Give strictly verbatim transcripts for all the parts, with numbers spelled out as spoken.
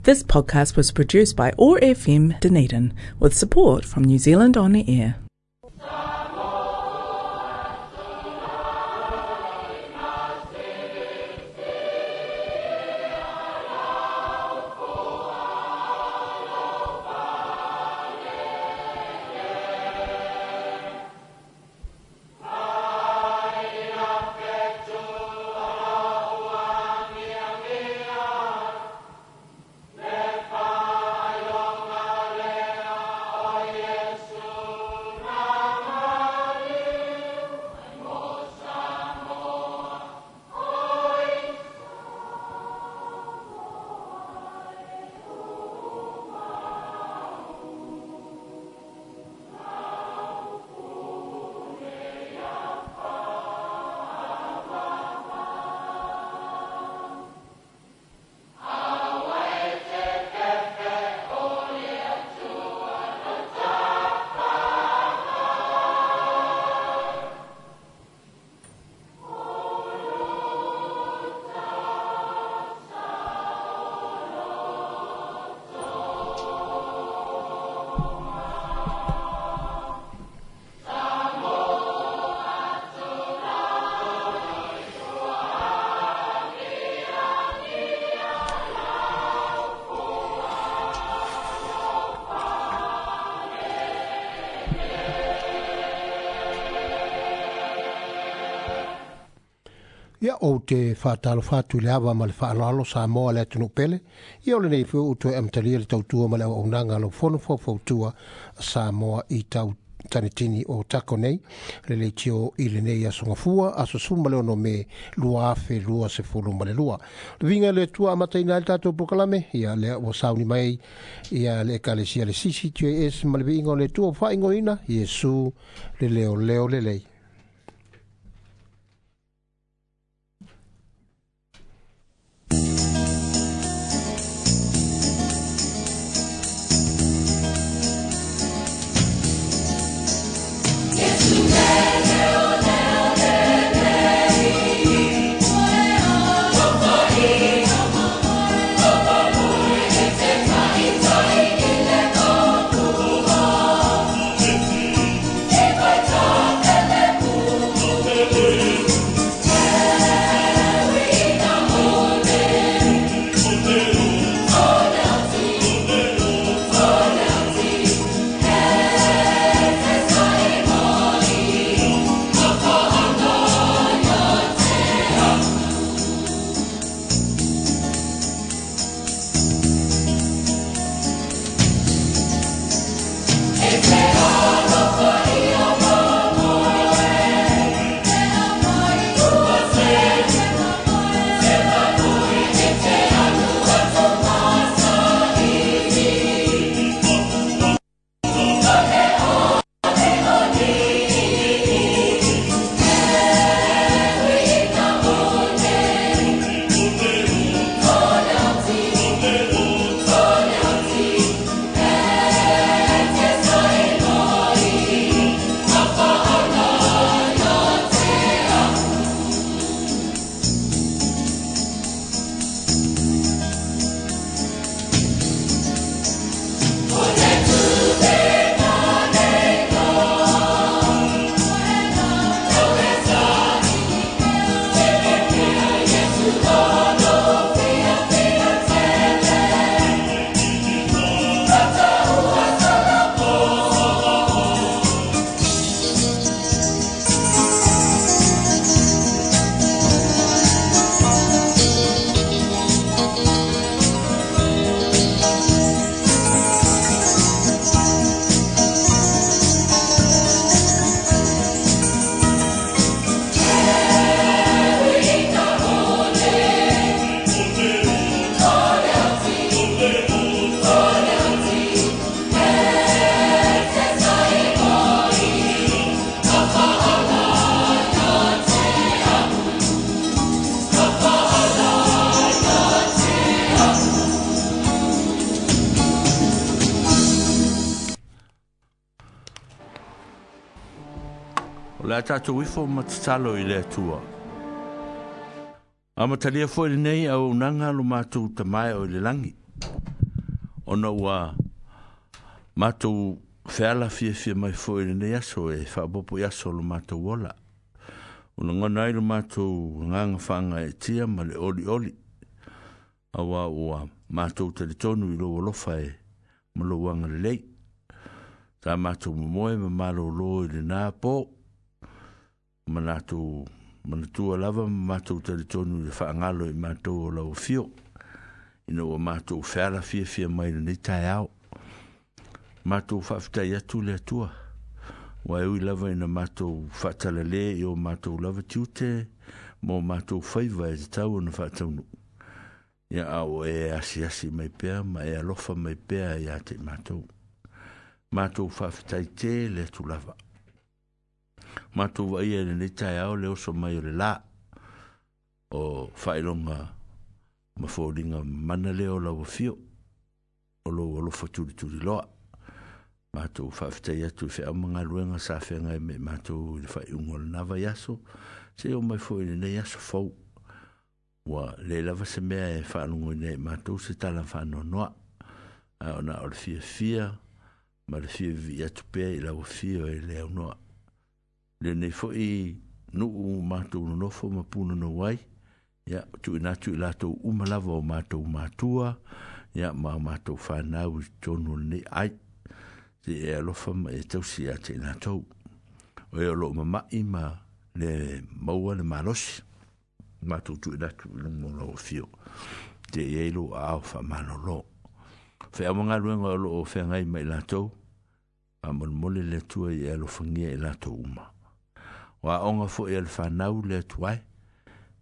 This podcast was produced by O R F M Dunedin with support from New Zealand On Air. Ia o te whātalo whātu le awa ma le whaalalo Samoa le atunu pele. Ia o le nei whiu utu e amtalia le tautua ma le auaunanga lo fono fautua Samoa i tau tanetini o tako nei. Le le tio i le nei aso ngafua, aso suma le ono me lua afe lua se fulu ma le lua. Le vinga le tua amata ina le tātou pokalame, ia le ua sauni mai, ia le ekalesia le C C J S ma le vinga o le tua whaingoina, Iesu le leo leo le lei. O le a tātou ifo matatalo i le atua. A matalia foi lenei au unanga lo mātou tamae o i le langi. Ona ua matou feala fiafia mai foi i lenei aso e faaopoopo i aso o lo matou ola. Ua lagona ai lo matou agaga faagaeetia ma le olioli, auā ua matou talitonu i lou alofa e ma lou agalelei. Sa matou momoe ma malōlō i lenā pō, manatou manatua lava ma matou talitonu i le faagalo i matou o lau afio, ina ua matou feala fiafia mai i lenei taeao. Matou faafetai atu le Atua, ua e ui lava ina matou faatalale i o matou lava tiute ma o matou faiva e tatau ona faataunuu. Ia a ua e asiasi mai pea ma e alofa mai pea ia te i matou. Matou faafetai tele atu lava. Matou vaaia i lenei taeao le oso mai o le lā o faailoga ma foliga mana lea o lau afio, o lou alofa tulituliloa. Matou faafetai atu i feau ma galuega sa feagai me i matou i le faaiuga o lenā vaiaso, seia oo mai foi i lenei aso fou. Ua le lava se mea e faalogoina ai i matou se tala faanoanoa, ae ona o le fiafia ma le fia vivii atu pea i lau afio e le aunoa. Lenei foi nuu matou nonofo ma punonou ai, ia tuuina atu i latou uma lava o matou matua, ia ma o matou fanau i totonu o lenei ai, seia e alofa ma e tausi ia te i latou. O e o loo mama'i ma le maua le malosi, matou tuuina atu i luga o lau afio, seia i ai lou aao faamalōlō. Feau ma galuega o loo feagai ma i latou, faamolemole le Atua ia e alofagia i latou uma. O aoga foi a le fanau le Atua e,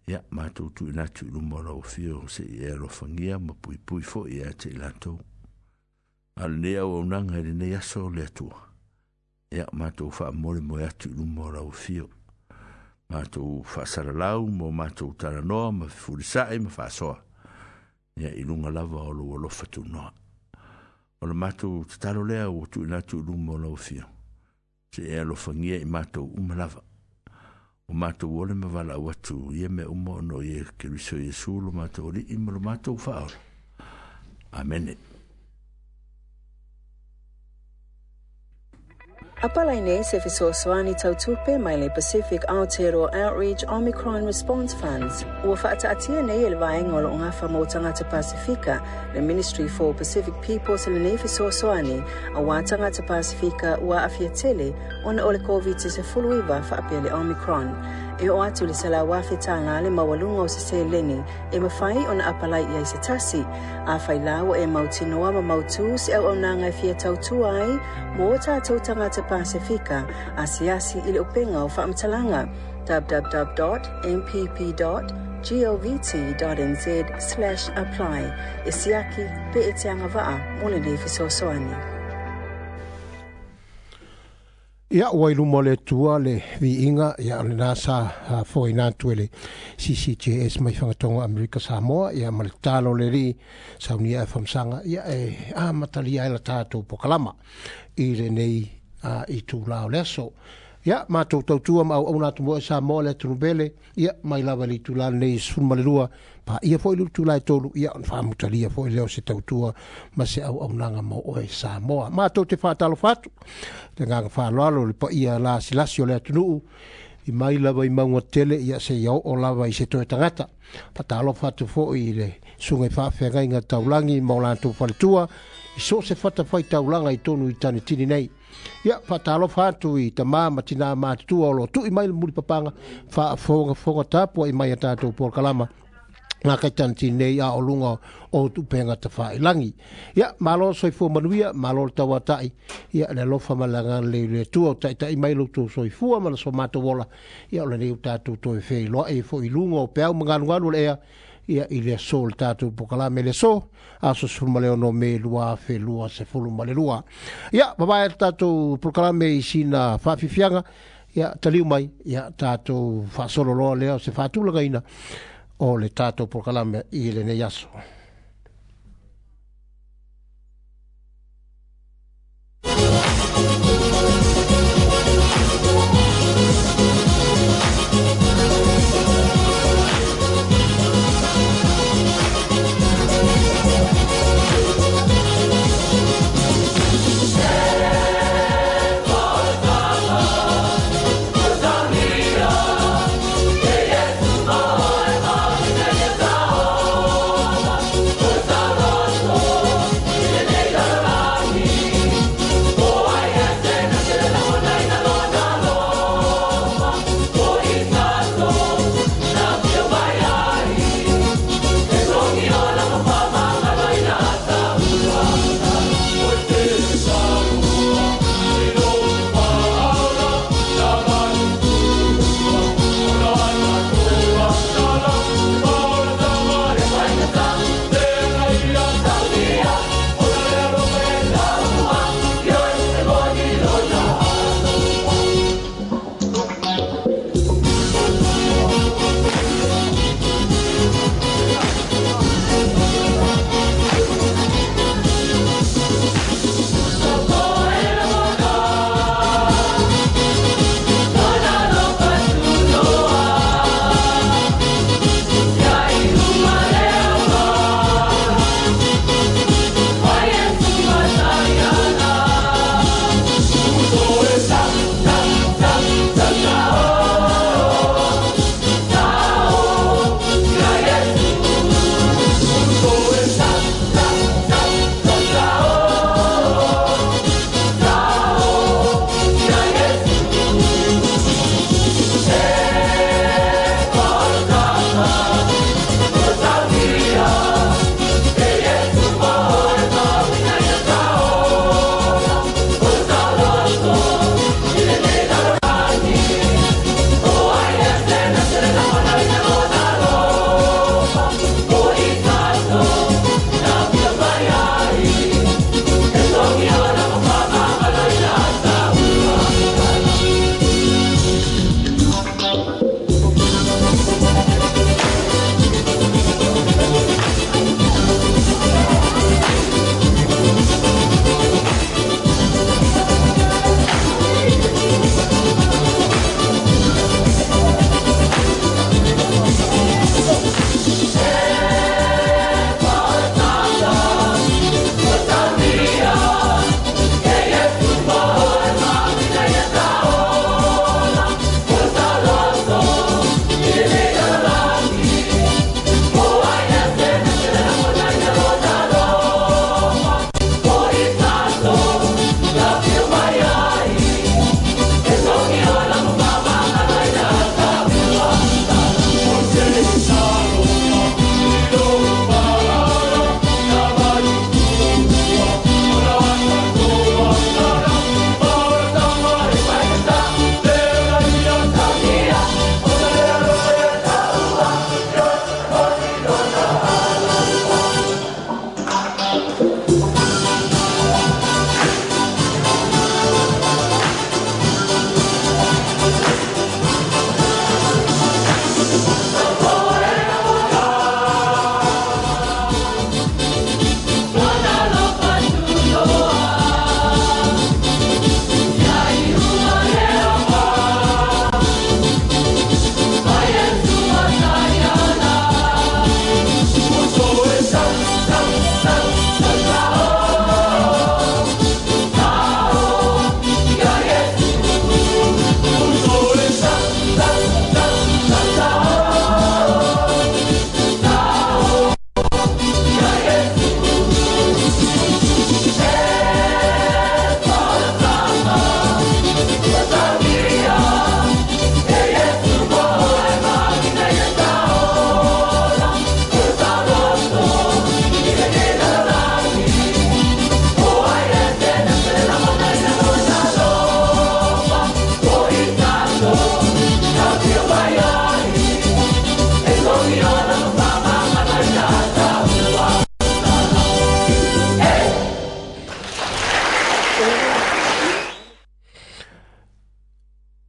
ia matou tuuina atu i luma o lau afio, seia e alofagia ma puipui foi ia te i latou. A o lenei auaunaga i lenei aso le Atua, ia matou faamolemoe atu i luma o lau afio. Matou faasalalau ma o matou talanoa ma fefulisa'i ma faasoa, ia i luga lava o lou alofa tunoa. O le matou tatalo lea ua tuuina atu i luma o lau afio, seia e alofagia i matou uma lava. O matou ole ma valaau atu ia mea uma ona o Ie Keriso Iesu lo matou Alii ma lo matou Faaola. Amene. Apalai nei se fesoasoani tautupe mai le Pacific Aotearoa Outreach Omicron Response Funds. Ua faataatia nei e le vaega o loo gafa mo tagata Pasifika, le Ministry for Pacific Peoples lenei fesoasoani auā tagata Pasifika ua aafia tele ona o le Koviti sefuluiva faapea le Omicron. E oo atu i le selau afe tālā le maualuga o se seleni e mafai ona apalai i ai se tasi. Afai la ua e mautinoa ma mautū se auaunaga e fia tautua ai mo tatou tagata Pasifika, asiasi i le upega o faamatalaga w w w dot m p p dot govt dot n z slash apply e siaki pe e te agavaa mo lenei fesoasoani. Ia ua i luma o le Atua le viiga, ia o lenā sa foaina atu e le C C J S mai Fagatogo Amerika Samoa, ia ma le tatalo o le Alii saunia e famasaga, ia e amatalia ai la tatou pokalama i lenei itulā o le aso. Ia matou tautua ma auauna atu mo e Samoa le atunuu pele, ia mai lava i le itulā lenei sefulu ma le lua, paia foi le itulā e tolu, ia ona faamutalia foi lea o se tautua ma se auaunaga mo oe Samoa. Matou te faatalofa atu le agaga faaaloalo le paia lasilasi o le atunuu, i mai lava i mauga tele, ia seia oo lava i se toe tagata. Faatalofa atu foi i le susuga i faafeagaiga taulagi ma o latou faletua, i so o se fatafaitaulaga i tonu i Tanitini nei. Ia faatalofa atu i tamā ma tinā matutua o loo tui mai le mulipapaga faafogafoga tapua'i mai a tatou polokalama ngā kai Tanitini nei a o luga o upega tafailagi. Ia malo le soifua manuia, malo le tauata'i, ia le alofa ma le agalelei o le Atua o taita'i mai lo outou soifua ma le so matou ola, ia o lenei ua tatou toe feiloai ai foi i luga o peau ma galugalu o le ea, ia i le aso o le tatou pokalame le aso, aso sefulu ma le ono Me lua afe lua sefulu ma le lua. Ia vavae le tatou polokalame i sina faafiafiaga, ia taliu mai, ia tatou faasololoa lea o se faatulagaina o le tatou polokalame i lenei aso.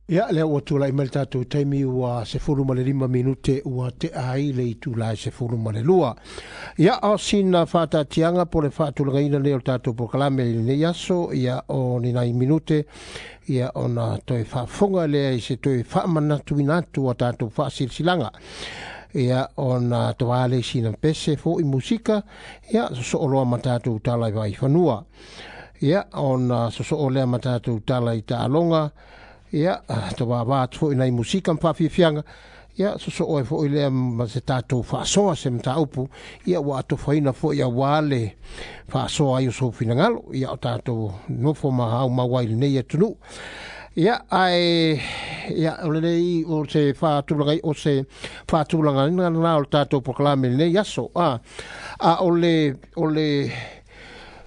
Ia lea ua tulai mai le tatou taimi ua sefulu ma le lima minute ua tea ai le itula e sefulu ma le lua. Ia o sina faataatiaga po le faatulagaina lea o le tatou polokalame i lenei aso, ia o ni nai minute, ia ona toe faafofoga lea i se toe faamanatuina atu a tatou faasilasilaga. Ia ona toa le sina pese fo'i musika, ia sosoo loa ma tatou tala i vaifanua. Ia ona sosoo lea ma tatou tala i taaloga, ia toa atu fo'i nai musika ma faafiafiaga, ia sosoo ai fo'i lea ma se tatou faasoa se mataupu, ia ua atofaina fo'i auā le faasoa ai o sou finagalo, ia o tatou nofo ma aumau ai i lenei atunuu. Ia ae ia o lenei o se faatulaga o se faatulagaina lena o le tatou polokalame i lenei aso. A a o le o le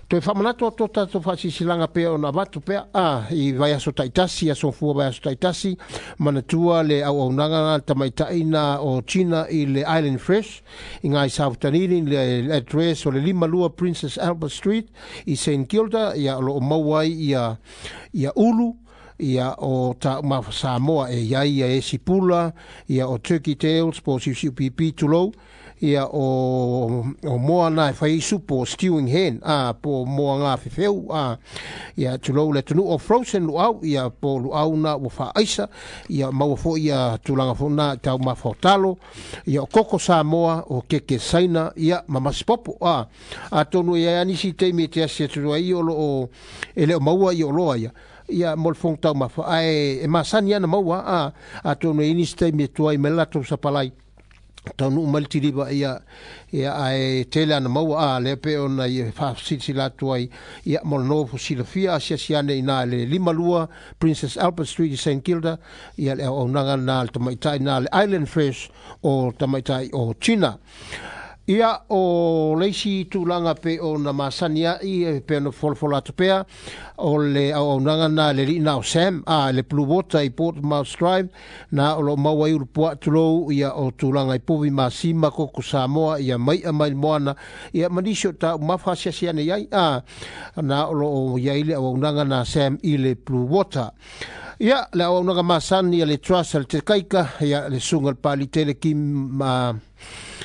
toe faamanatu atu o tatou faasilasilaga pea ona avatu pea a i vaiaso taitasi, aso fua vaiaso taitasi, manatua le auaunaga na le tamaitaina o China i le Island Fresh i ngai South Dunedin, le address o le lima lua Princess Albert Street i Saint Kilda, ia o loo maua ai ia ia ulu, ia o taumafa Samoa e iai ia esi pula, ia o turkey tails po o siusiu pipi tulou, ia o o moa na e fai supo stewing hen a po moa ngā fefeu a ia tulou le atunuu o frozen luau, ia po luau na ua faaaisa, ia maua fo'i ia tulaga fo'i na taumafa o talo, ia o koko Samoa o keke saina, ia ma masipopo a atonu ia nisi taimi e te asi atu ai o loo e le o maua i o loa ia ia mo le fofoga taumafa ae e masani ana maua a atonu e nisi taimi e tuai mai le latou sapalai taunuu mai le tiliva ia ia ae tele ana maua a lea pe ona ia faasilasila atu ai ia mo le nofo silafia asiasi ane ina le lima lua Princess Albert Street i Saint Kilda, ia le auaunaga na le tamaitai na le Island Fresh o tamaitai o China. Ia o leisi tulaga pe ona masani ai e pe ona folafola atu pea o le auaunaga na le liina o Sam a le Blue Water i Portsmouth Drive na o lo maua ai ulu puaa tulou, ia o tulaga i povi masima koko Samoa, ia mai'a mai le moana, ia ma nisi o taumafa asiasi ane ai a na o loo iai le auaunaga na Sam i le Blue Water. Ia le auaunaga masani a le Trust a le Tekaika, ia le suga le Palitele Kim ma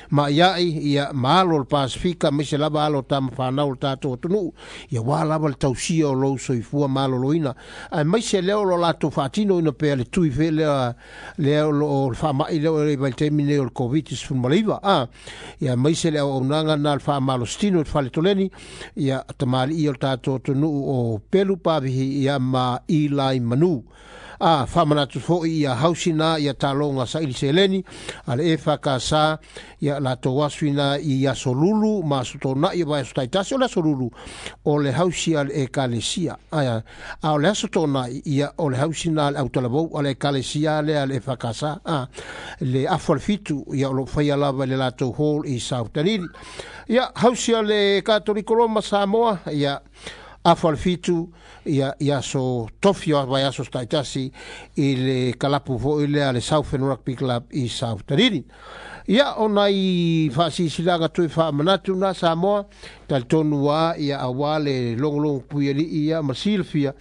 ma iai ia maalo le Pasifika aemaise lava alo o tamawhanau o le tatou atunuu, ia wā lava le tausia o lou soifua maloloina, aemaise lea o lo latou faatinoina pea le tui fe lea lea o loo le faama'i lea o le vaitaimi nei o le Covid sefulumalaiva a ia aemaise le auaunaga na le faamalositino i le faletoleni, ia tamalii o le tatou atunuu o Pelu Pavihi ia ma Ilai Manu. A faamanatu fo'i ia hausina ia taloga saili seleni a le E F K S A, ia latou asuina i aso lulu ma aso tona'i o vaiaso taitasi. O le aso lulu o le hausi a le ekalesia, a a o le aso tona'i ia o le hausina a le autalavou a le ekalesia lea a le E F K S A a le afu a le fitu, ia o loo faia lava i le latou hall i South Dunedin. Ia hausi a le Katoliko Roma Samoa, ia afu a le fitu, ia ia aso tofi o vaiaso taitasi i le kalapu fo'i lea le Southern Rugby Club i South Dunedin. Ia ona i faasisilaaga toe faamanatu na Samoa talitonu a ia auā le logologo puialii ia ma silafia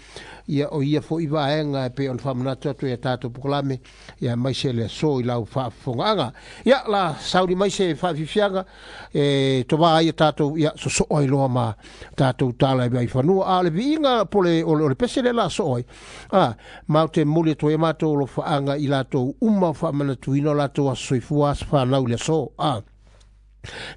ia o ia foʻi vaega e pei ona faamanatu atu ia tatou pokalame ia maise le aso i lau faafofogaaga. Ia la sauni mai se faafiafiaga e tovā ai tatou ia sosoo ai loa ma tatou tala i fanua a o le viiga po le o le pese le la soo ai a ma te momoli atu ai matou alofaaga i latou uma faamanatuina o latou aso soifua aso fanau i le aso a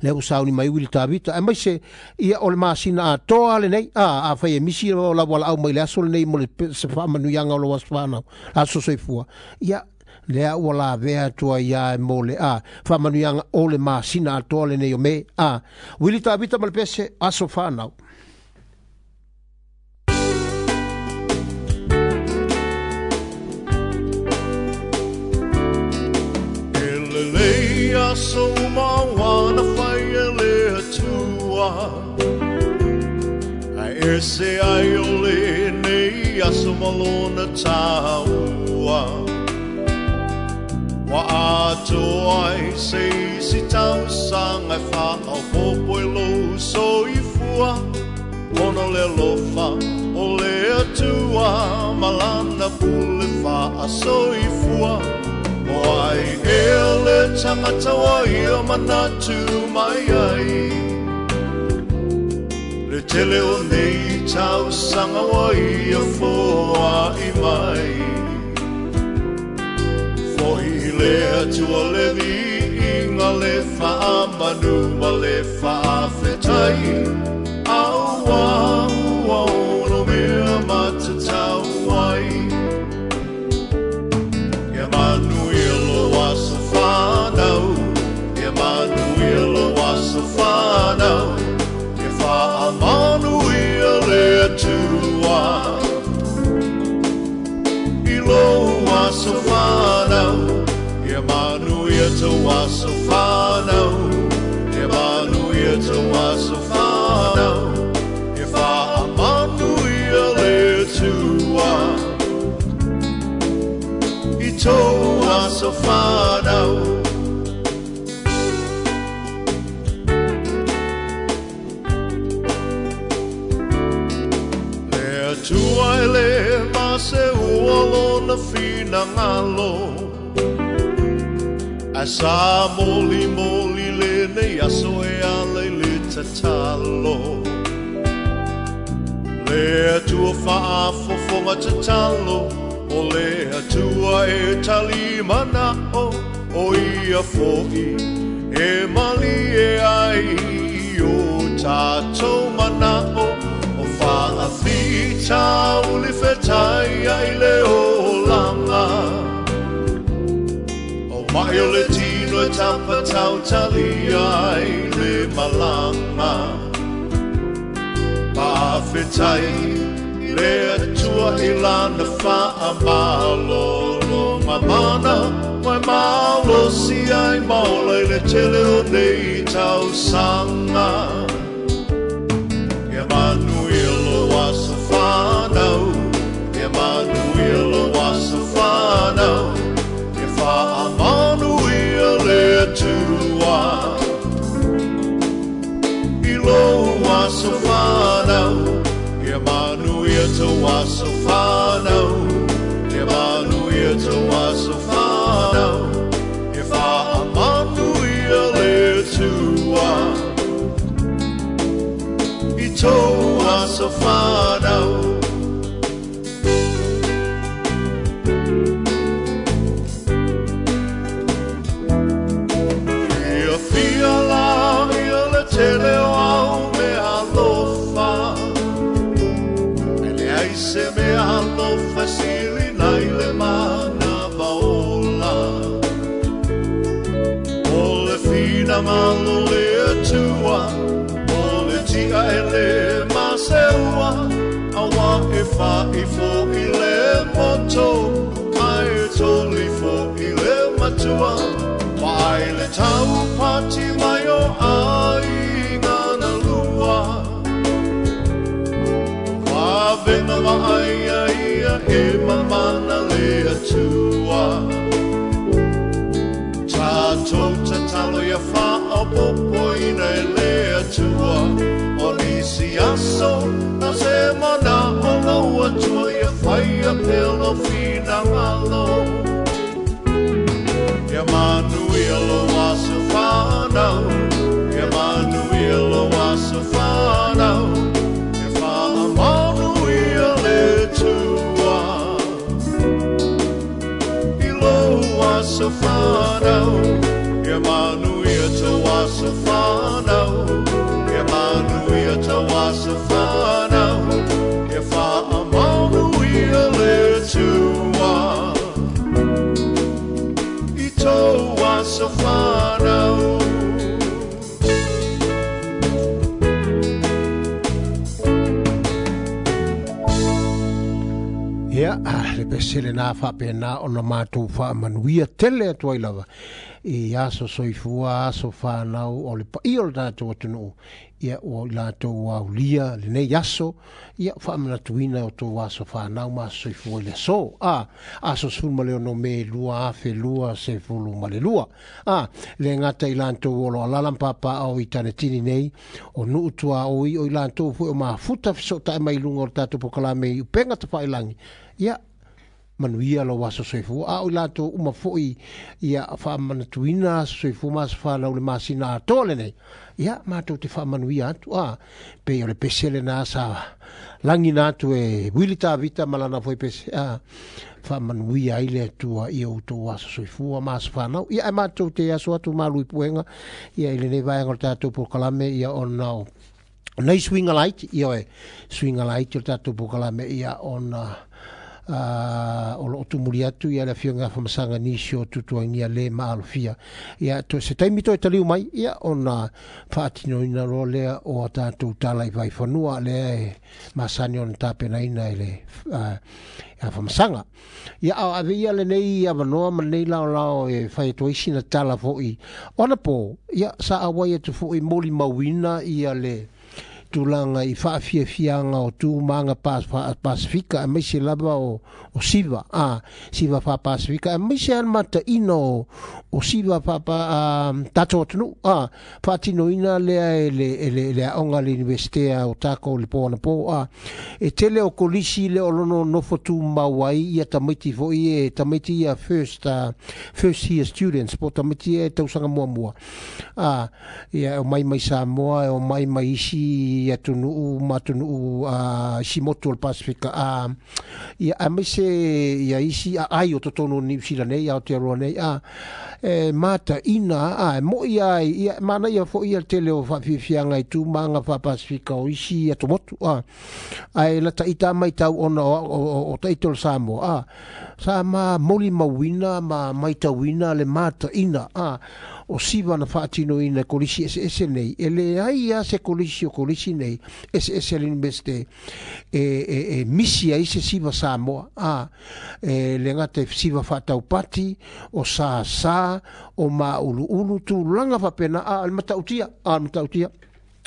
le ua sauni mai Wili Tavita aemaise ia o le masina atoa lenei a afai e misi o lau valaau mai le aso lenei mo le se faamanuiaga o lou aso fanau aso soifua ia lea ua lavea atu ai ia mo le a faamanuiaga o le masina atoa lenei o Me a Wili Tavita ma le pese aso fanau. Elelei aso mawana fai e le atua Ai ese ai o le nei aso malona taua Wa atoa ai se isi tausaga e faaopopo e lou soifua Ona le alofa o le Atua ma lana pule faasoifua O ai ea le tagata ua ia manatu mai ai Le tele o nei tausaga ua ia foai mai Foʻi i le Atua le viiga le faamanu ma le faafetai Auā ua ono mea matatau ai Ia manuia lou aso fanau Ia manuia lou aso fanau Ia faamanuia le Atua I lou aso fanau Ia manuia tou aso fanau Ia manuia tou aso fanau Ia faamanuia le Atua I tou aso fanau. Le Atua e le mase ua lona finagalo Ae sa molimoli lenei aso e ala i le tatalo Le Atua faafofoga tatalo O le Atua e talimanao O ia foʻi e malie ai i o tatou manao O faafitauli fetai ai le olaga O mai o le tino e tapatautalia ai le malaga Faafetai le Atua i lana faamalologa mana Mai malosi ai ma ola i le tele o nei tausaga Ia manuia lou aso fanau Ia manuia lou aso fanau Ia faamanuia le Atua I lou aso fanau Ia manuia tou aso fanau Ia manuia tou aso fanau Ia faamanuia le Atua I tou aso fanau. Ia fia la ia le tele o au mea alofa E leai se mea alofa sili nai le mana vaola O le finagalo le Atua O le tia e le maseua Auā e faaifo i le moto Ae toli foʻi le matua Vaai le taupati mai o aiga na lua Vavena vaaia ia e mamana le Atua Tatou tatalo finagalo ia faaopopoina e le Atua. O nisi aso na se manao lau Atua ia faia pea lou finagalo. Ia manuia lou aso fanau, ia manuia lou aso fanau, ia faamanuia le Atua i lou aso fanau, ia manuia tou aso fanau, ia manuia tou aso fanau, ia faamanuia le Atua i tou aso fanau. Ia, le pesele nā whapena o na mātou whaamanuia tele atu ai lava i aso soifua, aso whanau o le paia o le tātou atunuu. Ia o i latou aulia le nei aso, ia whaamanatuina o tō aso whanau ma aso soifua i le aso. A, aso sefulu ma le ono me lua afe lua sefulu ma le lua. A, le ngata i latou o lo alala mpapa au i tane tini nei, o nuu tua oi o i latou fue o mafuta fisota e mai lunga o le tātou pokalame i upenga tawhailangi. Ia, manuia lau aso soifua. A o i latou uma foi ia whaamanatuina aso soifua ma aso whanau le masina atoa lenei. Ia, mātou te whaamanuia atu. A, pe o le pesele nā sa langi nā atu e Wili Tavita malana foi pese. A, whaamanuia ai le Atua i o tō aso soifua ma aso whanau. Ia, e mātou te aso atu malu i puenga. Ia, i lenei vaenga o le tātou pokalame ia ona o nei swinga light. Ia oe, swinga light o le tātou pokalame ia ona Uh, o lo tumuli atu ia le afioga whamasanga nisi o tutuangia le maalofia. Ia, to se taimi toe taliu mai, ia ona whaatinoina roa lea o a tātou tala i vaiwhanua lea e masani ona tapenaina i le uh, a whamasanga. Ia, a ave ia le nei awanoa ma nei lao lao e whai atu ai sina tala foi. Ona po, ia, sa awai atu foi moli mauina ia le tulaga i faafiafiaga o tumaga Pasifika aemaise lava o, o siva a siva faapasifika aemaise a le mataʻina o, o siva faapa tatou atunuu a faatinoina lea e le, e le, le aoga le Universitea o takou le po anapo a e tele o kolisi le o lono nofo tumau ai ia tamaiti foi e tamaiti ia first, uh, first year students po tamaiti e tausaga muamua a ia o mai mai Samoa e o mai mai isi atunuu ma atunuu uh, isi motu o le Pasifika a ia aemaise ia isi aai o totonu o Niu Sila nei Aotearoa nei a e mataʻina a e moʻi ai ia manaia foʻi ia le tele o faafiafiaga i tumaga faapasifika o isi atomotu a ae lataʻita maitau ona o, o, o, o taʻita o le Samoa a sa ma molimauina ma maitauina le mataʻina a o siva na faatinoina e kolisi eseese nei e leai a se kolisi o kolisi nei eseese le Universite e, e, e misi ai se siva Samoa a e le gata e siva faataupati o sāsā o mauluulu tulaga faapena a le matautia a le matautia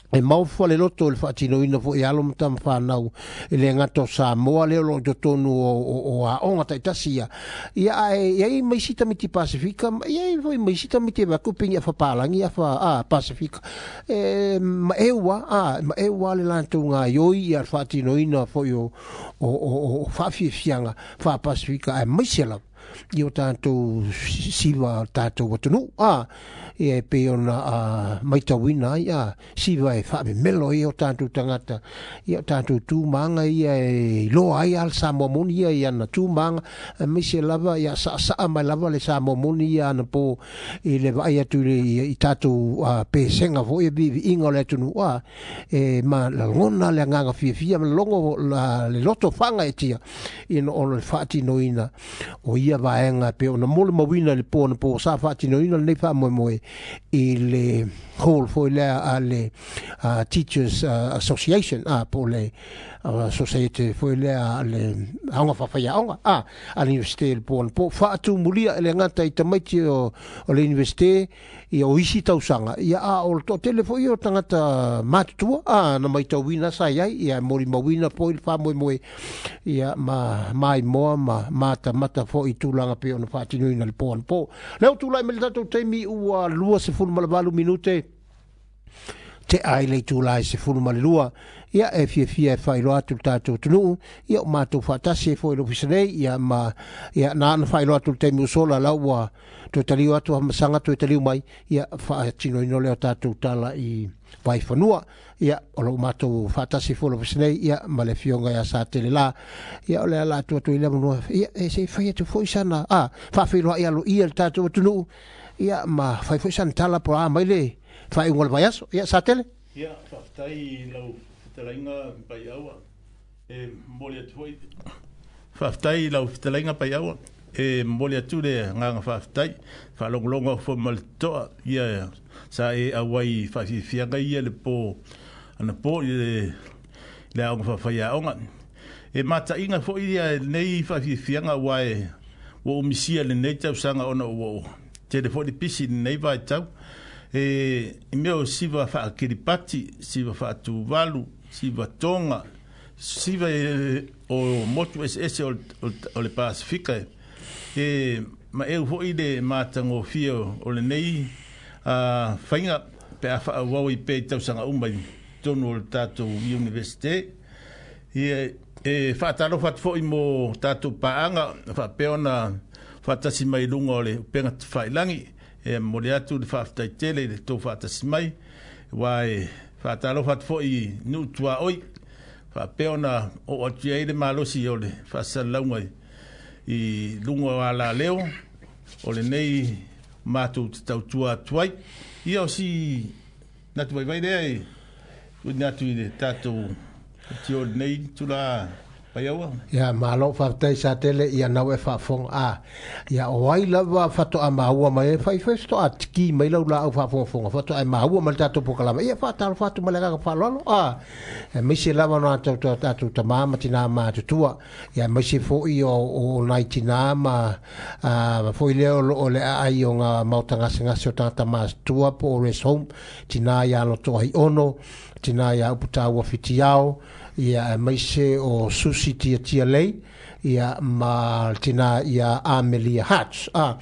e maofua le loto o le faatinoina foʻi alo ma tamawhanau e le gata o Samoa lea o loo totonu o, o, o aoga taʻitasi ia ia ae iai maisi tamiti Pasifika iai foi maisi tamiti e vaku pegi afa palagi afa a Pasifika e maʻeua a maʻeua le latou gaioi ia le faatinoina foʻi o, o, o, o faafiafiaga faapasifika ae maise lava i o tātou siva tātou atunuu a ia e pei ona maitauina ai a siva e faamemelo ai o tātou tagata ia o tātou tumaga ia e iloa ai a le Samoa moni ia i ana tumaga aemaise lava ia saʻasaʻa mai lava le Samoa moni ia ana po i le vaai atu i, i tātou uh, pesega foʻi e viiviiga o le atunuu a e ma lagona le agaga fiafia ma logo la, le loto faga e tia ina ona le faatinoina o ia vaega pe ona molimauina le po na po sa faatinoina lenei faamoemoe i le hall foi lea a le uh, Teachers uh, Association a po le uh, Society foi lea a le aoga faafaiaoga a a le Universite le po na po faatumulia e le gata i tamaiti o, o le Universite ia o isi tausaga ia a o le toatele foi o tagata matutua a na maitauina sa iai ia e molimauina foi le faamoemoe ia ma maimoa ma matamata foi tulaga pei ona faatinoina le po anapo. Lea ua tulai mai le tatou taimi ua lua sefulu ma le valu minute te ai le itula e sefulu ma le lua. Ia e fiafia e faailoa atu le tatou atunuu, ia o matou faatasi ai foi i le ofisa nei, ia ma ia na ana faailoa atu le taimi ua sola la ua toe taliu atu Hamasaga toe taliu mai, ia faatinoina lea o tatou tala i Vaifanua. Ia o lo o matou faatasi foi i le ofisa nei, ia ma le afioga ia Satelela. Ia o le ala atu atu i le avanoa, ia e se i fai atu foi sana a faafeiloai aloaia le tatou atunuu, ia ma fai foi sana tala po o a mai le faaiuga o le vaiaso. Ia Satele. Ia, faafetai i lau fetalaiga Paiaua. E momoli atu foi. Faafetai i lau fetalaiga Paiaua. E momoli atu le agaga faafetai. Faalogologo foi ma le totoa. Ia sa e auai faafiafiaga ia le po anapo i le, le aoga faafaiaoga. E mataina foi ia lenei faafiafiaga ua e ua umisia lenei tausaga ona ua tele foi le pisi i lenei vaitau. E i mea o siva faakiripati, siva faatuvalu, siva tonga, siva e, o motu eseese o, o, o le Pasifika. E ma eu foi le matagofie o lenei a faiga pe a faaauau i pea i tausaga uma i totonu o le tatou Universite. Ia, e faatalofa atu foi mo tatou paaga faapea ona faatasi mai i luga o le upega tafailagi. E momoli atu le faafetai tele i le tou faatasi mai, aua e faatalofa atu foi i nuu tuaoi faapea ona oo atu i ai le malosi o le faasalalauga i luga o alaleo o lenei matou te tautua atu ai. Ia o si natu vaivai lea e tuuina atu i le tatou tio lenei tula Paiaua. Ia malo faafetai Satele, ia nau e faafofoga a ia o ai lava faatoa maua mai e fai fai faatoa tiki mai lau laau faafogafoga faatoa e maua mai le tatou polokalame. Ia faatalofa atu ma le agaga faaaloalo a aemaise lava ona tatou tatou tamā ma tinā matutua, ia aemaise foi o o nai tinā ma a foi lea o loo le aai o ngā maota gasegase o tagata matutua po o rest home, tinā ia Lotoa Ono, tinā ia Uputaua Fitiao, ia aemaise o Susi Tiatia Lei, ia ma tinā ia Amelia Hatch. A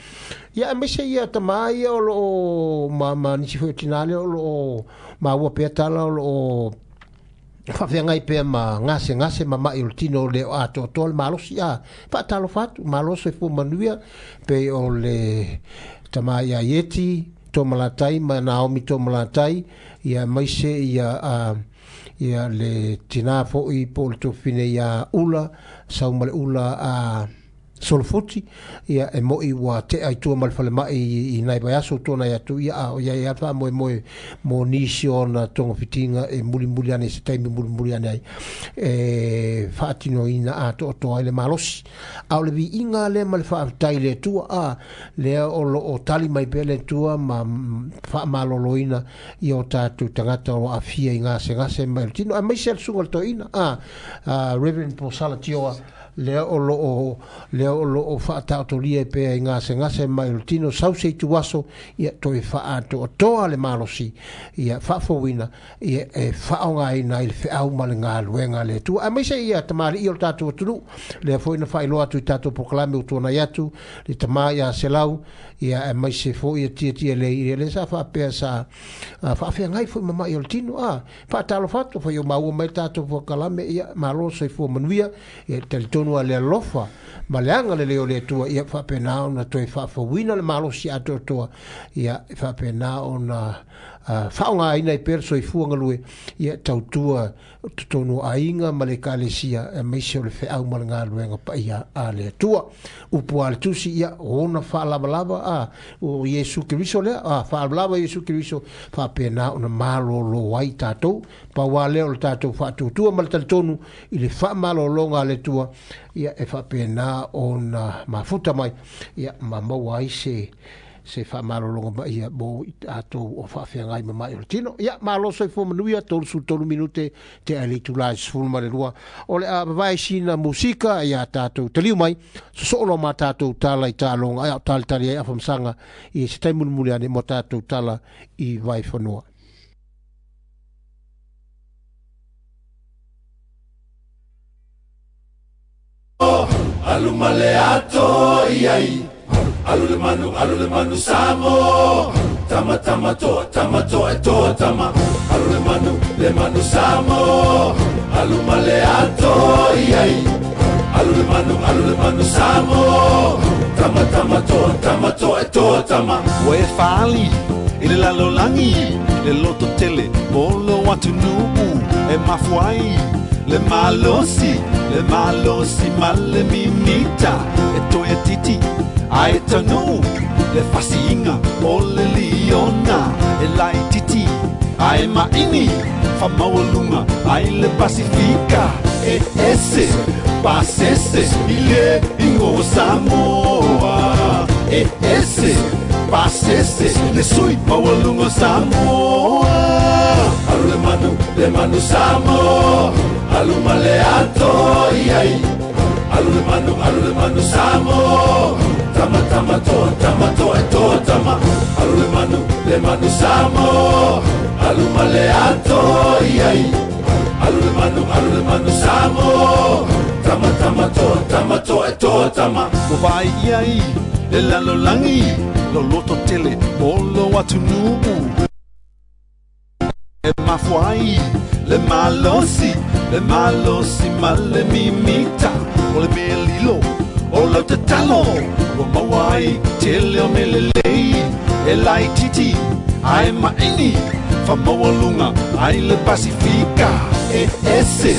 ia aemaise ia tamā ia o loo ma, ma nisi foi o tinā lea o loo maua pea tala o loo faafeagai pea ma gasegase ma mai o le tino le o atoatoa le malosi. A faatalofa atu malo soifua manuia pei o le tamā ia Ieti Tomalatai ma Naomi Tomalatai, ia aemaise ia a ia le tinā foi po o le tuafafine ia Ula sau ma le Ula a Solofuti, ia e mo'i ua tea i tua ma le falemai i nai vaiaso ua tuanai atu, ia a o iai lava le faamoemoe mo nisi o ona togafitiga e mulimuli ane i se taimi mulimuli ane ai e faatinoina atoatoa ai le malosi. A o le viiga lea ma le faafetai i le Atua, a lea o loo tali mai pea le Atua ma faamaloloina ia o tatou tagata o lo o aafia i gasegase mai o le tino, aemaise le susuga i le toeaina a, a Reverend Posala Tioa, lea o loo lea o loo faataotolia pea i gasegase mai o le tino sau se ituaso, ia toe faaatoatoa le malosi, ia faafouina, ia e faaaogaina ai le feau ma le galuega a le Atua, aemaise ia tamalii o le tatou atunuu lea foi na faailoa atu i tatou polokalame ua tuanai atu le tamā ia Selau, ia aemaise foi ia Tiatia Lei, ia lea sa faapea sa faafeagai foi ma mai o le tino. A faatalofa atu foi o maua mai le tatou polokalame, ia malo soifua manuia, ia talitonu a le alofa ma le agalelei o le Atua, ia faapena ona toe faafouina le malosi atoatoa, ia faapena ona uh, faaaogaina ai pea le soifua galue, ia tautua totonu o aiga ma le ekalesia, aemaise o le feau ma le galuega paia a le Atua. Upu a le tusi, ia ona faalavalava a o Iesu Keriso lea, a faalavalava Iesu Keriso, faapena ona malolo ai tatou. Pau lava lea o le tatou faatuatua ma le talitonu i le faamalologa a le Atua, ia e faapena ona mafuta mai, ia ma maua ai se se faamalologa mai ia mo i tatou o faafeagai ma mai o le tino. Ia malo soifua manuia, tolusefulu tolu minute te ai le itula e sefulu ma le lua. O le a vavae sina musika ia tatou taliu mai, sosoo loa ma tatou tala i taaloga ai ao talitali ai afamasaga i se taimi mulimuli ane mo tatou tala i Vaifanua. Alu ma le ato iai Alu le manu, alu le manu Samoa Tama tama toa, tama toa e toa tama Alu le manu, le manu Samoa Alu ma le ato iai Alu le manu, alu le manu Samoa Tama tama toa, tama toa e toa tama Ua e faali i le lalolagi le loto tele mo lou atunuu e mafua ai le malosi le malosi ma le mimita e toe titi ae taunuu le fasiiga o le liona e laititi ae maini faamaualuga ai le Pasifika e ese pasese i le igoa Samoa e ese pasese le sui maualuga o Samoa Alu le manu, le manu Samoa Alu ma le ato iai Alu le manu, alu le manu Samoa Tama tama toa, tama toa e toa tama Alu le manu, le manu Samoa Alu ma le ato iai Alu le manu, alu le manu Samoa Tama tama toa, tama toa e toa tama Ua vaai ai le lalolagi lo loto tele mo lou atunuu e mafua ai le malosi le malosi ma le mimita o le mea lilo o lau tatalo ua maua ai tele o mea lelei e laititi ae maini faamaualuga ai le Pasifika e ese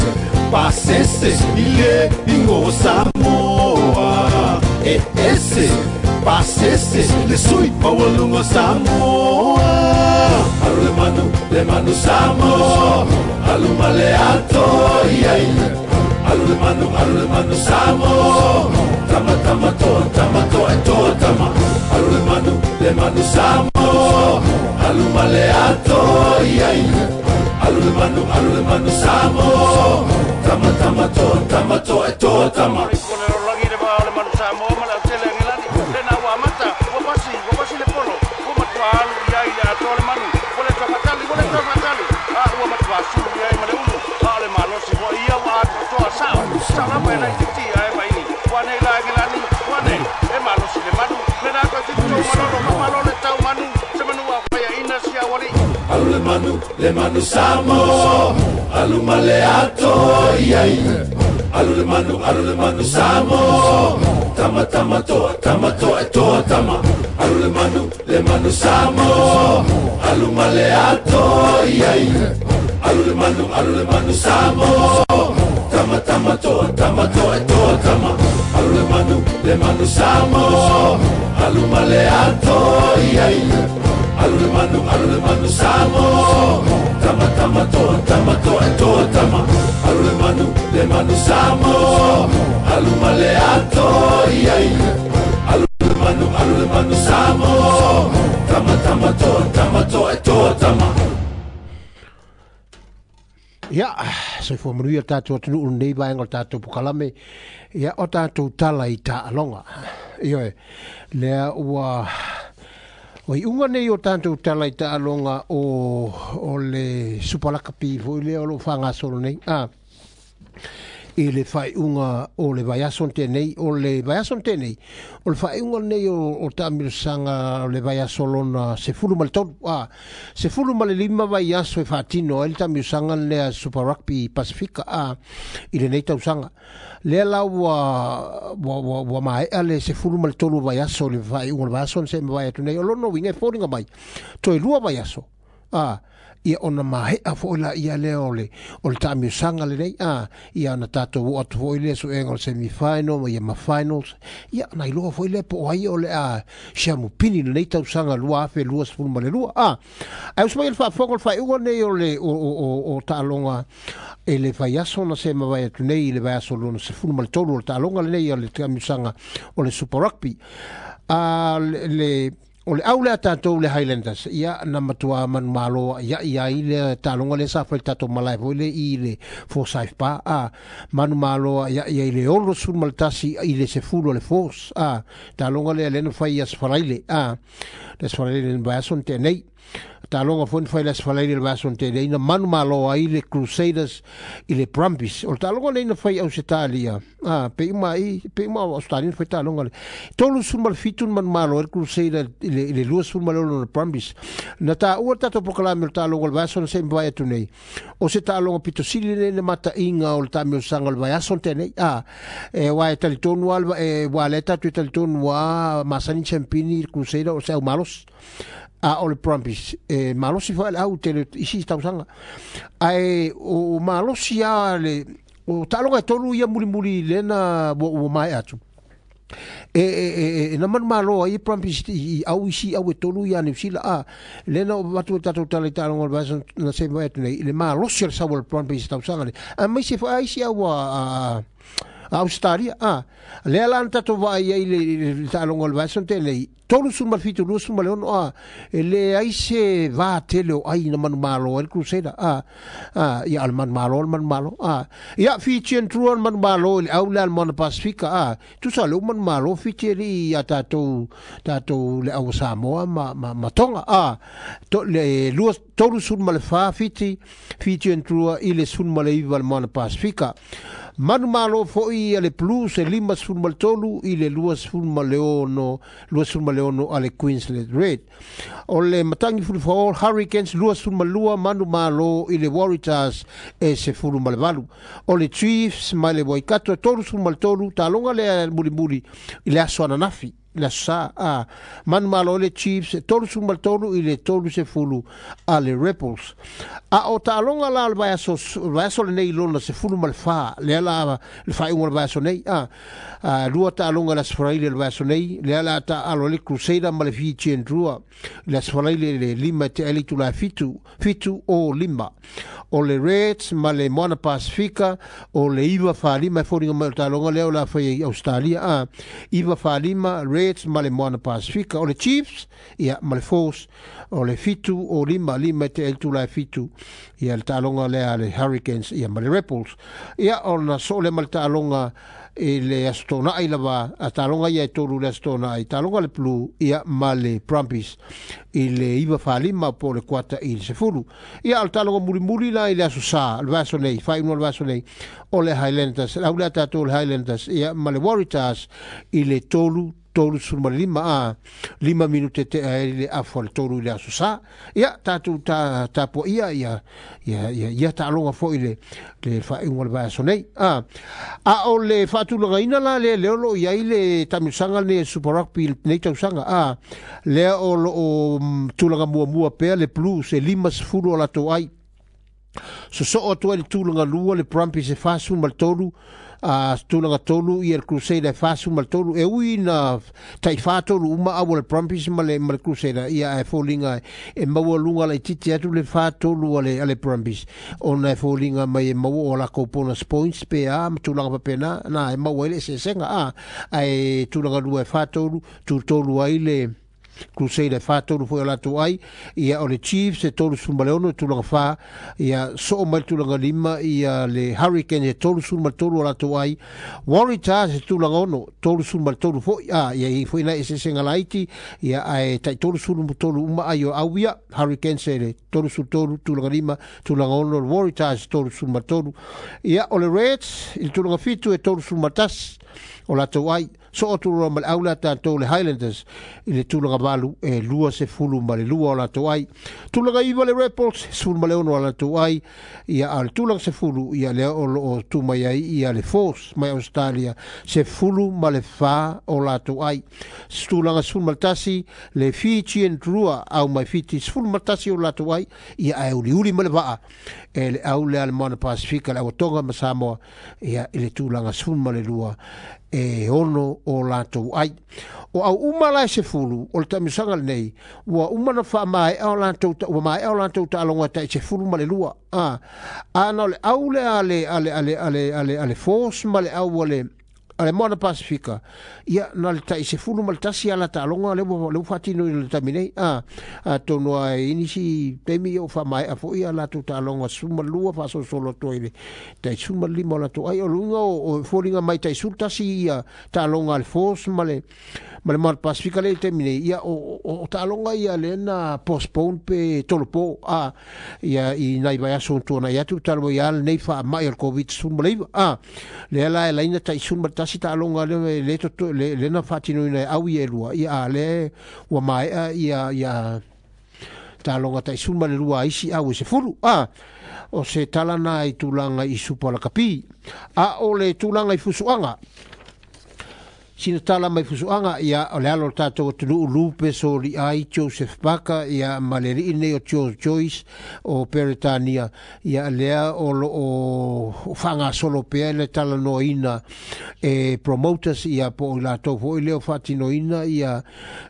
pasese i le igoa Samoa e ese pasese le sui maualuga o Samoa Alu le manu, le manu Samoa Alu ma le ato iai Alu le manu, alu le manu Samoa Tama tama toa, tama toa e toa tama Alu le manu, le manu Samoa Alu ma le ato iai Alu le manu, alu le manu Samoa Tama tama toa, tama toa e toa tama Alu le manu, le manu Samoa Alu ma le ato iai Alu le manu, alu le manu Samoa Tama tama toa, tama toa e toa tama Alu le manu, le manu Samoa Alu ma le ato iai Alu le manu, alu le manu Samoa Tama tama toa, tama toa e toa tama Alu le manu, le manu Samoa Alu ma le ato iai Alu le manu, alu le manu Samoa Tama tama toa, tama toa e toa tama Alu le manu, le manu Samoa Alu ma le ato iai Alu le manu, alu le manu Samoa Tama tama toa, tama toa e toa tama Ia, soifua manuia tātou atunuu lenei vaega o le tātou pokalame ia o tātou tala i taaloga. Ioe, lea ua o iuga nei o tātou tala i taaloga o, o le supalakapi foi lea o loo faagasolo nei. Ah, i le faaiuga o le vaiaso tenei, o le vaiaso tenei, o le faaiuga nei o, o taamilosaga o le vaiaso lona sefulu ma le tolu, ah, sefulu ma le lima vaiaso e faatino ai le taamilosaga lea Super Rugby Pasifika, ah, i lenei tausaga. Lea la ua, ua, ua, ua maea le sefulu ma le tolu vaiaso o le faaiuga o le vaiaso na se mavae atu nei, o lona uiga e foliga mai, toe lua vaiaso, ah, ia ona mahea fo'i la ia lea o le o le taamilosaga lenei a ia ona tatou oo atu fo'i lea suega o le semi-final ma ia ma finals ia na iloa fo'i lea po o ai o le a siamupini lenei tausaga lua afe lua sefulu ma le lua a ae uso mai le faafofoga o le faaiuga nei o le o o o, o taaloga e le vaiaso na se mavae atu nei i le vaiaso lona sefulu ma le tolu o le taaloga lenei o le taamilosaga o le Super Rugby a le, le o le au lea tātou le Highlanders ia na matua manumalo ia ia i le taaloga le sa fai tātou malae foi le i le Forsyth Bar a manumalo ia ia i le olo sefulu ma le tasi i le sefulu o le Force a taaloga lea le na fai ia Sfalaile a le Sfalaile le vaiaso na tea nei. Taaloga foi na fai le Aso Faraile le vaiaso na tea nei na manumalo ai le Crusaders i le Brumbies. O le taaloga lenei na fai i Ausetalia, a, pe uma i, pe uma o Australia na fai taaloga le tolu sefulu ma le fitu na manumalo ai le Crusader i le, i le lua sefulu ma le ono le Brumbies. Na taua le tatou polokalame o le taaloga o le vaiaso na se i mavae atu nei. O se taaloga pito sili lenei na mataiga o le taamilosaga o le vaiaso na tea nei. A, e aua e talitonu lava le, e, aua lea tatou e talitonu lava masani champini le Crusader o se au malosi. A o le Brumbies e malosi foi le au tele isi tausaga. Ae o malosi lava le o taaloga e tolu ia mulimuli lena ua ua maea atu. E e e e na manumalo ai Brumbies i, i au isi au e tolu ia Niu Sila a lena o avatu e tatou tala i taaloga o le vaiaso na se i mavae atu nei i le malosi o le sau o le Brumbies tausaga nei. Aemaise foi a isi au a, a a Ausetalia, a lea la na tatou vaai ai i le, i le taaloga o le vaiaso na tea nei, tolu sefulu ma le fitu, lua sefulu ma le ono, a e leai se va tele o ai na manumalo ai le Crusader, a a ia o le manumalo o le manumalo, a ia Fijian Drua le manumalo i le au lea a le Moana Pasifika, a tusa o lea ua manumalo Fiji alii ia tatou tatou le au o Samoa ma ma, ma Tonga, a to, le lua tolu sefulu ma le fa Fiji Fijian Drua i le sefulu ma le iva le Moana Pasifika. Manumalo foi a le Blues e lima sefulu ma le tolu i le lua sefulu ma le ono, lua sefulu ma le ono a le Queensland Red. O le Matangi Fulufao Hurricanes lua sefulu ma lua manumalo i le Waratahs e sefulu ma le valu. O le Chiefs mai le Waikato e tolu sefulu ma le tolu, taaloga lea mulimuli i le aso ananafi. Le aso sa a manumalo le Chiefs tolu sefulu ma le tolu i le tolu sefulu a le Rebels. A o taaloga la o le vaiaso, o le vaiaso lenei lona sefulu ma le fa, lea la le faaiuga o le vaiaso nei, a, a lua taaloga le Aso Faraile o le vaiaso nei, lea la taalo le Crusader ma le Fijian Drua le Aso Faraile le lima e tea ai le itula e fitu, fitu o lima. O le Reds ma le Moana Pasifika o le iva fa lima e foliga mai o le taaloga lea o le a fai i Australia, a iva fa lima Reds ma le Moana Pasifika. O le Chiefs ia ma le Force o le fitu o lima, lima e tea ai le itula e fitu ia le taaloga lea a le Hurricanes ia ma le Rebels. Ia ona soo lea ma le taaloga i le Aso Toonai lava, a taaloga ia e tolu le Aso Toonai, taaloga le Blue ia ma le Brumbies i le iva fa lima po o le kuata i le sefulu. Ia o le taaloga mulimuli la i le Aso Sa, le vaiaso nei, faaiuga o le vaiaso nei, o le Highlanders, le au lea tatou le Highlanders ia ma le Waratahs i le tolu tolu sefulu ma le lima, a lima minute tea ai le afa o le tolu i le Aso Sa. Ia tatou ta tapuaia ia ia ia ia taaloga foi le le faaiuga o le vaiaso nei. A a o le faatulagaina la lea lea o lo o i ai le taamilosaga lenei e Super Rugby lenei tausaga, a lea o lo o tulaga muamua pea le Blues e lima sefulu o latou ai. Sosoo atu ai le tulaga lua le Brumbies e fa sefulu ma le tolu, a tulaga tolu ia le Crusader e fa sefulu ma le tolu. E ui na tai fa tolu uma au o le Brumbies ma le, ma le Crusader ia e foliga e maua luga laitiiti atu le fa tolu a le, a le Brumbies ona e foliga mai e maua o lakou bonus points pe a ma tulaga faapena na e maua ai le eseesega, a ae tulaga lua e fa tolu, tu tolu ai le Crusader fa tolu foi o latou ai. Ia o le Chiefs e tolu sefulu ma le ono e tulaga fa, ia soo mai le tulaga lima ia le Hurricane e tolu sefulu ma le tolu o latou ai. Waratahs e tulaga ono, tolu sefulu ma le tolu foi, a ia i foi nai eseesega laiti, ia ae tai tolu sefulu ma tolu uma ai o au ia Hurricanes e le tolu sefulu tolu, tulaga lima, tulaga ono le Waratahs e tolu sefulu ma le tolu. Ia o le Reds i le tulaga fitu e tolu sefulu ma le tasi o latou ai. Soo atu loa ma le au lea tatou le Highlanders i le tulaga valu e lua sefulu ma le lua o latou ai. Tulaga iva le Rebels, sefulu ma le ono o latou ai. Ia a le tulaga sefulu ia lea o lo o tu mai ai ia le Force mai Australia, sefulu ma le fa o latou ai. Tulaga sefulu ma le tasi le Fijian Drua au mai Fiji, sefulu ma le tasi o latou ai. Ia ae uliuli ma le vaa e le au lea le Moana Pasifika, le au Tonga ma Samoa ia i le tulaga sefulu ma le lua e ono o latou ai. O au uma la e sefulu o le taamilosaga lenei ua uma na faamaea o latou ua maea o latou taaloga tai sefulu ma le lua. A ana o le au lea a le a le a le a le a le a le Force ma le au a le a le Moana Pasifika ia na le tai sefulu ma le tasi ala taaloga le ua le ua faatino i le taimi nei a atonu ai nisi taimi o faamaea foʻi a latou taaloga sefulu ma lua faasolosolo atu ai le tai sefulu ma le lima o latou ai. O luga o foliga mai tai sefulu tasi ia taaloga a le Force ma le ma le Moana Pasifika le i le taimi nei ia o o taaloga ia lea na postpone pe tolopo a ia i nai vaiaso ua tuanai atu talu ai a lenei faamai o le Covid sefulu ma le iva a lea la e laina tai sefulu ma le tasi taaloga le le toto le le na faatinoina e au ia e lua ia a le ua maea ia ia taaloga tai sefulu ma le lua a isi au e sefulu a o se tala na i tulaga i supa lakapi a o le tulaga i fusuaga sina tala mai fusuaga ia o le alo o le tatou atunuu Lupe Soliai Joseph Parker ia ma le alii nei o George Joyce o Peretania ia lea o loo faagasolo pea le talanoaina e promoters ia po o i latou foi lea o faatinoina ia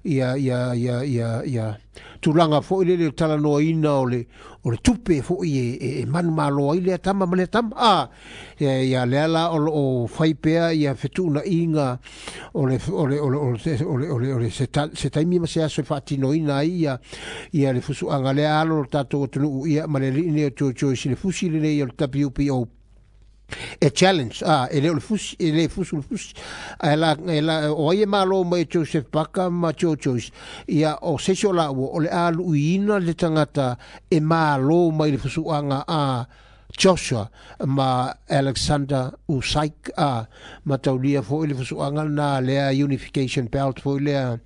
ia ia ia ia ia tulaga foi lele o le talanoaina o le o le tupe foi e, e, e manumalo ai lea tama ma lea tama a ia, ia lea la o loo fai pea ia fetuunaiga o le o le o le o le o le o le, o le se, ta, se taimi ma se aso e faatinoina ai ia ia le fusuaga lea alo o le tatou atunuu ia ma le alii nei o George Joyce i le fusi lenei o le W B O e challenge a e le o le fusi e le fusu le fusi a e la e la o ai e malo mai e Joseph Parker ma Joe Joyce ia o se isi o laua o le a luiina le tagata e malo mai le fusuaga a Joshua ma Alexander Usyk a mataulia foʻi le fusuaga lena lea Unification Belt foʻi lea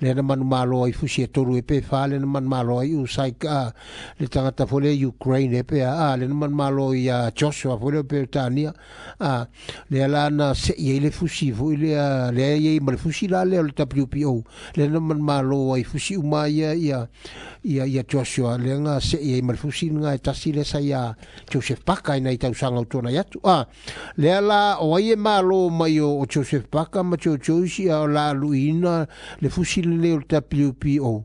lea na manumalo ai fusi e tolu e pe fa lea na manumalo ai Usyk a le tagata foʻi lea Ukraine e pe a lea na manumalo ia Joshua foʻi lea Peretania a lea la na seʻi ai le fusi foʻi lea lea iai ma le fusi la lea o le W B O lea na manumalo ai fusi uma ia ia ia ia Joshua lea na seʻi ai ma le fusi lena e tasi lea sa ia Joseph Parker i nai tausaga o tuanai atu a lea la o ai e malo mai o, o Joseph Parker ma Joe Joyce ia o la luiina le fusi lenei o le W B O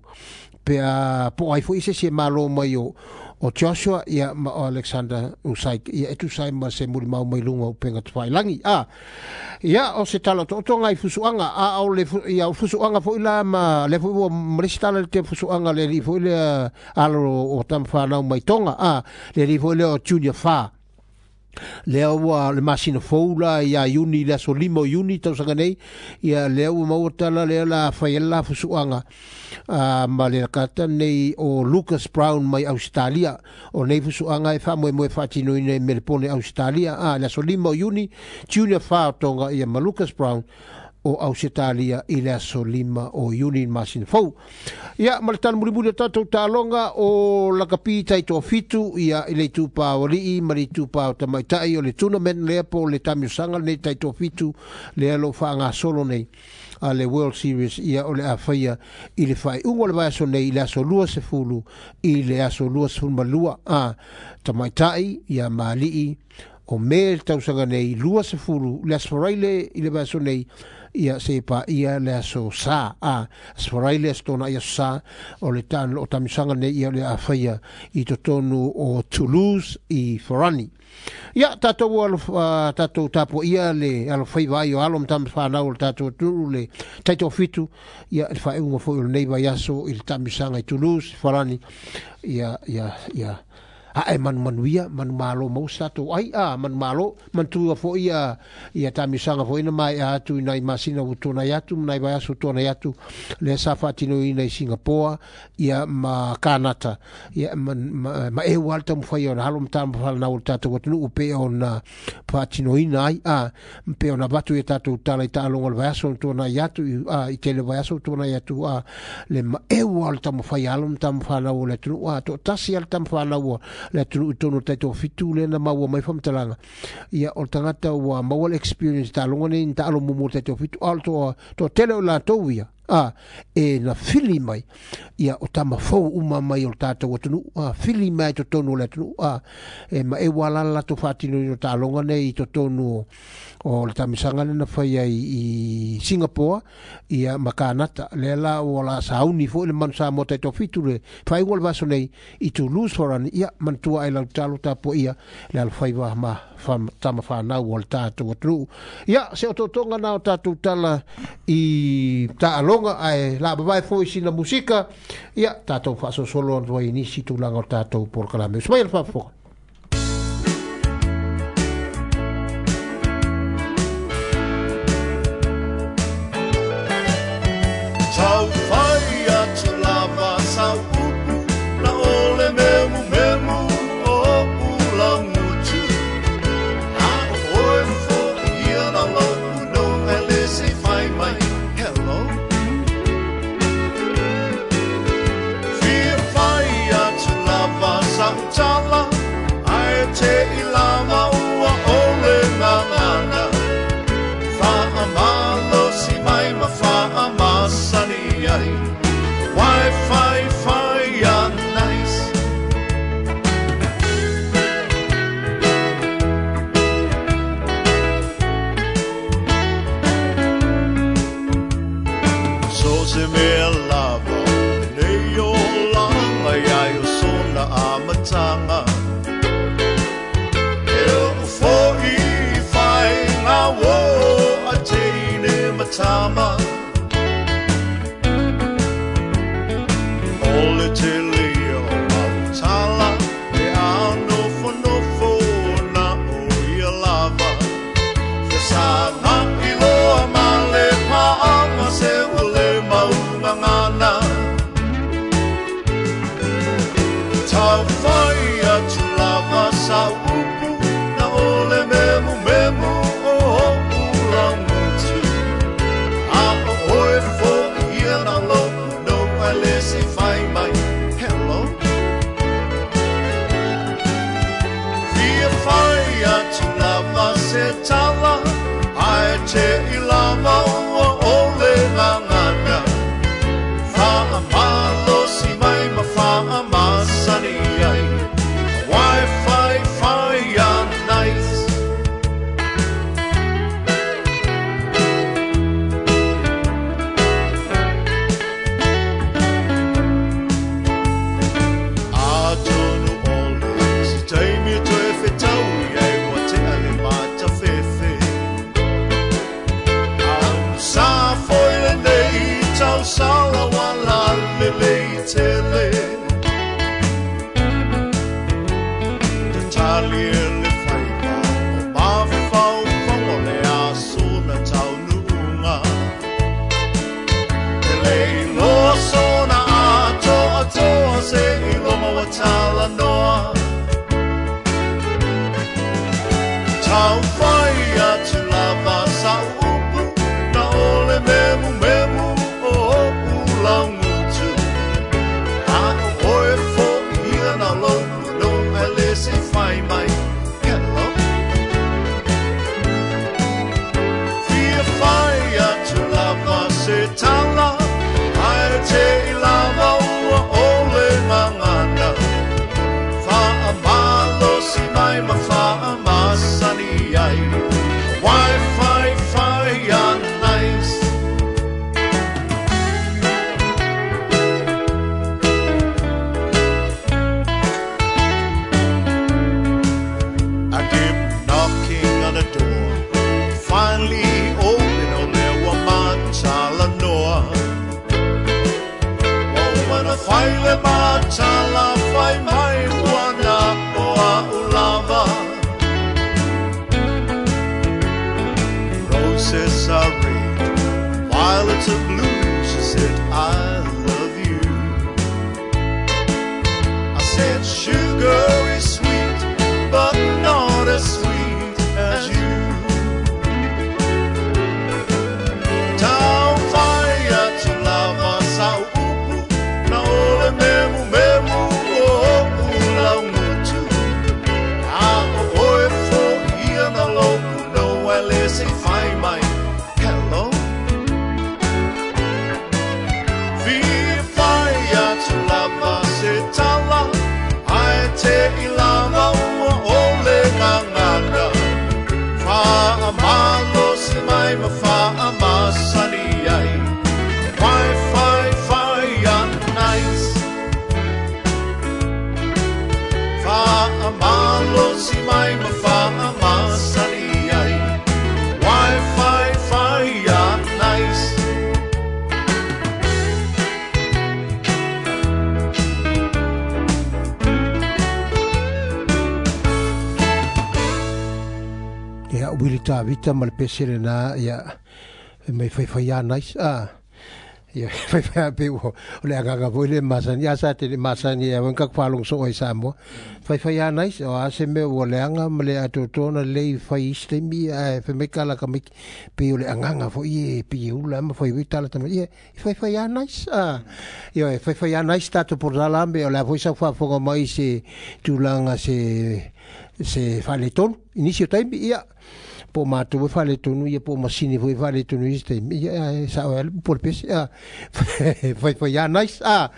pe a po ai foʻi se isi e malo mai o o Joshua ia ma o Alexander Usyk ia e tusa ai ma se mulimau mai luga o upega tafailagi a ia o se tala otootoga i fusuaga a o le ia o fusuaga foʻi la ma lea foʻi ua ma le isi tala le te fusuaga le alii foʻi lea alo o tamafanau mai Tonga a le alii foʻi lea o Junior Fa lea ua le masina fou la ia Iuni le aso lima o Iuni tausaga nei ia lea ua maua tala lea la fai ai la fusuaga a ma le lakata nei o Lucas Brown mai Australia o nei fusuaga e faamoemoe faatinoina i Melepone Australia a le aso lima o Iuni Junior Fa o Tonga ia ma Lucas Brown o Ausetalia i le aso lima o Iuni masina fou. Ia, ma le tala mulimuli o tatou taaloga o lakapi taitoafitu ia i le itupa o alii ma le itupa o tamaitai o le tournament lea po o le tamiosaga lenei taitoafitu lea lo faagasolo nei a le World Series ia o le a faia i le faaiuga o le vaiaso nei i le aso luasefulu i le aso luasefulu ma lua a tamaitai ia ma alii o me le tausaga nei luasefulu le aso Faraile i le vaiaso nei ia se pa ia le aso sa a aso Faraile aso Tonaʻi aso Sa o le tan o tamisaga nei ia o le a faia i totonu o Toulouse i Farani. Ia tatou alo uh, tatou tapuaia le alofaiva ai o alo ma tamafanau o le tatou atunuu le taitoafitu ia le faaiuga foi o lenei vaiaso i le tamisaga i Toulouse Farani ia ia ia ae manumanuia manumalo mau se tatou ai a manumalo manatua foʻi ia ia tamisaga foʻi na maea atu i nai masina ua tuanai atu ma nai vaiaso ua tuanai atu lea sa faatinoina i Singapoa ia ma Kanata ia ma, ma, ma eu a le taumafai ona alo ma tamafanau o le tatou atunuu pe ona faatinoina ai a pe ona avatu ia tatou tala i taaloga o le vaiaso na tuanai atu a i tele vaiaso ua tuanai atu a le maeu a le taumafai a alo ma tamafanau o le atunuu a toatasi a le tamafanau o le atunuu i totonu o le taitoafitu lea na maua mai faamatalaga ia o le tagata ua maua le experience taaloga nei na taalo muamua o le taitoafitu a o le toatele o latou ia A e na fili mai ia o tama fou uma mai o tātou atunu a fili mai to tonu le atunu a e ma e wala la to fatino i tālonga nei i to tonu o le tamisanga na whai ai i Singapore ia makanata le la o la sauni fo le manu Samoa tai tōfitu le whai le vaso nei i Toulouse forani ia mantua ai lau talo tapo ia le alwhaiwa ma tama whanau o le tātou atunu ia se o tōtonga na o tātou tala i tāalonga ai la babai fo i sina musika ia tātou whaasosolo antua i nisi tūlanga o tātou polokalame. Usmai le whaafoka. Tau whai atu lava sau upu na ole memu memu o ula ngutu. A oe fo ia na lopu no ele se whai mai hello. Fia whai atu lava sau tala ai te i lava ua ole ngangana. Wha amalo si mai ma wha amasani ai. Wi-Fi fire nice. So se mea lava nei o langa ia o sona amatanga. E o fo i whai ngā wo a teine matama. Ole te leo mautala e anofo nofo na o ia lava. Fesanga iloa male paanga se ule maungangana. Tau whai atu lava sa upu na ole memu memu o ula ngutu. A o oe fo ia na lopu no ele se whai mai hello. Fia whai atu lava se tala ai te i lava ua ole ngangana. Wha amalo si mai ma wha amasani ai. Wi-Fi fire nice. Atonu ole si taimi toe whetau ai wa te ale mata fefe. Au sa foile nei tau sala wala lele i tele. Tatali le whaipa o mawhau whango le asuna tau nuunga. Te lei loa sona atoa toa se i loma wa tala noa. Tau whai atu lava sa upu na ole memu memu o ula ngutu. A o oe fo ia na lopu no ele se whai mai hello. Fia whai atu lava se tala ai te i lava ua ole ngangana. Wha amalo si mai ma wha amasani ai. Wi-Fi fire nice. I keep knocking on the door. Finally open o leo matala noa. O mana whaile matala whai mai wana o a ulava. Roses are red, violets are blue. She said, I love you. I said, sugar is sweet, but not as sweet as you. Tau whai atu lava sa upu na ole memu memu o ula ngutu. A o oe fo ia na lopu no ele se whai mai hello. Vita ma le pese lena ia mai faifai a nice a ia faifai pe o le agaga foi le masani a sa te le masani ia wanka kwalong so oi Samoa faifai a nice o a se me o le anga ma le atotona le fai istemi a fe me kala ka me pe o le agaga foi e pe ula ma fai tala tama ia faifai a nice a ia faifai a nice tato por la me o la foi sa fa fonga mai se tulanga se se faletonu inisio taimi ia po mātou e faletonu ia po masini foi faletonu i se taimi ia sa o ele po le pese a fai fai a nice a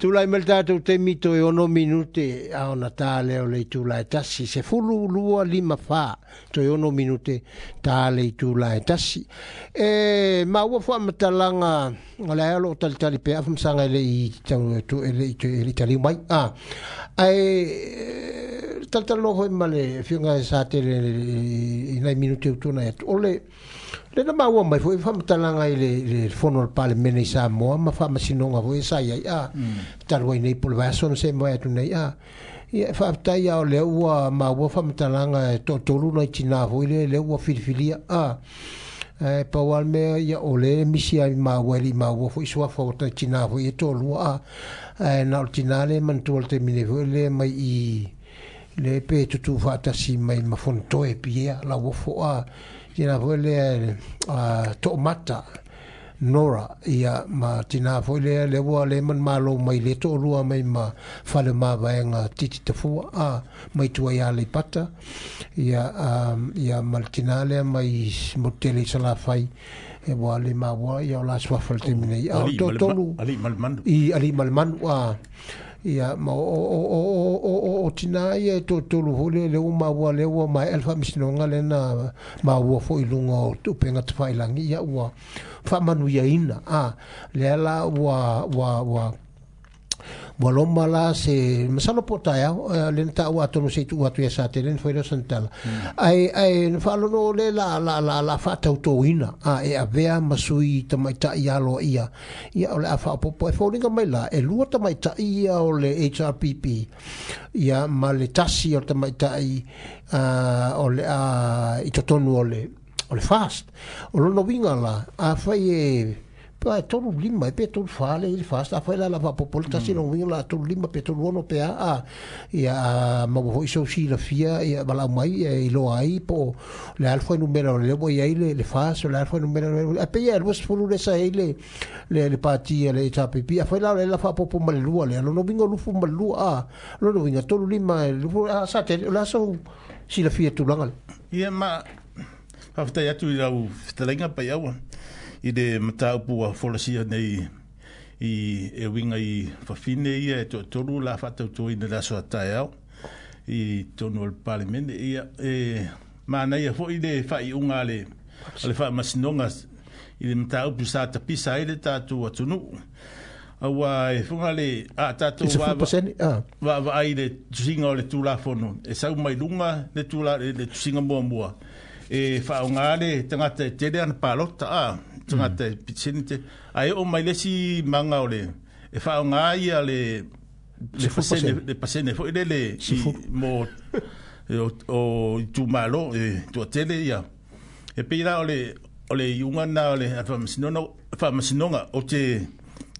tulai mai le tatou taimi toe ono minute a ona tā lea o le itula e tasi se fulu lua lima whā toe ono minute tā le itula e tasi e maua faamatalaga o le ae o loo talitali pea afamasaga e lei tau e lei e lei taliu mai a ae talitali hoi ma le fioga e sa tele i nai minute utona atu o le le na maua mai foi faamatalaga i le le fono o le Palemene i Samoa ma faamasinoga foi sa iai a talu ai nei po le vaiaso na se mai atu nei a ia faafetai a o lea ua maua faamatalaga e toatolu nai tinā foi le lea ua filifilia a e pau a le mea ia o le misi ai maua e lei maua foi suafa o tai tinā foi e toalua a ae na o le tinā le manatua le taimi nei foi le mai i le pe tutu faatasi mai ma fonotoe pia lauofo a tina foi lea a toomata Nora ia ma tina foi lea le ua le manumalo mai le toalua mai ma fale mavaega titi tafua a mai tua ia Aleipata ia um, ia ma le tina lea mai Motele i Salafai e ua le maua ia o la suafa le taimi nei a o toatolu alii ma le manu i alii ma le manu a ia ma o o o o o o tina ia e toatolu foi le le ua maua le ua mai ele faamasinoga lena maua foi i luga o upega tafailagi ia ua faamanuiaina a lea la ua ua ua ua loma la se masalo po taeao lena taua atonu se i tuu atu ia sa tele na foi lea o sana tala ae ae na faalono le la la la la faatautoina a e avea ma sui tamaitai aloa ia ia o le a faaopoopo e foliga mai la e lua tamaitai ia o le H R P P ia ma le tasi o le tamaitai o le a i totonu o le o le fast o lona uiga la afai e pa tolu lima e pe tolu whale i le fast a whai la la whapopo le tasi no winga la tolu lima pe tolu ono pe a a ia maua hoi sau silafia ia walau mai i loa ai po le alfa numera o le lewa i ai le le fast o le alfa numera a pe ia lua sefulu le sa ai le le le pati le H R P P a whai la le la whapopo ma le lua le lono winga lufu ma le lua a lono winga tolu lima lufu a sa te la sau silafia tulaga le ia ma whafetai atu i lau fetalenga pai aua i le mataupu ua folasia nei i e uiga i fafine ia e toatolu la faatautoina le aso a taeao i tonu o le Palemene ia e manaia foi le faaiuga a le a le faamasinoga i le mataupu sa tapisa ai le tatou atunuu aua e fuga le a tatou vaavaai le tusiga o le Tulafono e sau mai luga le tula le tusiga muamua e faaaoga le tagata e tele ana palota a tagata e pitini te ae oo mai le isi maga o le e faaaoga ia le le pasene le pasene foi lele mo o itumalo e toatele ia e pei la o le o le iuga na o le faamasinoga faamasinoga o te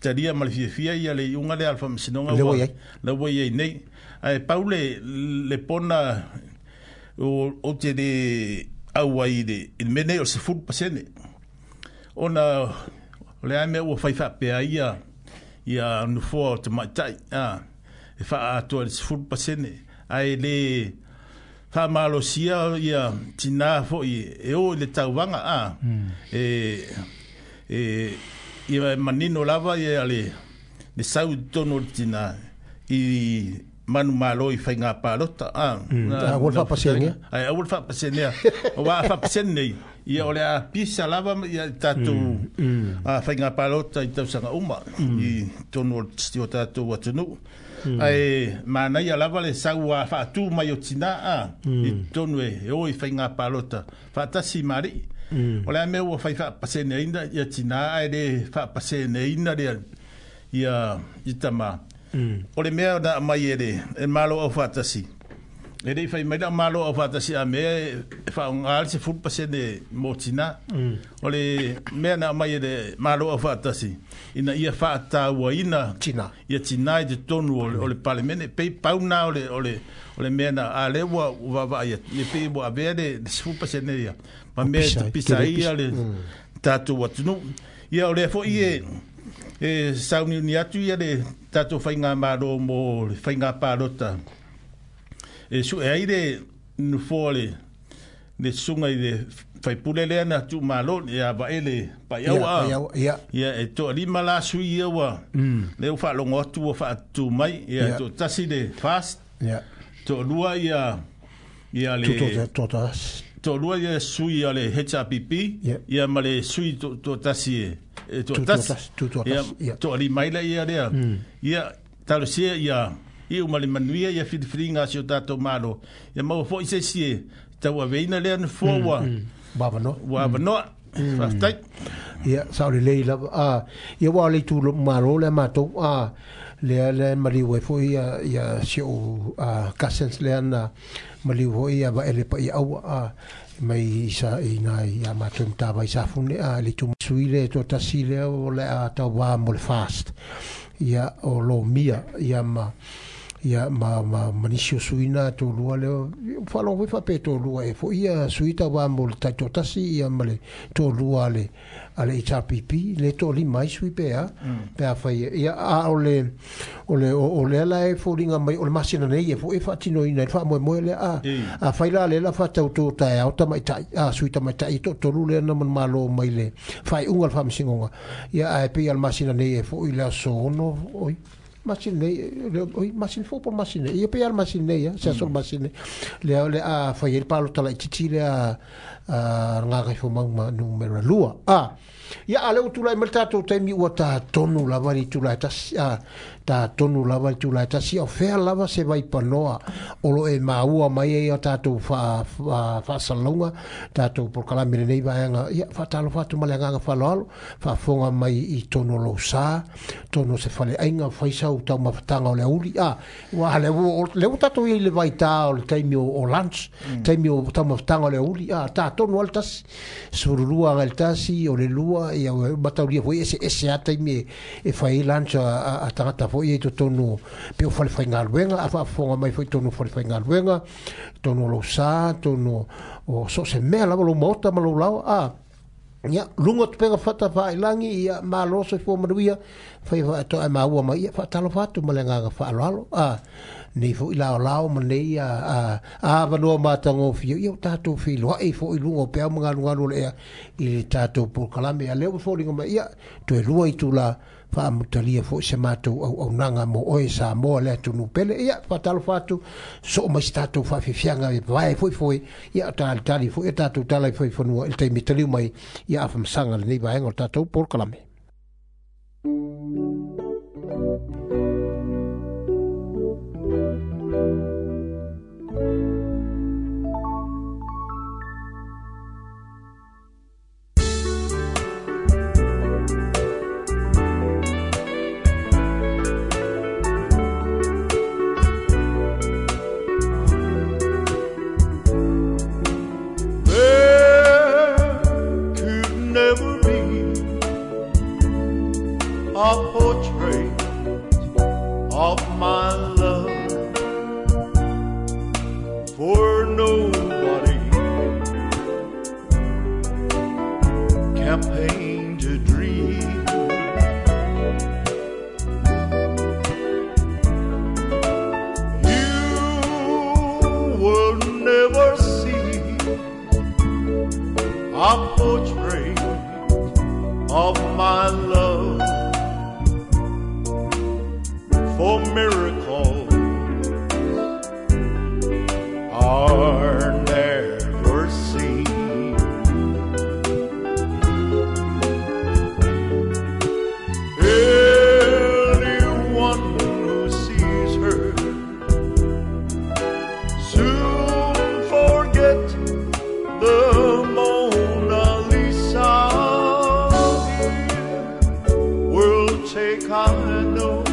talia ma le fiafia ia le iuga lea a le faamasinoga ua la ua iai nei ae pau le le pona o o te le au ai le i le mea nei o le sefulu pasene ona o le a mea ua fai faapea ia ia nofoa o tamaitai a e faaatoa i le sefulu pasene ae le faamalosia ia tinā foi e o i le tauvaga a e e ia manino lava ia le le sau i totonu o le tinā i manumalo i faiga palota a aua le faapasene ae aua le faapasenea aua a faapasene nei ia o le a pisa lava ia tatou a faiga palota i tausaga uma i totonu o tatou atunuu ae manaia lava le sau a faatū mai o tinā a i totonu e o i faiga palota faatasi ma alii o le a mea ua fai faapaseneina ia tinā ae le faapaseneina le ia i tamā o le mea na aumai e le e Malo Aufaatasi E le fai mai la malo au faatasi a mea e faaaoga le sefulu pasene mo tinā. O le mea na aumai e le malo au faatasi ina ia faatauaina tinā ia tinā i totonu o le, o le palemene pei pau na o le, o le, o le mea na a lea ua vaavaai atu ia pei ua avea le sefulu pasene ia ma mea e tapisa ai ia le tatou atunuu. Ia o lea foi e e sauniuni atu ia le tatou faigamalo mo le faigapalota e sue ai le nofoa le le susuga i le faipule lea na tuumalo ia Vaele Paiaua ia e toalima la sui ia ua lea ua faalogo atu ua faatutu mai ia toatasi le fast toalua ia ia le toalua ia sui a le H R P P ia ma le sui toatasi e toatasi ia toalima ai lea lea ia talosia ia i uma le manuia ia filifiliga a si o tatou malo ia maua foi se isi e tauaveina lea nofoa ua ua avanoa. Faafetai. Ia sao lelei lava a ia ua o le itu malo lea matou a lea lea maliu ai foi ia ia si ou cousins lea na maliu foi ia Vaele Paiaua a mai sa i nai ia matou matavai safune a le itu sui le toatasi lea o le a tauvā mo le fast ia o lomia ia ma ia ma ma manisi o suina tolua lea faalogo foi faapea tolua e foi ia sui tauvā mo le taitoatasi ia ma le tolua a le a le H R P P le toalima ai sui pe a pe a fai ia a o le o le o lea la e foliga mai o le masina nei e foi e faatinoina i le faamoemoe lea a a fai la lea la faatautō taeao tamaitai a sui tamaitai toatolu lea na manumalo mai le faaiuga o le faamasinoga ia ae pei a le masina nei e foi le aso ono oi masina nei oi masina fou po masina ia pei a le masina nei ia se aso le masina lea le a fai ai le palota laitiiti lea a Gagaifomauga ma numera lua a ia a le ua tulai mai le tatou taimi ua tatonu lava le itula e tasi a tatonu lava le itula e tasi o fea lava se vaipanoa o lo e maua mai ai o tatou faasalalauga tatou polokalame lenei vaega ia faatalofa atu ma le agaga faaaloalo faafofoga mai i tonu o lou sa tonu o se faleaiga fai sau taumafataga o le auli a ua lea ua tatou iai le vaitā o le taimi o lunch taimi o taumafataga o le auli a tatonu a le tasi sefululua agai le tasi o le lua ia mataulia foi eseese a taimi e fai ai lunch a tagata foi i totonu pe o falefaigaluega a faafofoga mai foi totonu o falefaigaluega totonu o lou sa totonu o so o se mea lava lou maota ma lou laoa a ia luga o tupega fata faailagi ia malo soifua manuia fai faatoa e maua mai ia faatalofa atu ma le agaga faaaloalo a nei foi laolao ma nei a avanoa matagofie ia o tatou feiloai foi i luga o peau ma galugalu o le ea i le tatou polokalame a lea ua foliga mai ia toe lua itula faamutalia foi se matou auaunaga mo oe Samoa le atunuu pele ia faatalofa atu soo mai se tatou faafiafiaga e vae foi foi ia talitali foi e tatou tala i faifanua i le taimi taliu mai ia afamasaga lenei vaega o le tatou polokalame. A portrait of my love for nobody can paint a dream. You will never see a portrait of my love, for miracles are never seen. Anyone who sees her soon forget the Mona Lisa. Will take I know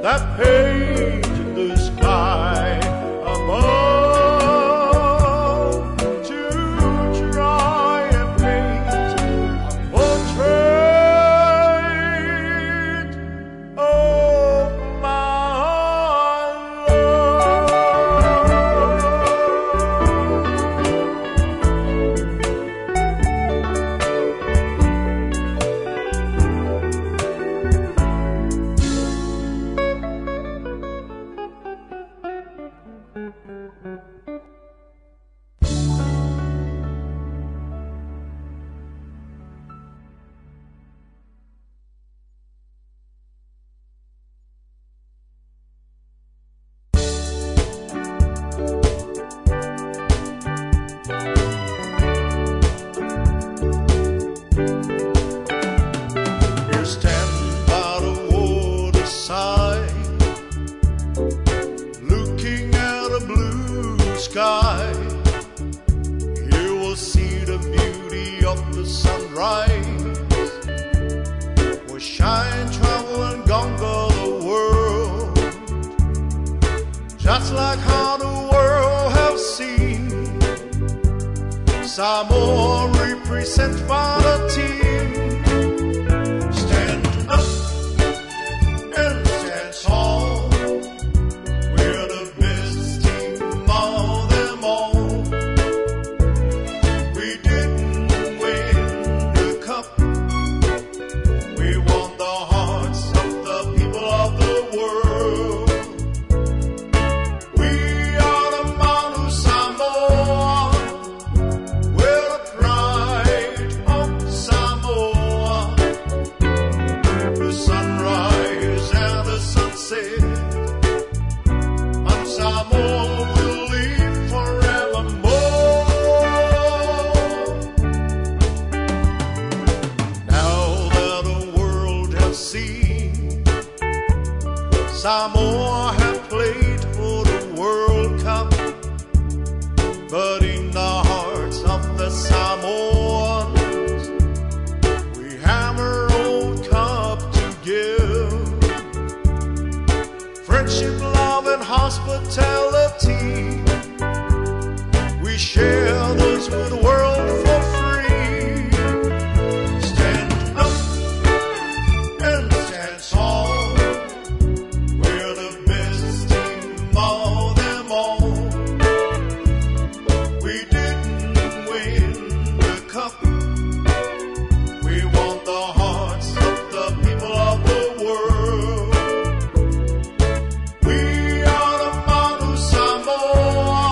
that page in the sky above to try and paint a portrait of my love. You stand by the waterside, looking at a blue sky. You will see the beauty of the sunrise. We shine, travel, and conquer the world, just like how the world have seen. Samoa represent by the team. Stand up and stand tall. We're the best team of them all. We didn't win the cup. We won the hearts of the people of the world. We are the Manu Samoa. We're the pride of Samoa. The sunrise and the sunset. Manu Samoa will live forevermore. Now that the world has seen Samoa have played for the World Cup, but in the hearts of the Samoans, we have our own cup to give. Friendship, love, and hospitality, we share those with the world for free. Stand up and stand tall. We're the best team of them all. We didn't win the cup. We won the hearts of the people of the world. We are the Manu Samoa.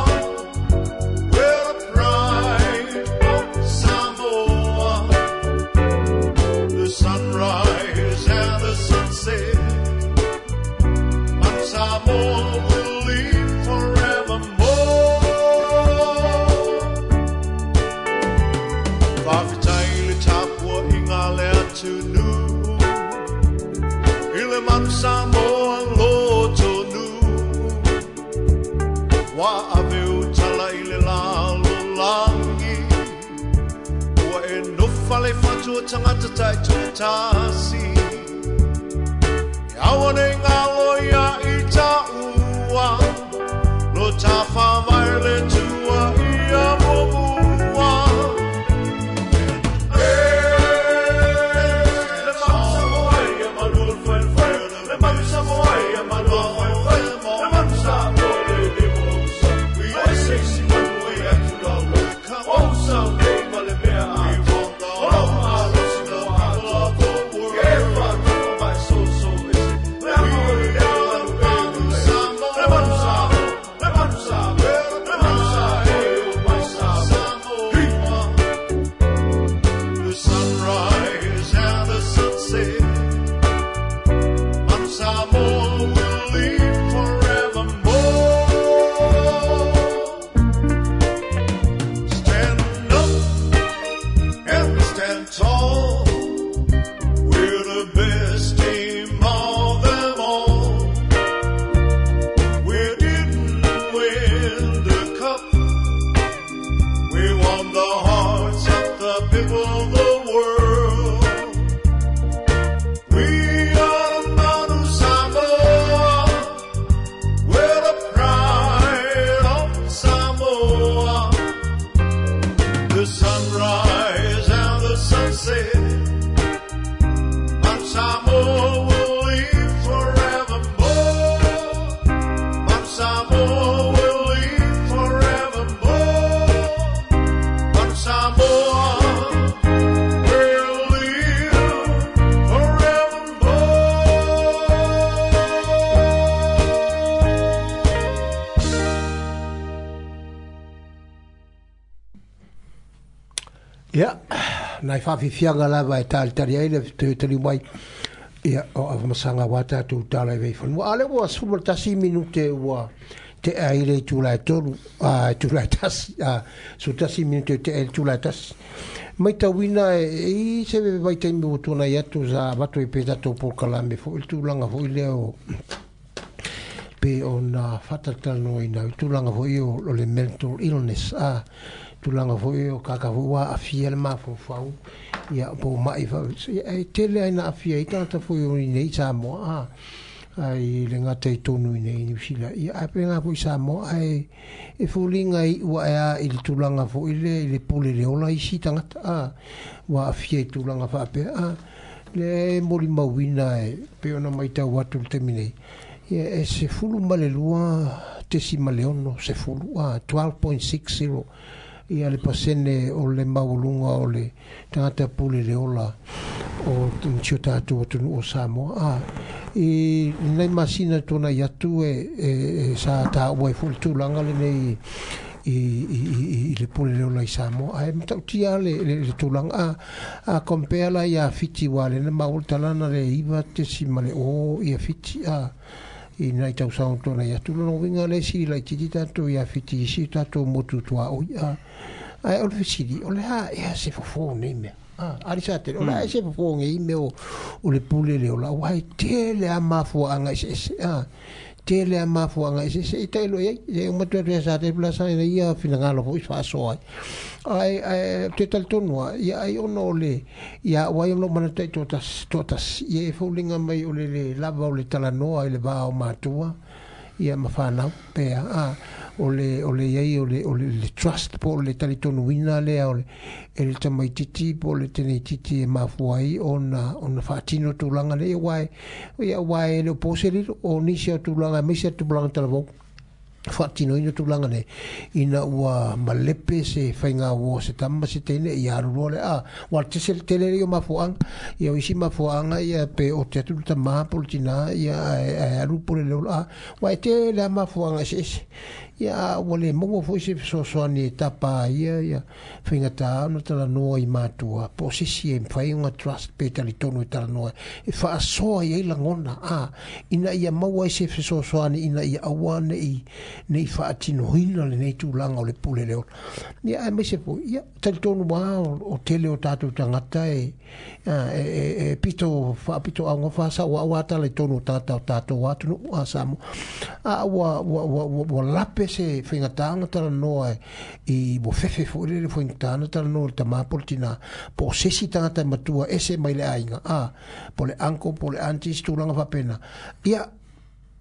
We're the pride of Samoa. The sunrise and the sunset. Manu Samoa will live forevermore. Fafitai le tapua inga le atunu. I le Manu Samoa lotonu. Wa ave utala i le lalo langi. Ua e nofa le whatua tangata tai tūtasi. E awa nei ngalo ia i ta ua. Lo ta whawai le tua ia mōmua. Le Manu Samoa ia manu o le whae Le Manu Samoa ia manu o le whae Le Manu Samoa le le mo sa. O e seisi manu e atu lau. O sa nei ma le mea a. O lau a lo si mo a. Ke Ia, nai whawhiwhianga lava e talitali ai le te tali mai. Ia, o awamasaga wa tātou tala i veiwhanua. A le ua sefulu ma le tasi minute ua te ai le itula e tolu, a itula e tasi, a su tasi minute te ai le itula e tasi. Mai tauina e, i se vai taimi ua tuanai atu sa avatu i pe tātou polokalame foi le tulaga foi lea o pe ona faatatalanoaina i tulaga foi o, o le mental illness a tulaga foi o kaka foi ua aafia le mafaufau ia po o ma'i fa e tele ai na aafia ai tagata foi o iinei Samoa a ai le gata i tonu i nei Niu Sila ia ae pena foi Samoa ae e foliga i ua ea i le tulaga foi lea i le pule le ola isi tagata a ua aafia i tulaga faapea a le molimauina e pei ona matau atu le taimi nei ia e sefulu ma le lua tesi ma le ono sefulu a twelve point six zero ia le pasene o le maualuga o le tagata pule le ola o si o tātou atunuu o Samoa. A i lenei masina tuanai atu e, e, e sa tāua ai foi le tulaga lenei i, i, i, i le pule le ola i Samoa. Ae matautia le, le, le tulaga a, a compare la ia Fiti wa le na maua le talana le iva tesi ma le o ia Fiti a i nai tausaga tuanai atu. Lona uiga le sili laitiiti tātou ia Fiti i si o tātou motu tuaoi a. Ae o le fesili, o le a ea se fofo nei mea. Ah, ari sa tele, o le a ea se fofo nei mea o, o le pule le ola, ua e tele a mafuaanga eseese, ah, tele a mafuaanga eseese, i tailo i ai, e uma atu atu ia sa tele pula sa ina ia finagalo foi faasoa ai. Ai, ai, te talitonu a, ia ai ona o le, ia ua ai ona manatu ai toatasi, toatasi, ia e foliga mai o le, le lava o le talanoa i le va o matua, ia ma whanau pea a o le o le iai o le o le, le trust po o le talitonuina lea o le e le tamaitiiti po o le teneititi e mafua ai ona ona faatino tulaga le ia uae ia uae e le o po se lilo o nisi o tulaga aemaise a tupulaga talavou faatinoina tulaga nei ina ua malepe se faigauo se tama se teine ia alu loa le a ua tese le tele ia o mafuaaga ia o isi mafuaaga ia pe o te atu le tamā po o le tinā ia ae ae alu po le leola a ua e tele a mafuaaga eseese ia a ua le maua foi se fesoasoani e tapa ai ia ia faigata ona talanoa i matua po o se isi e mafai ona trust pe talitonu e talanoa e faasoa i ai lagona a ina ia maua ai se fesoasoani ina ia aua nei nei faatinoina lenei tulaga o le pule le ola. Ia aemaise foi ia talitonu lava o, o tele o tātou tagata e, a, e, e, e pito faapito augafa sa ua tala i tonu o tagata o tātou atunuu a Samoa. A ua, ua, ua, ua, ua lape se faigata ona talanoa i ua fefe foi le faigata ona talanoa i le tamā po o le tinā po o se isi tagata e matua ese mai le aiga a po o le uncle po o le auntie se tulaga faapena. Ia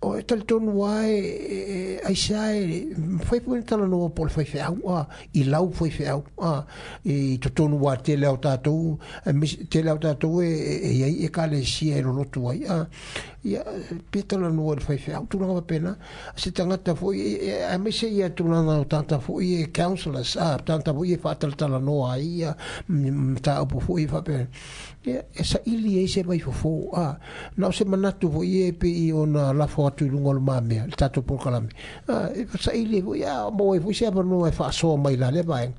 o e talitonu lava e, e, aisea e mafai foi ona talanoa po o le faifeau a i lau faifeau a i totonu lava tele o tātou tele o tātou e, e, e iai ekalesia e lolotu ai a ia pe talanoa i le faifeau tulaga faapena se tagata foi aemaise ia tulaga o tagata foi e counselors a tagata foi e faatalatalanoa ai ia mataupu foi faapena ia e saili ai se vaifofo a na o se manatu foi e pei ona lafo atu i luga o le mamea le tatou polokalame a e saili ai foi a maua ai foi se avanoa e faasoa mai la lea vaega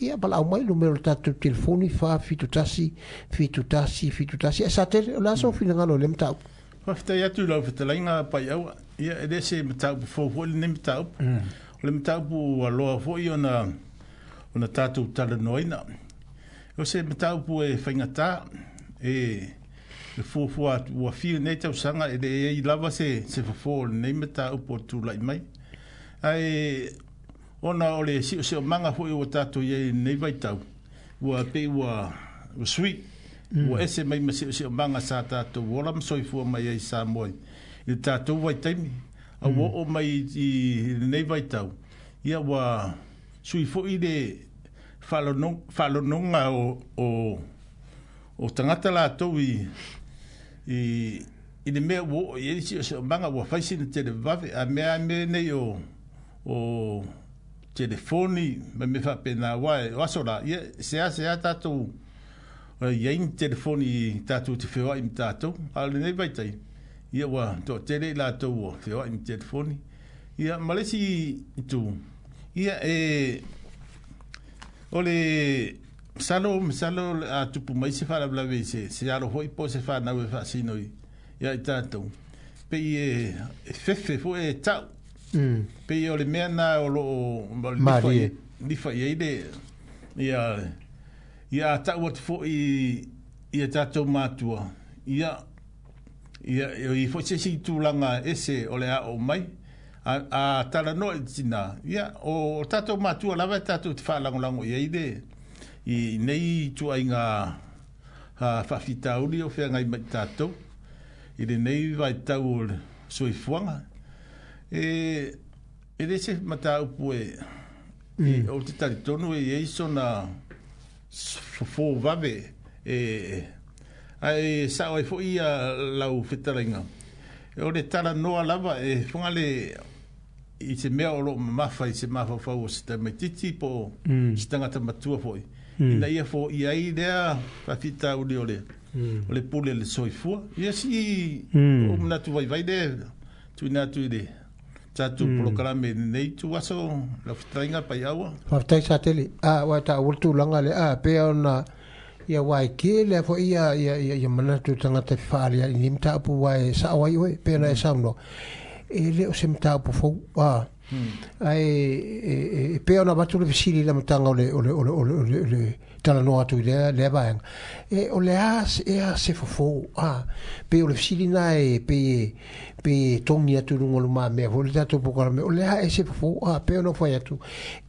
ia valaau mai numera o le tatou telefoni fa fitu tasi fitu tasi fitu tasi e sa tele o le a sou finagalo i le mataupu. Faafetai atu i lau fetalaiga Paiaua. Ia e le se mataupu fou foi lenei mataupu. O le mataupu ua loa foi ona ona tatou talanoaina. O se mataupu e faigata e le fuafua atu ua fiu nei tausaga e leai lava se se fofo o lenei mataupu o tulai mai. Ae ona o le siosiomaga foi ua tatou i ai i lenei vaitau ua pei ua ua sui ua ese mai ma siosiomaga sa tatou ola ma soifua mai ai i Samoa i le tatou vaitaimi. A ua oo mai i lenei vaitau ia ua sui foi le faalonoga o, o, o tagata latou i, i, i le mea ua oo i ai le siosiomaga ua fai sina televave a mea a mea nei o, o telefoni ma mea faapena aua o aso la ia sea sea tatou iai ni telefoni tatou te feoai ma tatou a o lenei vaitaimi ia ua toatele i latou ua feoai ma telefoni ia ma le isi itu ia e o le Salo masalo a tupu mai se faalavelave se se alo foʻi po se fanau e faasino i ia i tatou pei e fefe foʻi e ta'u pei o le mea na o loo lifa i ai le ia ia ta'u atu foʻi ia tatou matua ia ia i foʻi se isi tulaga ese o le aʻo mai a a talanoa i tinā ia o tatou matua lava e tatou te faalagolago i ai le i nei tuaiga faafitauli o feagai mai tatou i lenei vaitau o le soifuaga e e le se mataupu e o te talitonu e iai sona fofo vave e ae sa'o ai fo'i ia lau fetalaiga o le talanoa lava e foga le i se mea o loo mamafa i se mafaufau o se tamaititi po o se tagata matua fo'i ina ia fo'i ai lea faafitauli o le o le pule le soifua ia si o manatu vaivai le tuuina atu i le tatou polokalame lenei tuaso lau fetalaiga Paiaua. Faafetai Satele a ua taua le tulaga le a pea ona ia uae tele a foʻi ia ia ia manatu tagata fefaaliaʻi nei mataupu uae saʻo ai oe pe ona e saunoa e le o se mataupu fou a ae e pei ona avatu le fesili i le amataga o le o le o le o le o le talanoa atu i lea lea vaega e o le a ea se fofo a pei o le fesili na e pei e pei e togi atu i luga o lumamea foi le tatou polokalame o le a e se fofo a pei ona fai atu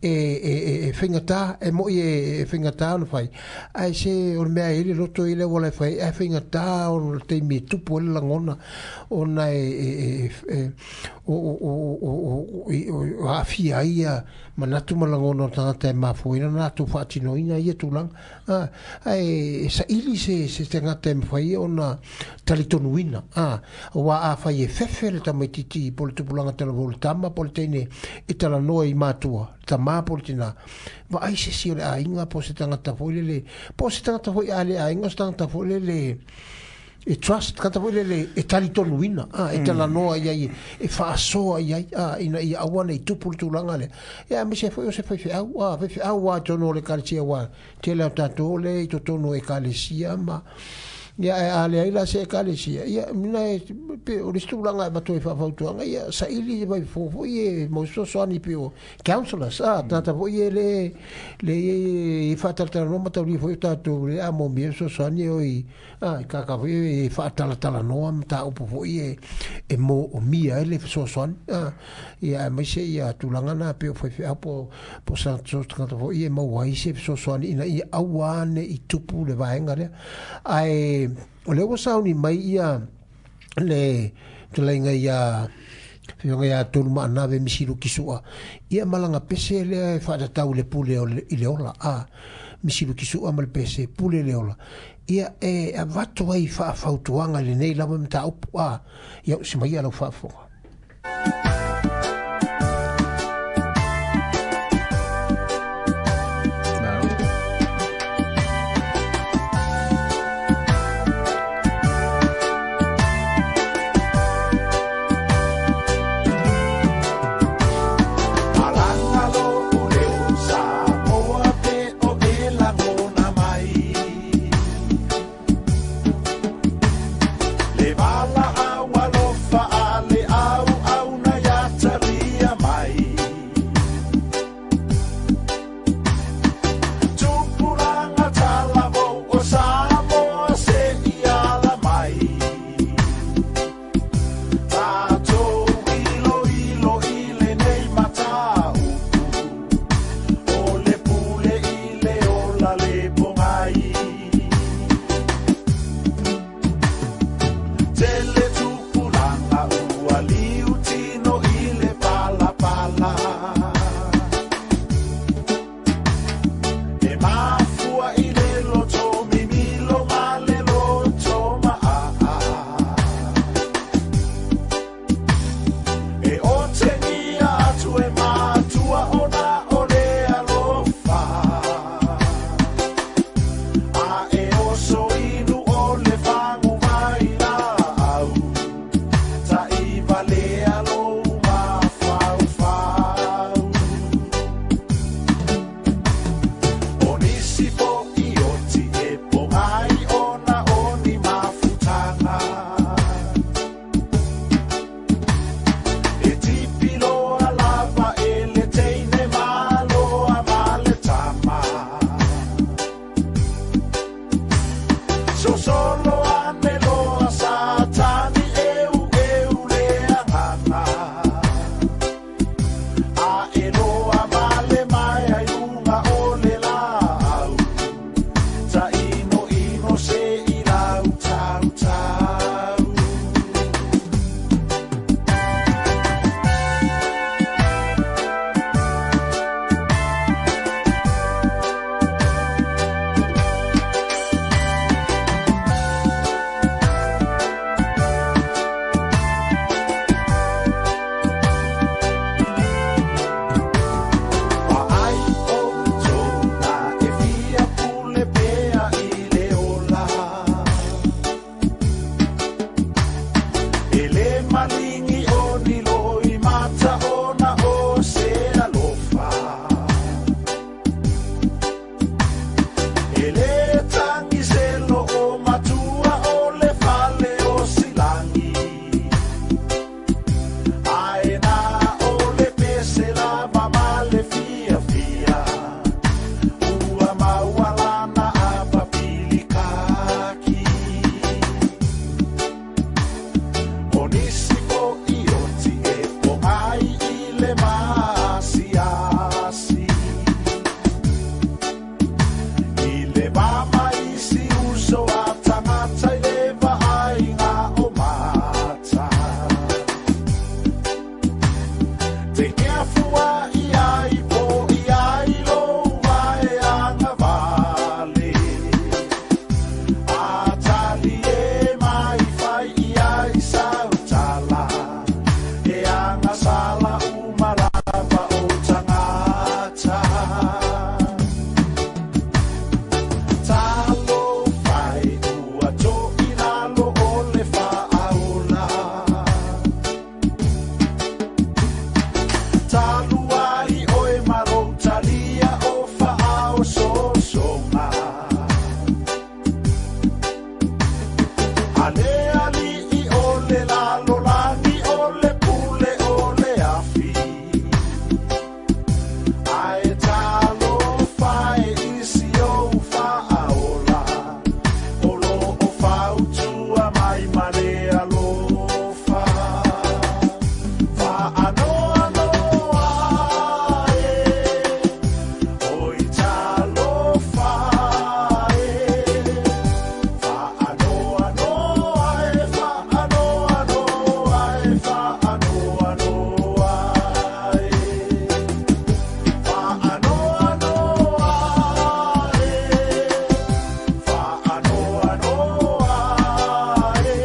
e e e faigata e moʻi e faigata ona fai ae se o le mea e i le loto i le auala e fai ae faigata o le taimi e tupu ai le lagona ona e e e o o o o o aafia ai ia manatu ma lagona o tagata e mafuaina na latou faatinoina ia tulaga a ae e saili se se tagata e mafai ona talitonuina a aua afai e fefe le tamaititi po o le tupulaga talavou le tama po o le teine e talanoa i matua tamā po o le tinā vaai se isi o le aiga po o se tagata foi lele po o se tagata foi a le aiga o se tagata foi lele e trust tagata foi lele e talitonuina a e talanoa i ai e faasoa i ai a ina ia aua nei tupu le tulaga lea ia aemaise foi o se faifeau a faifeau lava i totonu o le ekalesia aua tele o tatou le i totonu o ekalesia ma ia ae a leai la se ekalesia ia mina e pe o le isi tulaga e avatu ai faafautuaga ia saili mai fofo foi e mo fesoasoani pei o counsellors a tagata foi e le le e faatalatalanoa ma taulia foi o tatou le a momia fesoasoani e o i a i kaka foi e faatalatalanoa mataupu foi e e moomia ai le fesoasoani a ia aemaise ia tulaga na pei o faifeau po po sa tagata foi e maua ai se fesoasoani ina ia aua ane i tupu le vaega lea ae o lea ua sauni mai ia le fetalaiga ia Afioga ia Tolu Maanave Misilu Kisua ia malaga pese lea e faatatau le pule o le, i le ola a Misilu Kisua ma le pese pule le ola ia e avatu ai faafautuaga i lenei lava mataupu a ia usi mai ia lau faafofoga. Le vala au alofa a le au au Malingi o ni loi mata ona o se alofa. Ele tangi se lo o matua o le fale o silangi. Ae na o le pese la mama le fia fia. Ua maualana a papili kaki. O nisi fo i oti e po ai i le maasiasi. I le mama isi uso a tangata i le vaaiga o mata. Te keafua i ai po i ai lo vae anga vale. A tali e mai fai i ai sautala. E anga sala umalava o tangata. Talo fai ua to i lalo o le faaola. Talu ai oe malo talia o faao sosonga. Ale ali i o le lalo lagi o le pule o le afi. Ae talo fai isi o faaola. O lo o fautua mai ma le alofa. Faanoa noa e, oi talo fai. Faanoa noa e, faanoa noa e, faanoa noa e. Faanoa noa e, faanoa noa e.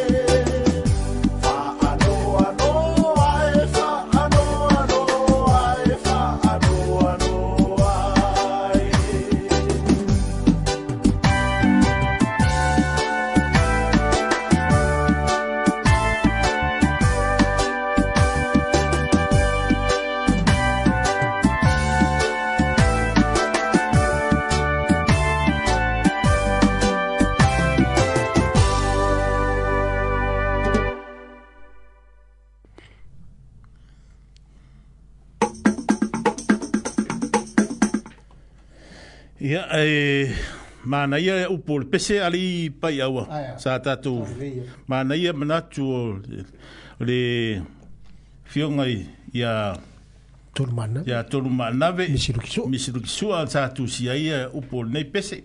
Faanoa noa e, faanoa noa e, faanoa noa e. Ia, e, manaia e upu o le pese ali pai aua. Aia. Sa tātou Lelei, e. manaia manatu o o le fioga i ia Tolu mana. ia tolu maanave Misi Lukisua. Misi Lukisua sa tusi ai ia upu o lenei pese.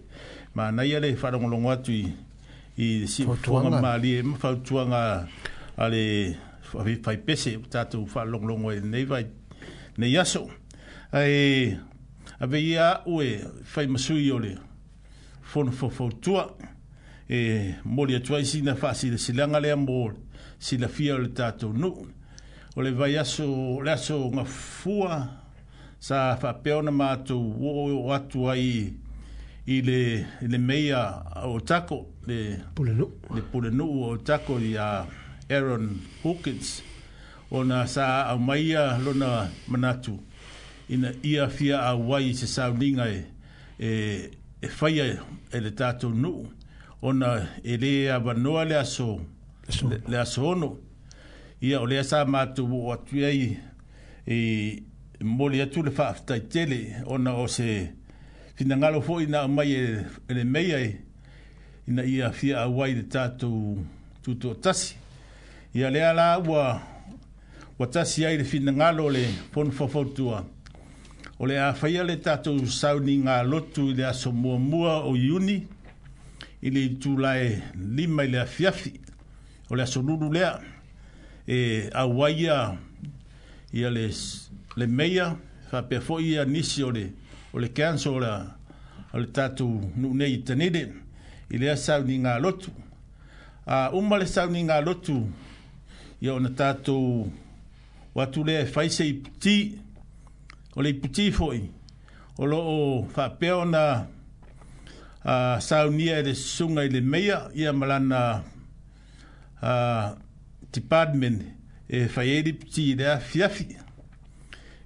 Manaia le faalogologo atu i i Fautuaga. siufuaga malie ma fautuaga a le fai pese tatou faalogologo ai lenei vai nei aso. Ae ave ia a'u e fai masui o le fono faufautua e moli atu ai sina faasilasilaga lea mo silafia o le tatou nuu. O le vaiaso o le aso gafua sa faapea ona matou oo atu ai i le i le meia o Tako le Pulenuu. le pulenuu o Tako ia Aaron Hawkins ona sa aumaia lona manatu ina ia fia auai i se sauniga e, e, e faia e le tatou nuu ona e lē avanoa le aso Aso. le, le aso ono. Ia o lea sa matou oo atu ai e moli atu le faafetai tele ona o se finagalo foʻi na aumai e, e le meia e ina ia fia auai le tatou tutoatasi. Ia lea la ua ua tasi ai le finagalo o le fono faufautua o le a faia le tatou sauniga lotu i le aso muamua o Iuni i le itulae lima i le afiafi o le aso lulu lea e auai ia ia le le meia faapea foʻi ia nisi o le o le council o le o le tatou nuu nei i Tanele i lea sauniga lotu. A uma le sauniga lotu ia ona tatou o atu lea e fai se iputi. O le iputi foʻi o loo faapea ona a, saunia e le susuga i le meia ia ma lana a, department E fai ai lipiti i le afiafi.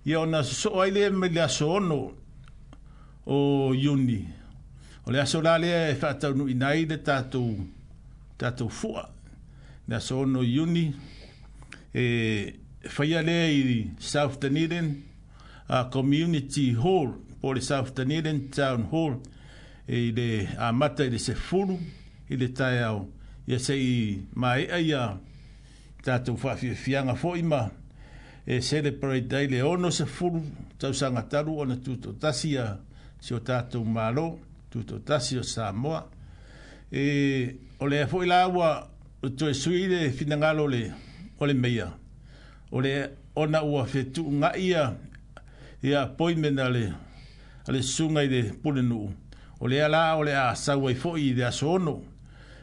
Ia ona sosoo ai lea mai le aso ono o Iuni. O le aso la lea e faataunuuina ai le tatou tatou fua. Le aso ono Iuni e faia lea i South Dunedin uh, Community Hall, po le South Dunedin Town Hall, e i le amata i le sefulu i le taeao. Ia se'i maea ia tatou faafiafiaga fo'i ma e celebrate ai le ono sefulu tausaga talu ona tutoatasi ia si o tatou Malo, tutoatasi o Samoa. E o lea foi la ua toe sui le finagalo o le o le meia, o le ona ua fetuuga'i ia ia appointment a le a le susuga i le pulenuu. O lea la o le a sau ai fo'i i le aso ono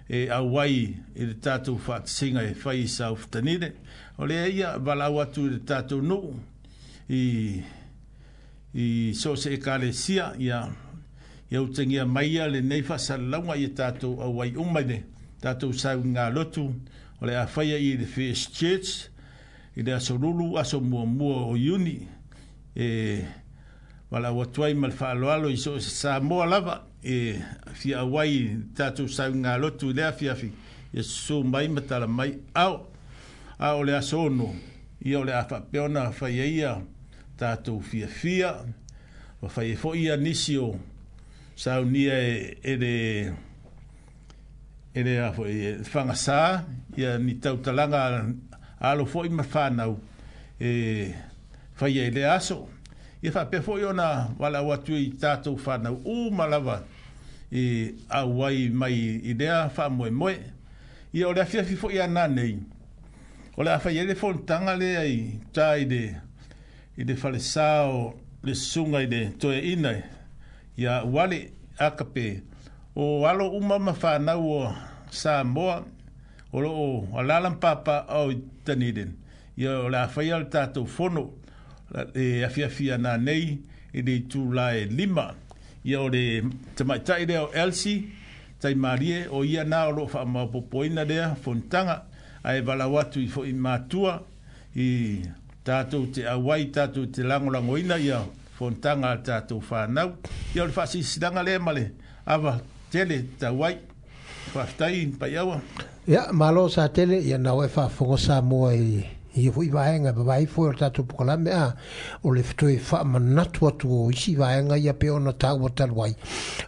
e auai i le tatou faatasiga e fai i South Dunedin. O lea ia valaau atu i le tatou nuu i i so o se ekalesia, ia ia utagia mai ia lenei faasalalauga ia tatou auai uma i le tatou sauiga lotu o le a faia i le First Church i le aso Lulu, aso muamua o Iuni. E valaau atu ai ma le faaaloalo i so o se Samoa lava e fia auai i tatou sauiga lotu i le afiafi, ia susū mai ma tala mai ao. A o le aso ono, ia o le a faapea ona fai ai ia tatou fiafia, ma fai ai foi ia nisi o saunia e, e le e le a foi e fagasā ia ni tautalaga alo foi ma whanau e faia i le aso. Ia faapea foi ona valaau atu i tatou whanau uma lava e auai mai i lea faamoemoe. Ia o le afiafi foi ana nei, o le a fai ai le fonotaga lea i uta i le i le falesā o le susuga i le toeaina ia Uale Akape. O alo uma ma whanau o Samoa o loo alaala ma papaaao i Dunedin. Ia o le a faia le tatou fono e afiafi ana nei i le itula e lima. Ia o le tamaitai lea o Elsie Taimalie, o ia na o loo faamaopoopoina lea fonotaga, ae valaau atu i fo'i matua i tatou te auai, tatou te lagolagoina ia fonotaga a tatou whanau. Ia o le faasilasila lea ma le ava tele tauai. Faafetai Paiaua. Ia, malo sa tele, ia nau e faafofoga Samoa i ia foi vaega vavai foi o le tatou polokalame a o le toe faamanatu atu o isi vaega ia pe ona taua talu ai.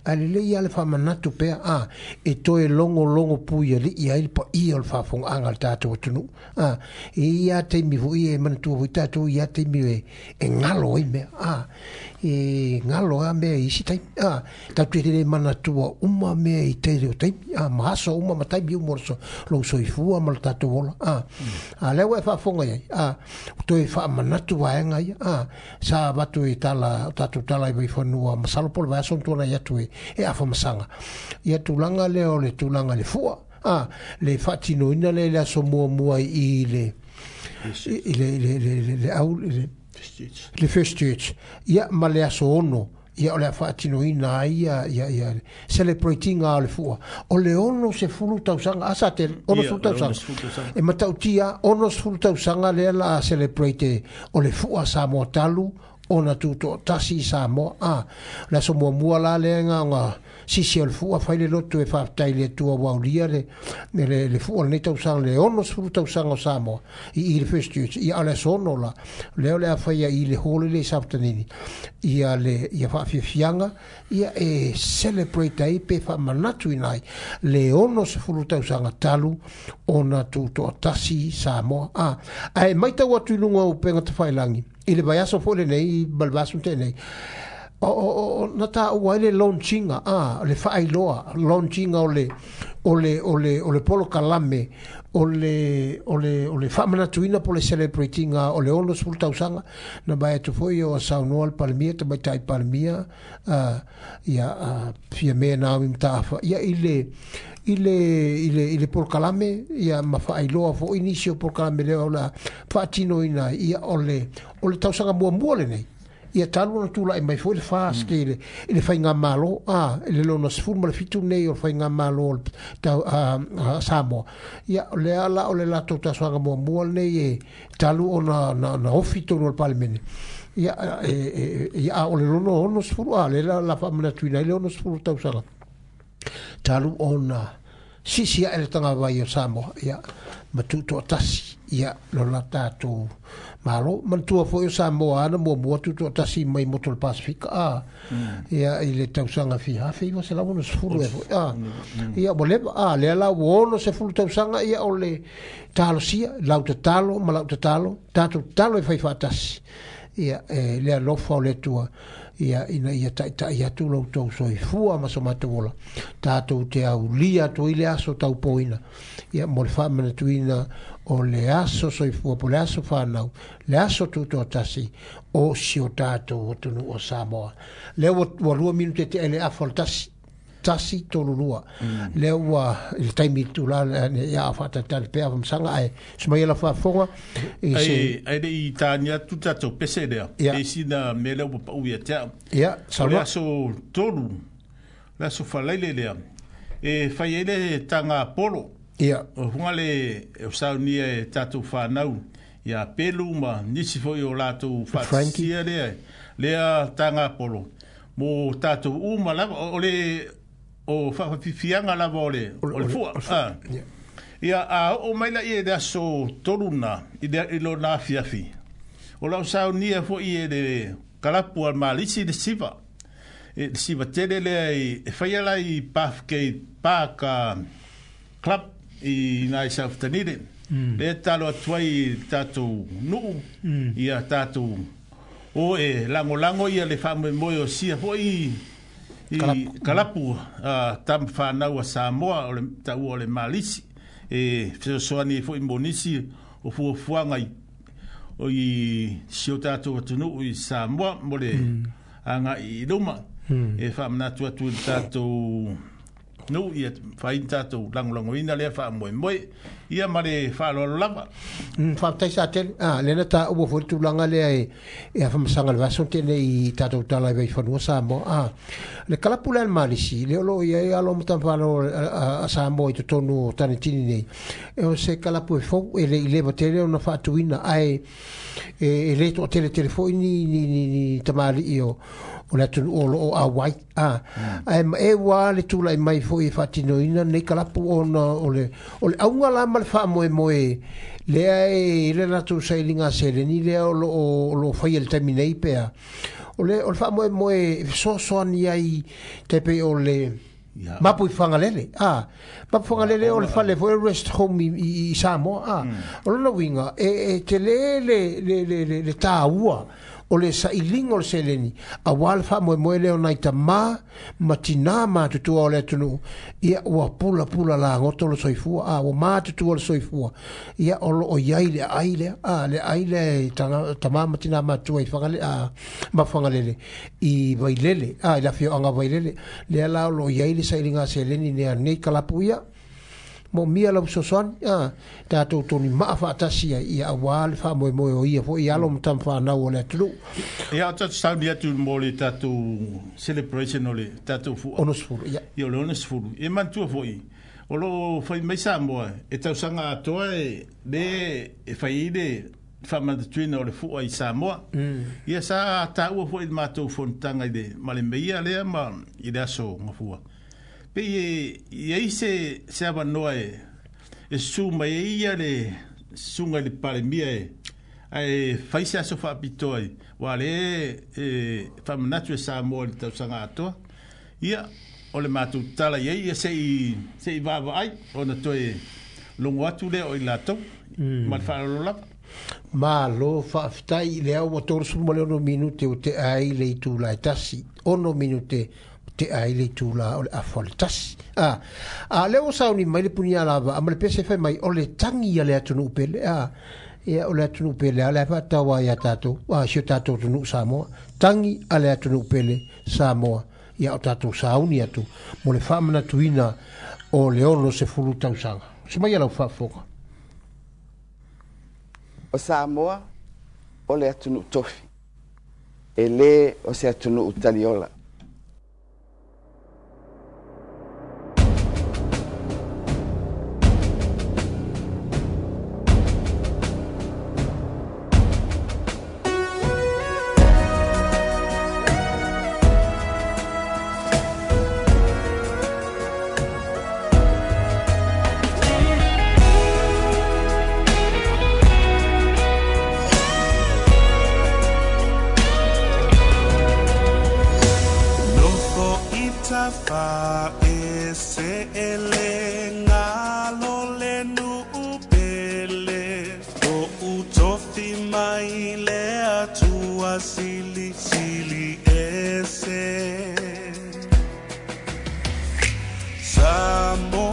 Ae lelei ia le faamanatu pea a e toe logologo pui ali'i ai le paia o le faafogaaga a le tatou atunuu. A e ia taimi foi e manatua foi tatou ia taimi e, e galo ai mea a e galo a mea i isi taimi a tatou te le manatua uma mea i tele o taimi a ma aso uma ma taimi uma o le lou soifua ma le tatou ola a a lea ua e faafofoga i ai a toe faamanatu vaega ia a sa avatu i tala tatou tala i Vaifanua masalo po o le vaiaso na tuanai atu e e afamasaga ia tulaga lea o le tulaga i le fua a le faatinoina lea i le aso muamua i le i le le le le au le le First Church ia ma le aso ono ia o le a faatinoina ai ia ia ia celebrating o le fua o le ono sefulu tausaga a sa tele ono Ia, sefulu o le ono tausaga sefulu tausaga. e matautia ono sefulu tausaga lea la celebrate o le fua Samoa talu ona tutoatasi i Samoa a le aso muamua la lea nga sisi o le fua fai le lotu e faafetai i le Atua ua aulia le le le fua o lenei tausaga le ono sefulu tausaga o Samoa i i le First Church ia o le aso ono la lea o le a faia i le hall le i Safatanini ia le ia faafiafiaga ia e celebrate ai pe faamanatuina ai le ono sefulu tausaga talu ona tutoatasi Samoa a ae matau atu i luga o upega tafailagi i le vaiaso foi lenei ma le vaiaso na tea nei o, o, o, na taua ai le launchinga a le faailoa launchinga o le o le o le o le polokalame o le o le o le faamanatuina po o le celebratinga o le ono sefulu tausaga na vae atu foi o saunoa le Palemia tamaitai Palemia uh, ia uh, Fiame Naomi Mataafa ia i le i le i le i le polokalame ia ma faailoa foi nisi o polokalame lea o le a faatinoina ai ia o le o le tausaga muamua lenei Ia talu ona tula'i mai foi le FAST i le i le faigamalo a i le lona sefulu ma le fitu nei o le faigamalo o le tau a Samoa. Ia o lea la o le latou tasoaga muamua lenei e talu ona na, na ofi tonu o le Palemene. Ia e, e, ia a o le lona ono sefulu a le la la faamanatuina ai le ono sefulu tausaga talu ona sisi ae le tagavai o Samoa ia ma tuutoatasi ia lo la tatou malo. Manatua foi o Samoa ana muamua tuutoatasi mai motu o le Pasifika a ia i le tausaga fia afe iva selau ono sefulu ea foi a ia ua leva a lea la ua ono sefulu tausaga ia o le talosia lau tatalo ma lau tatalo tatou tatalo e fai faatasi ia e le alofa o le Atua ia ina ia taʻitaʻi atu lo outou soifua ma so matou ola tatou te aulia atu ai le aso taupoina ia mo le faamanatuina o le aso soifua po le aso fanau le aso tutoatasi o si o tatou atunuu o Samoa. Lea ua, ua lua minute te ele afa o le tasi tasi tolu lua. Lea ua i le taimi tula ia faatalitali pea famasaga ae sumai la faafofoga i se Ai ai le i tānia atu tatou pese lea. Ia. E sina mea lea ua pau ia te au. Ia O le saunoa aso tolu, le aso falaile lea, e fai ai le taga polo. Ia O hunga le o saunia e tatou whanau ia pelu ma nisi foi o latou Frankie. faatasia lea lea taga polo. Mo tatou uma lava o le o whawhiwhianga lava o le, o le fua. Ah. Ia. Ia, a o mai la i le aso tolu na, i le, i lo na afiafi. O lau saunia foi e le kalapu al malisi le siva. E le siva tele lea i, e whaia la i Pathgate Park uh, Club i nai South Dunedin. Mm. Le talo atu ai i tātou nuu, mm. ia tātou o e langolango ia le whaamoemoe o sia foi i Kalapu. kalapu uh, tam whanau a Samoa o le taua o le malisi e fesoasoani foi mo nisi o fuafuaga i o i si o tātou atunuu i Samoa mo le mm. agaʻi i luma mm. e faamanatu atu i le tatou nuu ia fai tatou lagolagoina lea faamoemoe ia ma le faaaloalo lava. Mm, faafetai sa tele. Ah, lena taua foi le tulaga lea e, e afamasaga le vaso tele i tatou tala i vaifanua Samoa. Ah, le kalapu lea le malisi, le o loo i ai alo ma tamafalo a, a Samoa i totonu o Tanetini nei. E o se kalapu e fou e le i leva tele ona faatuina ae e, e le toatele tele foi ni, ni, ni, ni tamalii o o le atunuu o loo auai. Ah, ae ma e ua le tula'i mai foi e faatinoina nei kalapu ona o le o le auga la ma le faamoemoe lea e i le latou sailiga seleni lea o loo o loo faia i le taimi nei pea o le o le faamoemoe e fesoasoani ai tai pei o le Ia. Mapu i Whangalele. Ah, Mapu Whangalele o le fale foi rest home i, i, i Samoa. Ah, o lona uiga e, e tele le, le, le, le, le tāua o le sailiga o le seleni auā le faamoemoe lea o nai tamā ma tinā matutua o le atunuu ia ua pulapula lagoto le soifua a ua matutua le soifua ia o loo iai le aai lea a le aai lea e tanga- tamā ma tinā matua i Whangale, a, ma Whangalele i Vailele a i le afioaga Vailele lea la o loo iai le sailiga seleni nea nei kalapu ia mo mia lau fesoasoani a tatou toni maa faatasi ai ia auā le faamoemoe o ia foi alo ma tamawhanau o le atunuu. Ia o tatou sauni atu mo le tatou celebration o le tatou fua. Ono sefulu ia. Ia o le ono sefulu. E manatua foi, o loo fai mai Samoa e tausaga atoa e le e fai ai le faamanatuina o le fua i Samoa. Ia sa taua foi i le matou fonotaga i le ma le meia lea ma i le aso gafua. Pe e i ai se se avanoa e e susu mai ai ia le susuga i le Palemia e ae fai se aso faapitoa ai ua le e faamanatu e Samoa i le tausaga atoa. Ia o le matou tala i ai ia seʻi seʻi vaavaai ona toe logo atu lea o i latou ma le faaaloalo lava. Malo faafetai lea ua tolusefulu ma le ono minute o te ai le itula e tasi ono minute te ai le itula o le afa o le tasi. Ah, a lea ua sauni mai le punia lava a ma le pese fai mai o le tangi a le atunuu pele a ia o le atunuu pele a le faataua ia tatou a si o tatou atunuu Samoa tangi a le atunuu pele Samoa ia o tatou sauni atu mo le faamanatuina o le ono sefulu tausaga. Se mai lau faafofoga. O Samoa o le atunuu tofi. E lē o se atunuu taliola. Samoa.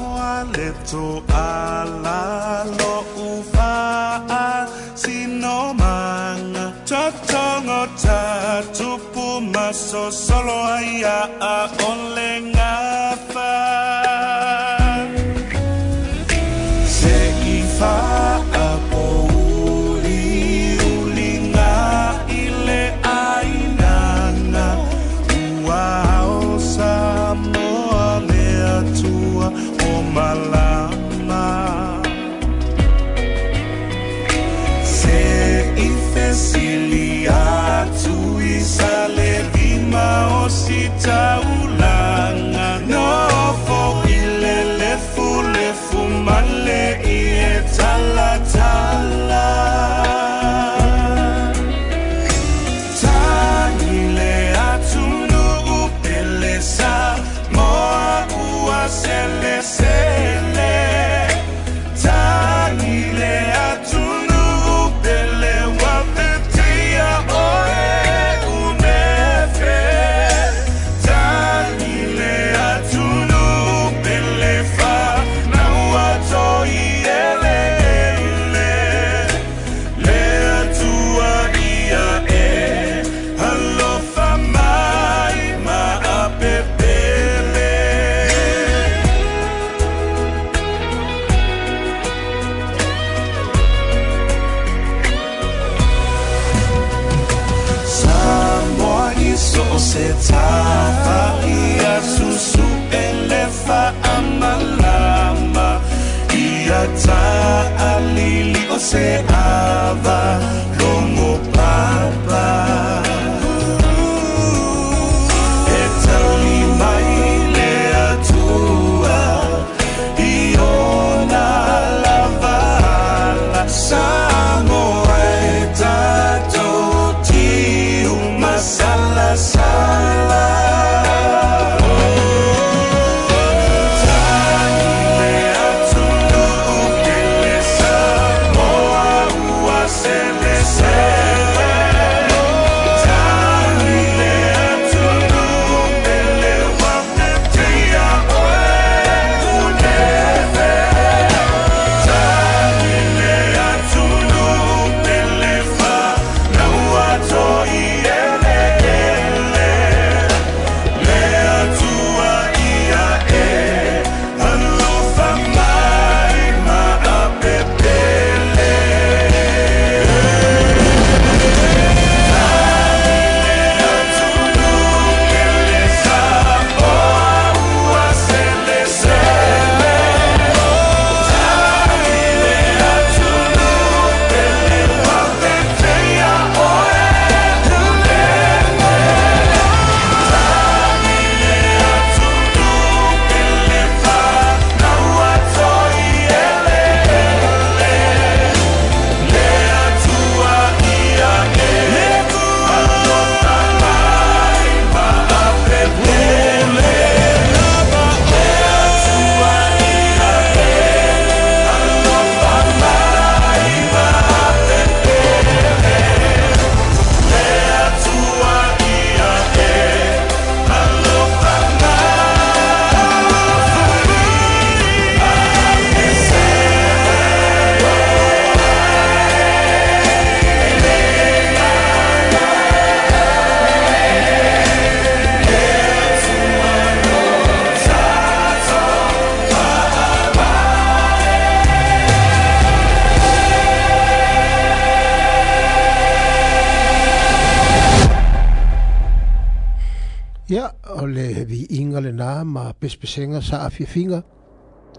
Ia o le viiga lenā ma pesepesega sa afiafiga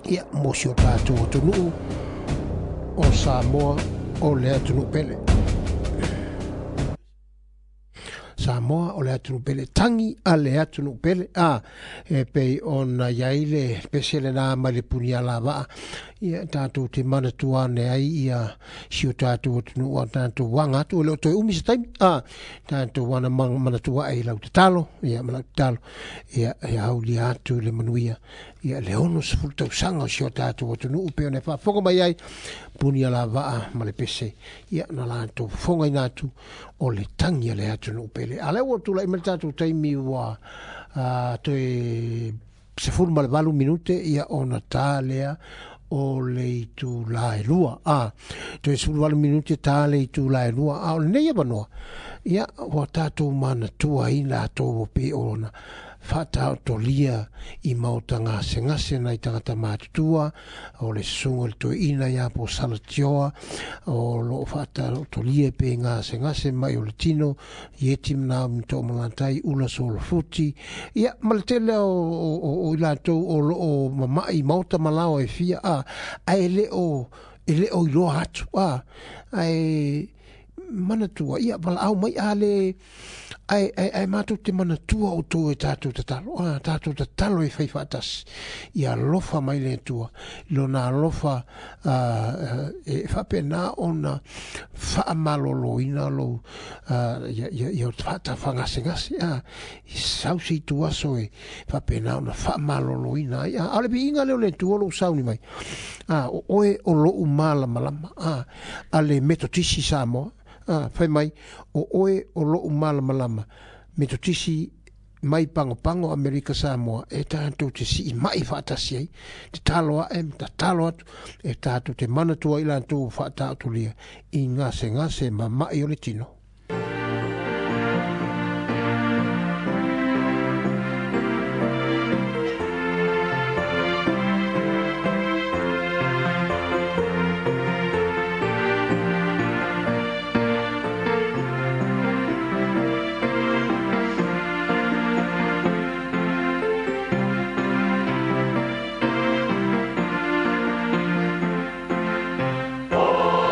ia mo si o tatou atunuu o Samoa o le atunuu pele. Samoa o le atunuu pele, tangi a le atunuu pele a e pei ona iai le pese lenā mai le punialavaa ia tatou te manatua ane ai ia si o tatou atunuu a tatou aga atu e le o toe umi se taimi a tatou ana manatua ai lau tatalo ia ma lau tatalo ia ia aulia atu le manuia ia le ono sefulu tausaga o si o tatou atunuu pei ona e faafofoga mai ai punialavaa ma le pese ia na latou fofogaina atu o le tagi a le atunuu pele. A lea ua tulai mai le tatou taimi ua toe sefulu ma le valu minute ia ona tā lea o le itulā e lua a toe sefulu valu minute tā le itulā e lua a o lenei avanoa ia ua tatou manatua ai latou o pei ona faataotolia i maota gasegase nai tagata matutua o le susuga i le toeaina ia po Salatioa o loo faataotolia pe gasegase mai o le tino i eti ma toomalatai ula solofuti ia ma le tele o, o, o i latou o loo mama'i maota ma lao e fia a ae le o e le o iloa atu a ae manatua ia valaau mai a le ai ai ai matou te manatua o tou e tatou tatalo a tatou tatalo e fai faatasi ia alofa mai le Atua lona alofa e faapena ona faamaloloina lou ia ia ia faatafagasegase a i sau se itu aso e faapena ona faamaloloina ai a o le viiga lea o le Atua o lou sauni mai a o oe o lou malamalama a a le Metotisi Samoa a fai mai o oe o lou malamalama Metotisi mai pagopago Amerika Samoa e tatou te siimai faatasi ai tatalo ae ma tatalo atu e tatou te manatua ai latou faataotolia i gasegase ma mai o le tino. Oh,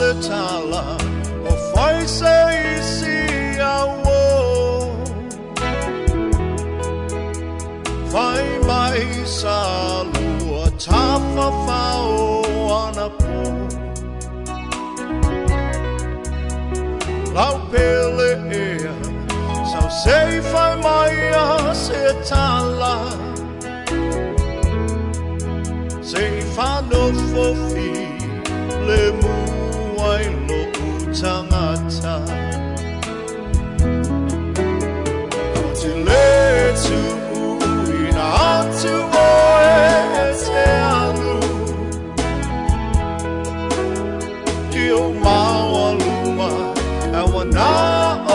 le tala o fai se isi au Fai mai sa lua tafa fao ana po Lau pele ea sau sei fai mai a se tala Sei whanofofi le muai lo utangata Ko te le tuuina atu oe e te alu I o maualuma awana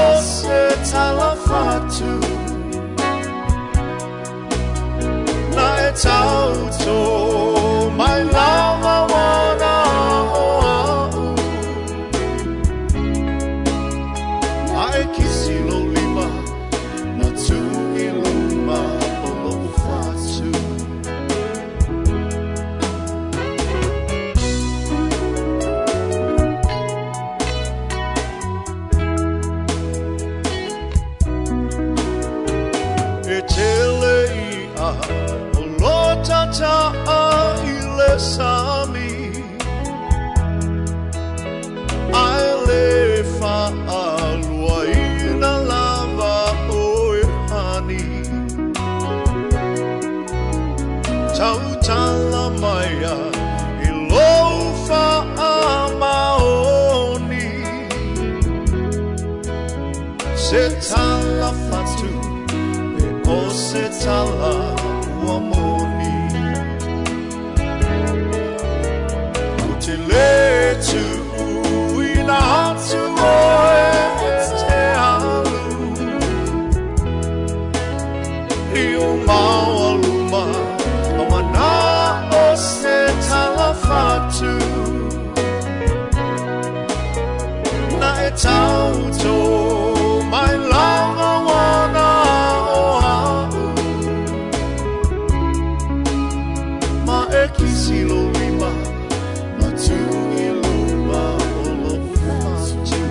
o se talafatu Na e tauto mai lava wana o au Ma e kisi lo lima na tu i luma o lo ufatu E tele ia o lo tata a i le sami Ai le whaalua ina lava o e hani Tautala maia i lou whaamaoni Se tala fatu e o se tala ua moni Ko te le tuuina atu oe e te alu I o maualuma awana o se tala fatu Na e tauto mai lava wana o au Ma e kisi lo lima na tu i luma o lo fatu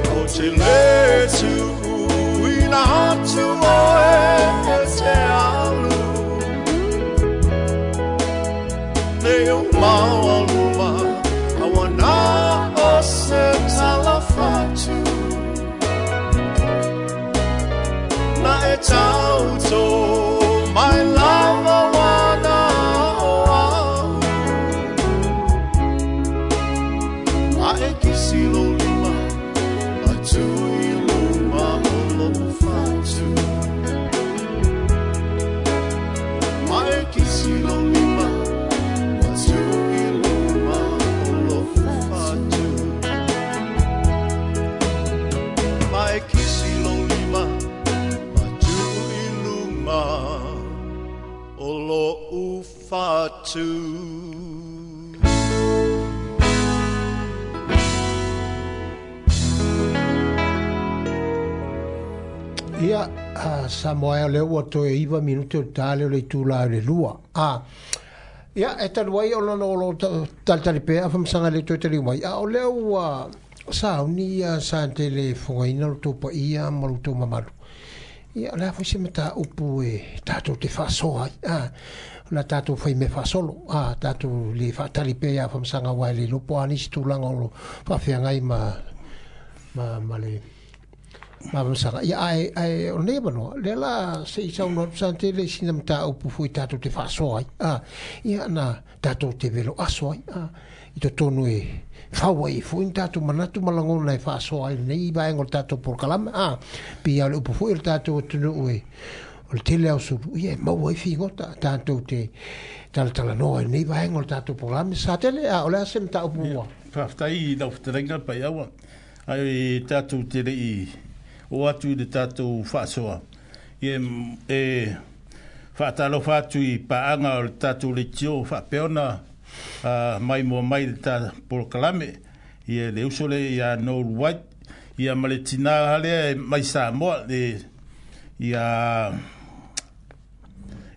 Ko te le tuuina atu oe e te alu Nei o maualuma awana o se tala fatu Na e tauto mai lava wana o au Ma e kisi lo lima a tu i luma o lo fatu Ma e kisi lo lima a tu i luma o lo fatu Ma e kisi lo lima a tu i luma o lo fatu Ia, uh, Samoa o lea ua toe iva minute o le tale o le itula o le lua. Ah, ia, e talu ai o lona o lo talitali pea afamasaga le toe taliu mai. A o lea ua sauni ia sa tele fogaina lo tou paia ma lo tou mamalu. Ia, o le a foi se mataupu e tatou te faasoa ai. Ah, o la tatou fai mea faasolo. Ah, tatou le faatali pea ia afamasaga aua e le iloa po o a nisi tulaga o lo faafeagai ma, ma, ma le Mamasaga. Ia, ae, ae, o nei manoa, lea la se i saunoa atu sa tele sina mataupu foi tatou te faasoa ai. Ah, ia, na tatou te velo aso ai. Ah, i totonu e Fau ai foi ni tatou manatu ma lagona e faasoa ai lenei vaega o le tatou polokalame a pei lava o le upu foi o le tatou atunuu e o le tele ao sulu ia e maua ai figota tatou te talatalanoa i lenei vaega o le tatou polokalame sa tele a o le a se mataupu ua faafetai i lau fetalaiga Paiaua ai tatou te le'i o atu i le tatou faasoa ia e faatalofa atu i paaga o le tatou leitio faapea ona mai mua mai le ta polokalame ia le uso le ia Noel White ia ma le tina lea mai Samoa le ia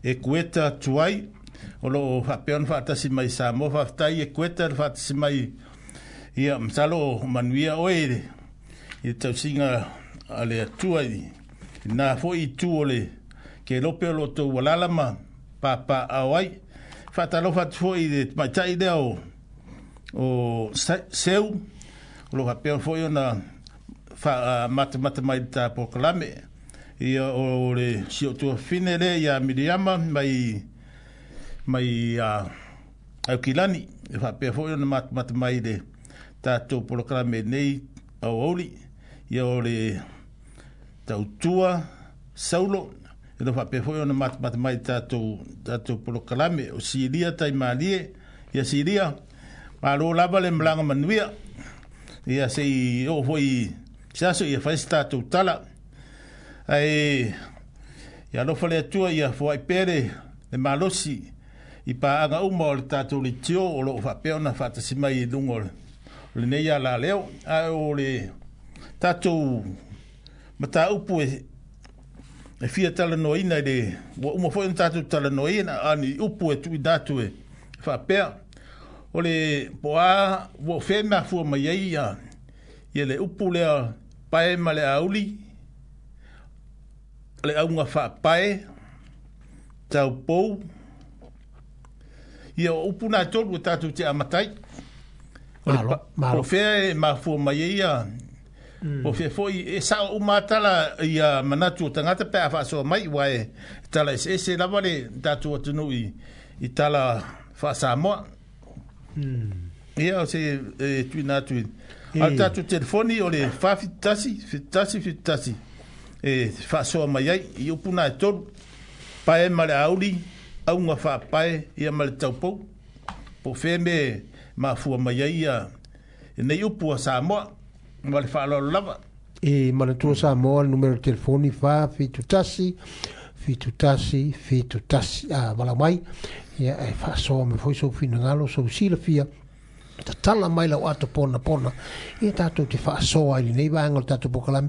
e kueta tuai o loo faapea ona faatasi mai Samoa faafetai e kueta le faatasi mai ia masalo manuia oe i le tausiga a le Atua i na foi itu o le ke lope o lo tou alala ma papaao ai faatalofa atu foi i le tamaitai lea o o Seu o loo faapea foi ona matamata mai le ta polokalame ia o le si o tuafine lea ia Miriama mai mai Aukilani e faapea foi ona matamata mai le tatou polokalame nei aoauli ia o le tautua Saulo e faapea foi ona matamata mai tatou tatou polokalame o Silia Taimalie ia Silia malo lava le malaga manuia ia sei oo foi se aso ia fai se tatou tala ae ia alofa le Atua ia foai pea le malosi i paaga uma o le tatou leitio o loo faapea ona faatasi mai i luga o lenei alaleo ae o le tatou mataupu e e fia talanoaina i le ua uma foi ona tatou talanoaina ani upu e tuuina atu e faapea o le po a ua o fea e mafua mai ai ia ia le upu lea pae ma le auli le auga faapae taupou ia o upu na tolu e tatou te amatai o le po o fea e mafua mai ai ia po o fea foi e sao uma tala ia manatu o tagata pe a faasoa mai ua e tala eseese lava le tatou atunuu i i tala faasamoa ia o se e tuuina atu i a le tatou telefoni o le fa fitu tasi fitu tasi fitu tasi e faasoa mai ai i upu na e tolu pae ma le auli auga faapae ia ma le taupou po o fea me mafua mai ai ia nei upu a Samoa ma le faaaloalo lava e manatua Samoa le numero telefoni fa fitu tasi fitu tasi fitu tasi a vala mai ia e faasoa mai foi sou finagalo sou silafia tatala mai lau ato pona pona ia tatou te faasoa i lenei vaega o le tatou polokalame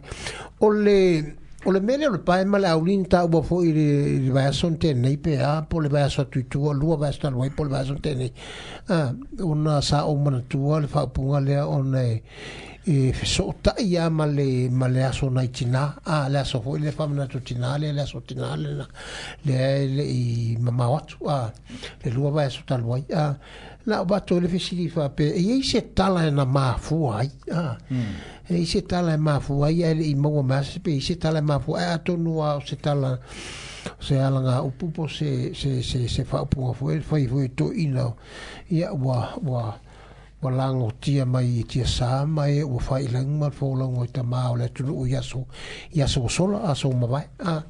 o le o le mea lea o le pae ma le auli na taua foi i le i le vaiaso na tenei pe a po o le vaiaso atu i tua lua vaiaso talu ai po o le vaiaso na tenei a ona sa ou manatua le faaupuga lea ona e e fesootai a ma le ma le aso nai tina a le aso foi le faamanatu tina lea le aso tina lena lea e le'i mamao atu a le lua vaiaso talu ai a na o bato le fesili faapea e iai se tala e na mafua ai a e i se tala e mafua ai ae le'i maua mai ase pe i se tala e mafua ai atonu a o se tala se alaga upu po se se se se faaupuga foi fai foi toeaina ia ua ua ua lagotia mai i tiasā ma e ua faailaga ma le folauga i tamā o le atunuu i aso i aso ua sola aso ua mavae a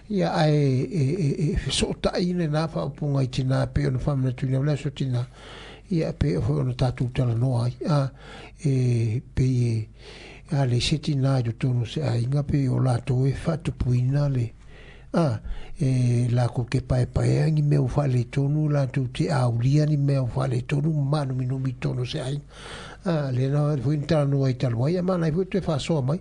ia ae e e e fesootai lenā faaupuga i tinā pei ona faamanatuina o le aso tinā ia pei foi ona tatou talanoa ai a e pei e a le se tinā i totonu o se aiga pei o latou e faatupuina le a e lakou ke paepaea ni mea ua faaletonu latou te aulia ni mea ua faaletonu ma manuminumi i totonu o se aiga a lena foi na talanoa ai talu ai ma nai foi toe faasoa mai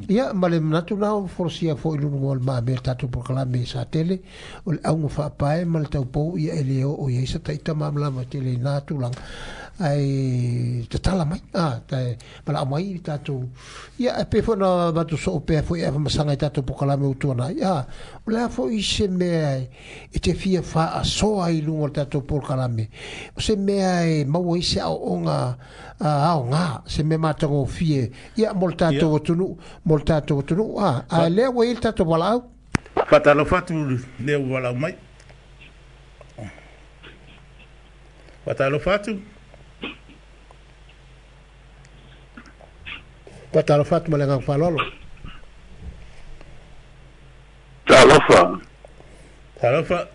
ia ma le manatu na o folasia foi i luga o le mamea le tatou polokalame sa tele o le auga faapae ma le taupou ia e le oo i ai sa taita malamalama tele i na tulaga ae tatala mai a tae malao mai tatou ia e pei foi ona avatu soo pea foi e avamasaga i tatou polokalame ua tuanai a o le a foi se mea e te fia faasoa i luga o le tatou polokalame o se mea e maua ai se aoaoga aoga se mea matagofie ia mo le tatou atunuu mo le tatou atunuu a ae lea ua i ai le tatou valaau faatalofa atu lea ua valaau mai faatalofa atu. Patalofa atu ma le agaga faaaloalo. Talofa. Talofa.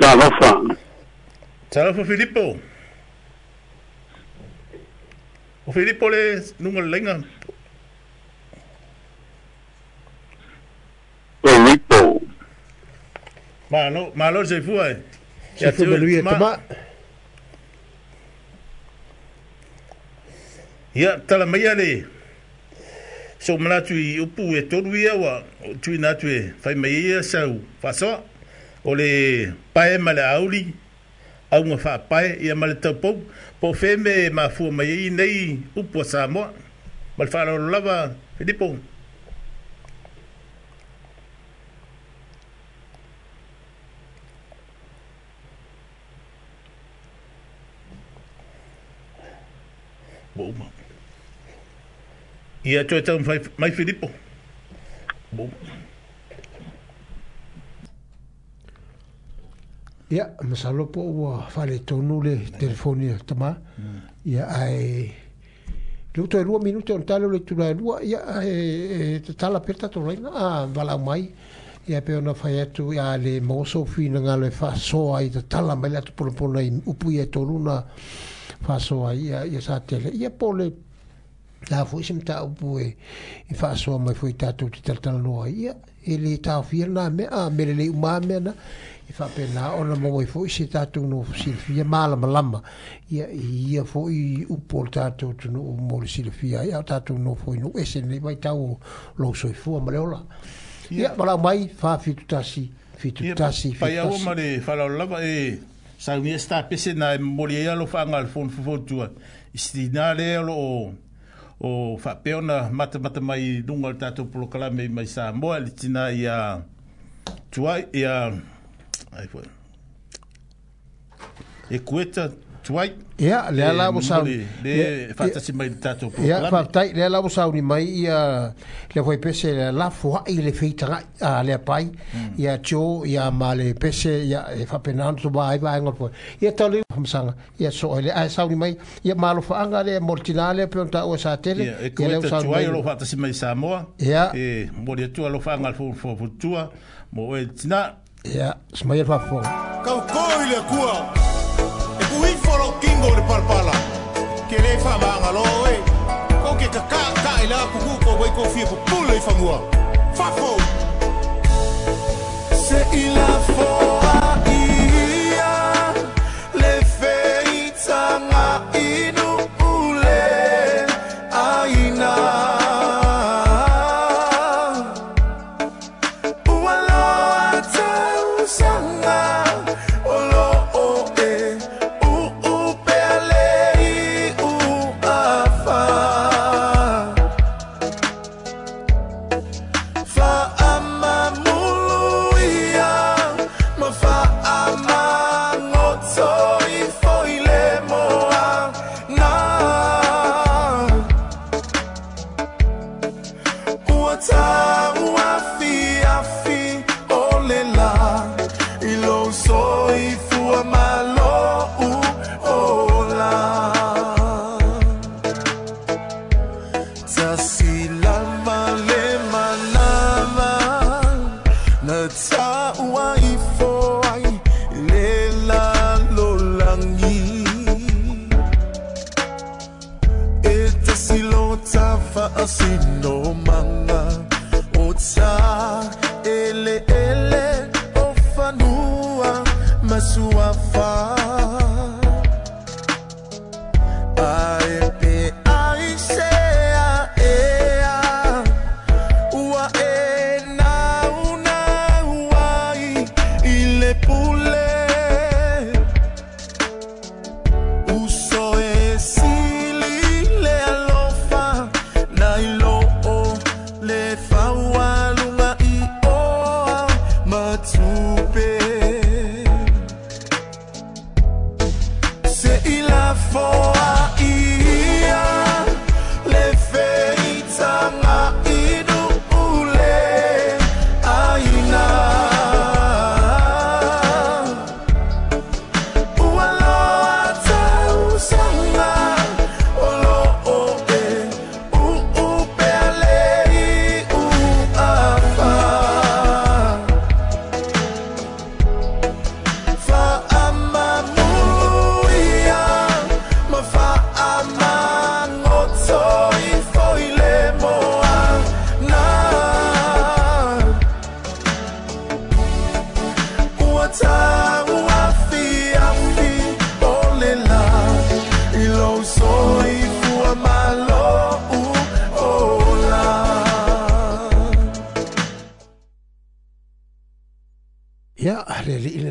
Talofa. Talofa Filipo. O Filipo le luga o le laina. Filipo. Malo, malo le soifua e. Soifua manuia tama. Ia, tala maia le so manatu i upu e tolu ia ua tuuina atu e fai mai ai ia sau faasoa. O le pae ma le auli, auga faapae ia ma le taupou. Po o fea mea e mafua mai ai nei upu a Samoa. Ma le faaaloalo lava, Filipo. Ua uma. Ia toe taumafai mai Filipo. Ua uma. Ia, masalo po ua faaletonu le telefoni a tama. Ia, ae le toe lua minute ona tale o le itula e lua, ia, e tatala pea le tatou laina, a valaau mai. Ia, pe ona fai atu, ia, le maua sou finagalo e faasoa ai tatala mai le atu ponapona i upu ia e tolu na faasoa ai, ia, ia sa tele. Ia, po le la foi se mataupu e e faasoa mai foi tatou te talatalanoa ai, ia, e le taofia lena mea, a mea lelei uma lava mea na, e faapena ona maua ai foi se tatou nofo silafia malamalama, ia, i ia foi upu o le tatou atunuu mo le silafia ai, a o tatou nofo i nuu ese i lenei vaitau o lou soifua ma le ola. Ia, valaau mai, fa fitu tasi, fitu Ia, tasi, fitu paiaua tasi. ma le faaaloalo lava e saunia se tapese na e momoli ai alofaaga a le fono fofotua i se tinā lea o loo o faapea ona matamata mai i luga o le tatou polokalame mai Samoa le tinā ia Tuai ia ai foi e Kueta Tuai Ia, lea e la ua sauni. momoli Ia, le ia, faatasi mai i le tatou ia, polokalame. faafetai, lea la ua sauni mai ia lea foi pese le lafoai le feitagai a lea pai, ia Joe, ia ma le pese, ia e faapena ona tovā ai vaega o le foe. Ia tau le faamasanga, ia soo ai le, ae sauni mai, ia malofaaga lea mo le tinā lea pe ona taua sa tele, Ia, e ia lea ua Kueta sauni Tuai mai. o loo faatasi mai Samoa Ia, e momoli atu alofaaga a le fono fofotua mo oe le tinā. ia, semaia le faafofoga. Kaukō i le Atua, e puifo lou kingo i le palapala, ke lē faamagalo e, kou ke kaka'aka'i la kukū kou ai kou fia pupule i fanua. Fafo! Se'i lafoa'i ia le feitaga inu ule aina. Ua loa tausaga o loo e uupea le iu afa. Faamamulu ia ma faamagoto ifo i le moana. Ua tau afiafi o le lā i lou soifua ma lou ola. Tasi lava le manava na taua ifo ai le lalolagi. E tasi lo tafaasinomaga o ta eleele o fanua ma suafa. Ae pe ai se aea ua e naunau ai i le pule. Uso e sili le alofa na i loo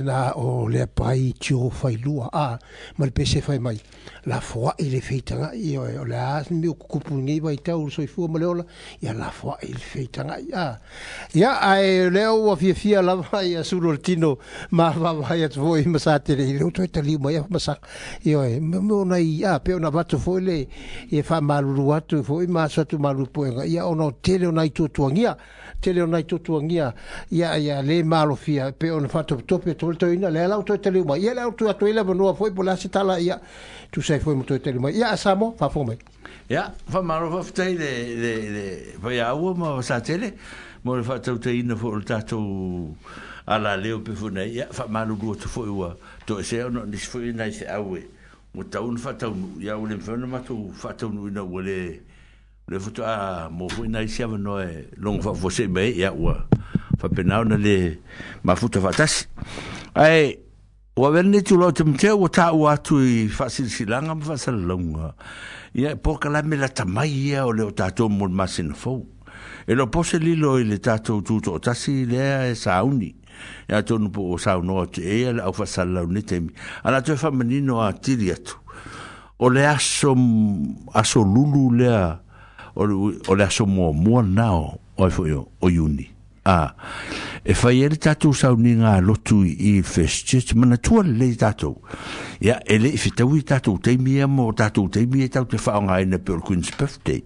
lena o le pai tio failua a ma le pese fai mai la foa i le feitanga i o le a mi o kupu nei vai tau soifua ma le ola ia la foa i le feitanga a ia ai leo ua fiafia lava ia sulu le tino ma vavai atu foi ma sa tele i leo toe taliu mai ma sa ioe mo nai a pe ona vatu foi le e faamalulu atu foi ma aso atu malu poega ia ona o tele o nai tuatuagia tele o nai tuatuagia ia ia le malofia pe ona faatopetope tole toina le ala o toe taliu mai ia le au toe atu i le avanoa foi po le a se tala ia tusai foi mo toe taliu mai ia Samo faafofoga mai. Ia faamalo faafetai le le le faiaua ma sa tele mo le faatautaina foi o le tatou ala leo pe foi nei ia faamalulu atu foi ua toesea ona o nisi foi nai feau e ua tau na faataunuu ia ua le mafai ona matou faataunuuina ua le le faatoa mo foi nai isi avanoa e logo faafuasei mai ai ia ua faapena ona le mafuta faatasi ae ua avea lenei tulaga o Timotea ua taua atu i faasilasilaga ma faasalalauga ia e polokalame lata mai ia o le o tatou mo le masina fou e le o po se lilo i le tatou tutoatasi lea e sauni ia atonu po o saunoa atu e ia le au faasalalau nei taimi a la toe faamanino atili atu o le aso aso lulu lea o le, o le aso muamua lena o o ai foi o, o Iuni a e fai ai le tatou sauniga a lotu i First Church manatua lelei tatou ia e le i fetaui tatou taimi ia mo tatou taimi e tatou te faaaogaina pe o le Queen's Birthday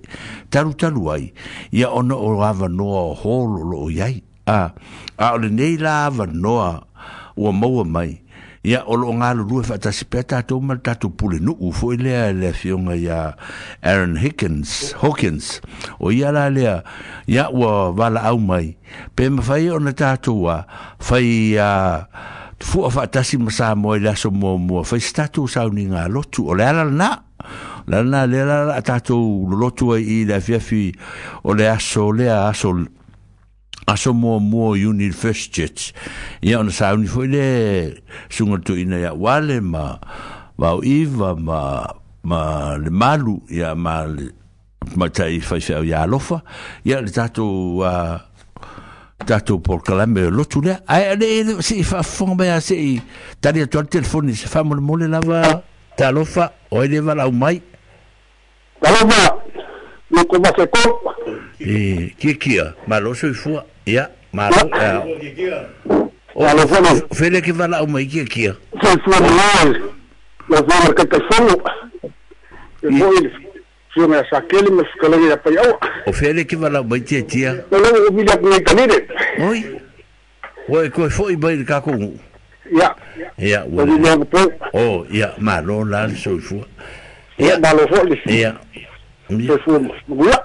talutalu ai ia ona o avanoa o hall o loo i ai a a o lenei la avanoa ua maua mai ia o loo galulue faatasi pea tatou ma le tatou pulenuu foi lea le afioga ia Aaron Higgins Hawkins o ia la lea ia ua valaau mai pe mafai ona tatou a fai a fua faatasi ma Samoa i le aso muamua fai se tatou sauniga lotu o le ala lena la lena lea la la tatou lolotu ai i le afiafi o le aso lea aso aso muamua o Iuni First Church ia ona sauni foi le suga toeaina ia Uale ma Vaoiva ma ma le Malu ia ma le matai faifeau ia Alofa ia le tatou uh, tatou polokalame o lotu lea ae le se i faafofoga mai a se i tali atu ai le telefoni se faamolemole lava talofa o ai le valaau mai. Talofa loko maseko e kia kia malo soifua ia malo o fele ke valaau mai kia kia soifua malai la zona ke te fono e foi fioga sa kele ma fetalaiga ia Paiaua o fele ke valaau mai tia tia o lo o vili atu nei kanire oi oi koe foi mai le kākou nuu ia ia ua o ia malo la le soifua ia malo foi ia soifua manuia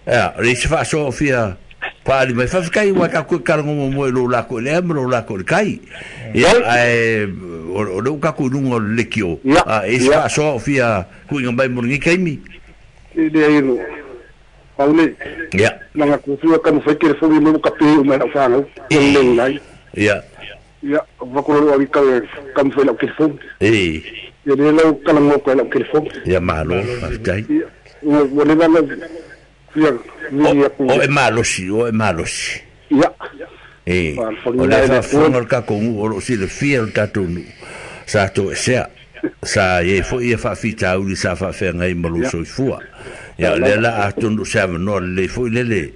ia le isi faasoa o fia paali mai faafetai ua tatou e kalagogo mo i lou lako i le ea ma lou lako i le kai ia ae o lea ua tatou i luga o le lekio a e isi faasoa o fia tuuina mai mo lenei taimi e leai no pau nei ia laga kufia taumafai telefoni mo kape o mai lau fanau o le nai ia ia vakulolo ali ka taumafai lau telefoni e ia le lau kalagogo ko lau telefoni ia malo faafetai ua leva na fia vili aku o e malosi o e malosi ia e o le faafofoga o le tatou nuu o loo silafia le tatou nuu sa toesea sa iai foi ia faafitauli sa faafeagai ma lou soifua ia o lea la atonu se avanoa lelei foi lele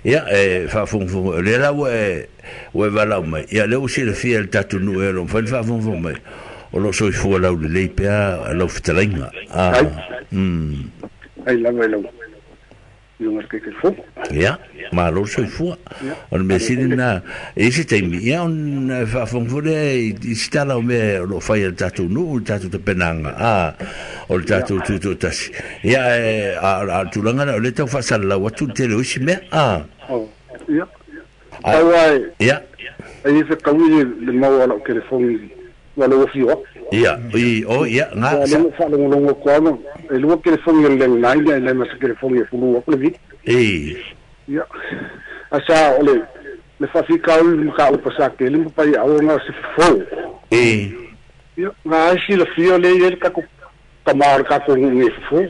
ia e faafogafoga o lea la ua e ua e valaau mai ia lea ua silafia e le tatou nuu e o loo mafai ona faafogafoga mai o loo soifua laulelei pea lau fetalaiga a mm ai lava i lau ioga le telefoni ia malo le soifua o le mea sili lena e i se taimi ia ona faafogafoga lea i se tala o mea o loo fai e le tatou nuu le tatou tapenaga a o le tatou tutoatasi ia e a o le tulaga lea o lea tau faasalalau atu le tele o isi mea a ia tau ai ia ai se kaui le maua lau telefoni ua lou afio atu ia i o ia nga sa faalogologo atu ana e lua telefoni o le landline ia e le ma se telefoni e fulu atu le vili e ia asa o le le faafitauli ma ka upa sa tele ma Paiaua na se fofo e ia na ai silafia le i ai le tatou tama o le tatou nuu e fofo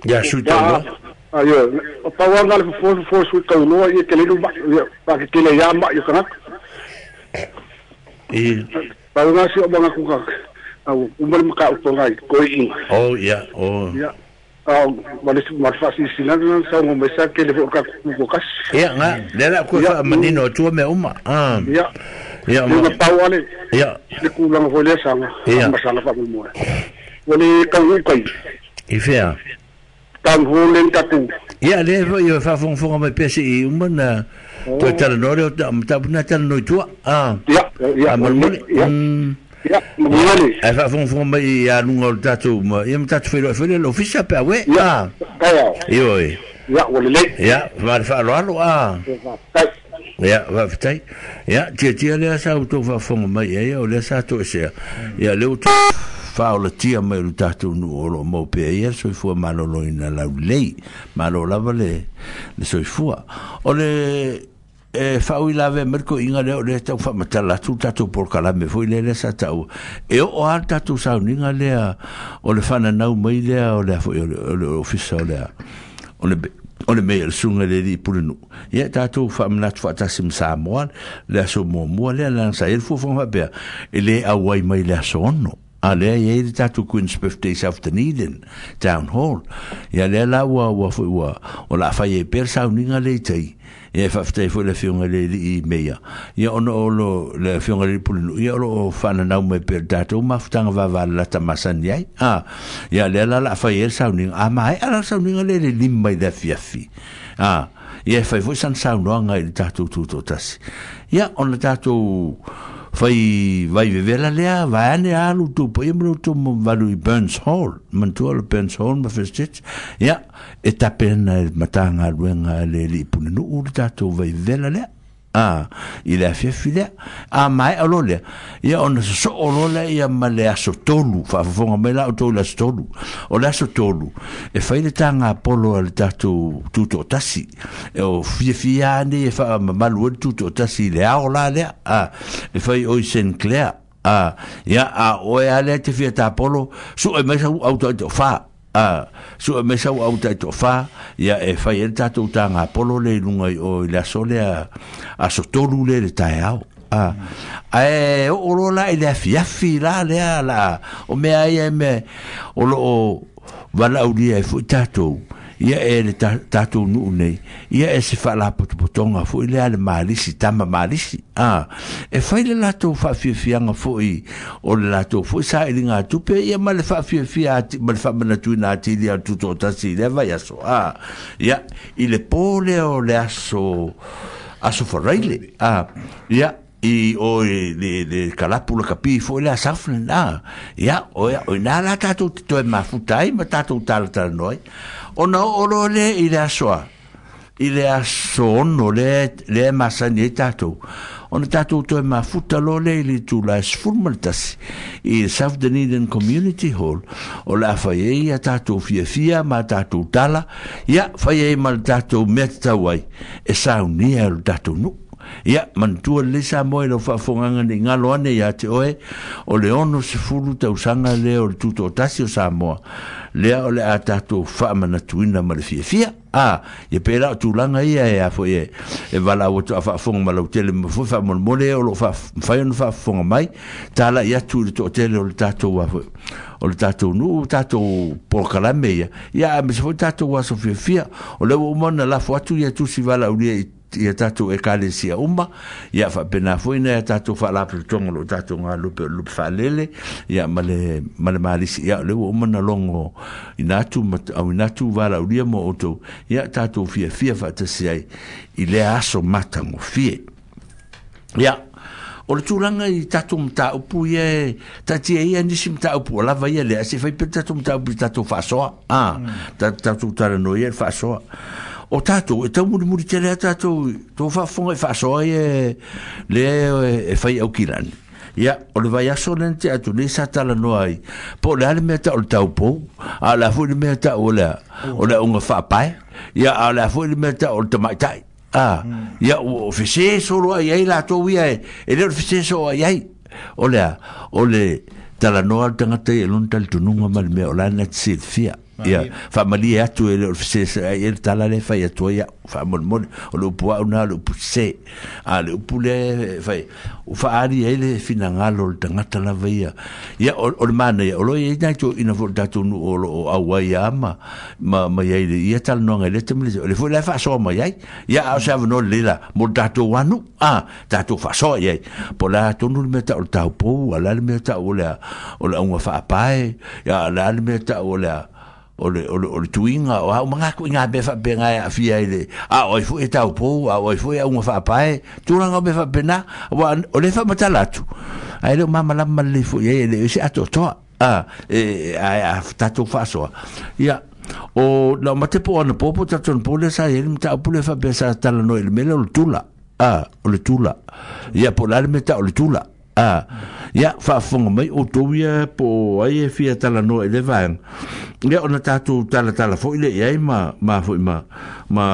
ia sui tauloa aio o pau lava le fofo fofo sui tauloa ia tele lu mai ia paketele ia mai o tagata I. Pau nga si o mga kukak. Au umali maka upongai koi inga. Oh ia, oh. Ia. Au mali mali sila na sa ngo mesa ke le ka ku kas. Ia nga, le la ku fa manino tua me uma. Ah. Ia. Ia ma pau ale. Ia. Le ku langa fo le sanga. Masala fa mo. Wale ka u kai. I fea. Tang ho le ta ku. Ia le fo ia fa fong fong mai pesi i uma na to tala no le ta ta na tala no tua. Ah. Ia, ia. Ia. Ia, mole. Ai fa fong fong mai ia lunga o tatou ma ia mtatu felo felo lo fisa pa we. Ah. Kaya. Io e. Ia, wale le. Ia, va fa lo alo ah. Ia, va fitai. Ia, tia tia le sa o to fa fong mai ia o le sa to se. Ia le o fa o le tia mai le tatou nu o lo mo pe ia soifua malolo ina lau lei. Malo lava le le soifua. O le e whaui lave merko inga leo le tau whamatala atu tatou polokalame foi le le sa tau e o a tatou sauninga lea o le whananau mai lea o le foi o le ofisa o lea o le o le mea le sunga le li pulenu ia tatou whamanatu whaatasi msamoa le aso muamua lea lana sa ele fuafuaga faapea e le auai mai le aso ono. A lea ia le tatou Queen's Birthday South Dunedin Town Hall. Ia lea la ua ua foi ua o la fai e pea sauninga le i tai. Ia whawhitai foi le fionga le li i meia. Ia ono o lo le fionga le pulinu. Ia o lo o whananau mai pea tatou mafutanga vava lata masani ai. Ah, ia lea la la fai e sauninga. A mai ala sauninga le le lima i le fiafi. Ah, ia fai foi san saunoanga i le tatou tutotasi. Ia ona tatou fai vai vevela lea vai ane alu tu po imro tu valu i Burns Hall mantua le Burns Hall ma First Church ia e tapena matanga luenga le li pununu u tatou vai vevela lea ah i le afiafi lea a mai alo lea ia ona so o lea ia ma le aso tolu faafofoga mai la o tou le aso tolu o le aso tolu e fai le taga polo a le tatou tutoatasi e o fiafia ane e faamamalu ai le tutoatasi i le ao la lea a e fai o i Sinclair a ia a oe a lea te fia tapolo suʻe mai sau au taitoʻafā. A su me sau au tai to fa ia e fai el tatou tanga polo le lunga o le aso le aso tolu le le taeao a ae o lo la ile afiafi la le la o mea ia me o lo o valaulia e foi tatou ia e le tatou nuu nei ia e se faalapotopotoga foʻi lea le malisi tama malisi a e fai le latou faafiafiaga foʻi o le latou foʻi sailiga tupe ia ma le faafiafia ma le faamanatuina atili a le tutoatasi i lea vaiaso a ia i le pō lea o le aso aso faraile a ia i o le le kalapu la kapi fo le safle na ia o ia o na la tatou toe mafuta ai ma tatou talatalanoa ai ona oo loa lea i le aso a i le aso ono le le masani ai tatou ona tatou toe mafuta loa lea i le itula e sefulu ma le tasi i South Dunedin Community Hall o le a fai ai ia tatou fiafia ma tatou tala ia fai ai ma le tatou mea tatau ai e saunia e le tatou nuu. Ia, manatua lelei Samoa i lau faafofogaga nei galo ane ia te oe o le ono sefulu tausaga lea o le tutoatasi o Samoa lea o le a tatou faamanatuina ma le fiafia. A, ia pe la o tulaga ia e a foi e e valaau atu a faafofoga ma lautele ma foi faamolemole o loo mafai ona faafofoga mai tala'i atu i le toatele o le tatou a foi o le tatou nuu tatou polokalame ia ia aemaise foi tatou aso fiafia o lea ua uma ona lafo atu ia tusi valaaulia i ia tatou ekalesia uma ia faapena foi na ia tatou faalapotopotoga o loo tatou galupe o le lupe faalele ia ma le ma le malisi ia o lea ua uma na logo ina atu auina atu valaaulia mo outou ia tatou fiafia faatasi ai i lea aso matagofie. Ia o le tulaga i tatou mataupu ia e taatia ia nisi mataupu o lava ia lea se fai pea tatou mataupu i tatou faasoa a tatou talanoa ia le faasoa o tatou e taumulimuli tele a tatou tou faafofoga i faasoa ia lea e fai aukilani. Ia o le vaiaso lea na tea atu nei sa talanoa ai po o le a le mea tau o le taupou a o le a foi le mea tau o le o le auga faapae ia a o le a foi le mea tau o le tamaitai a ia o fese solo ai ai latou ia e e le o le fese soo ai ai o le a o le talanoa le tagata ia e lona talitonuga ma le mea o la na te silafia. Ia faamalie atu e le o le feseseai e le tala le fai atu ai a'u faamolemole o le upu a'u na o le upu sese a le upu lea fai ua faaali ai le finagalo o le tagata lava ia ia o le manaia o lo i ai nai toeaiina foi o le tatou nuu o loo auai a ma ma ma iai le ia talanoaga i lea taimi o le foi la e faasoa mai ai ia a o se avanoa lelei la mo le tatou anu a tatou faasoa i ai po o le a tonu le mea ta'u o le taupou a le a le mea ta'u o le o le auga faapae ia a le a le mea ta'u o le o le o le o le tuiga o au manga ku inga be fa be nga afia ile a oi fu e tau po a oi fu e unga fa pae tulaga be fa pena wa o le fa matala atu ai le mama la le fu ye le se ato to a e a tatou fasoa ia o la mate po ana popo tatou po le sa ele mta po le fa be sa tala no ele mele o le tula a o le tula ia po la le meta o le tula a ia faafofoga mai outou ia po ai e fia talanoa i le vaega ia ona tatou talatala foʻi le i ai ma ma foʻi ma ma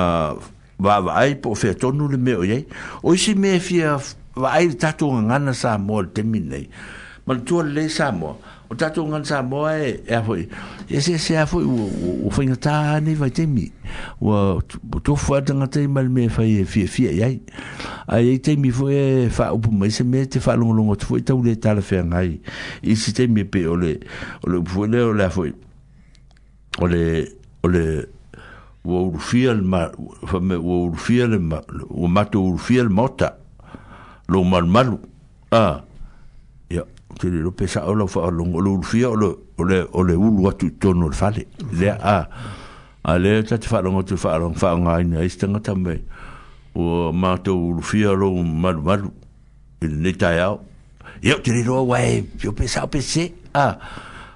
vaavaai po o featonu le mea o iai o isi mea e fia vaai le tatou gagana Samoa i le taimi lenei manatua lelei Samoa o tatou gagana Samoa e e a foʻi e eseese a foʻi ua faigatā nei vaitaimi ua tofu a tagata i ma le mea e fai e fiafia i ai ae ai taimi foʻi e faaupu mai se mea te faalogologo atu foʻi tau le talafeagai i isi taimi e pei o le o le upu foʻi lea o le a foʻi o le o le ua ulufia le ma fa ua ulufia le ma ua matou ulufia le maota lou malumalu a ia te le lope sa o lau faalogo o le ulufia o le o le o le ulu atu i totonu o le fale lea a a lea ta te faalogo atu faalogo faaaogaina ai se tagata mai ua matou ulufia lou malumalu i lenei taeao ia ou te le iloa ua e pio pe sao pe sese a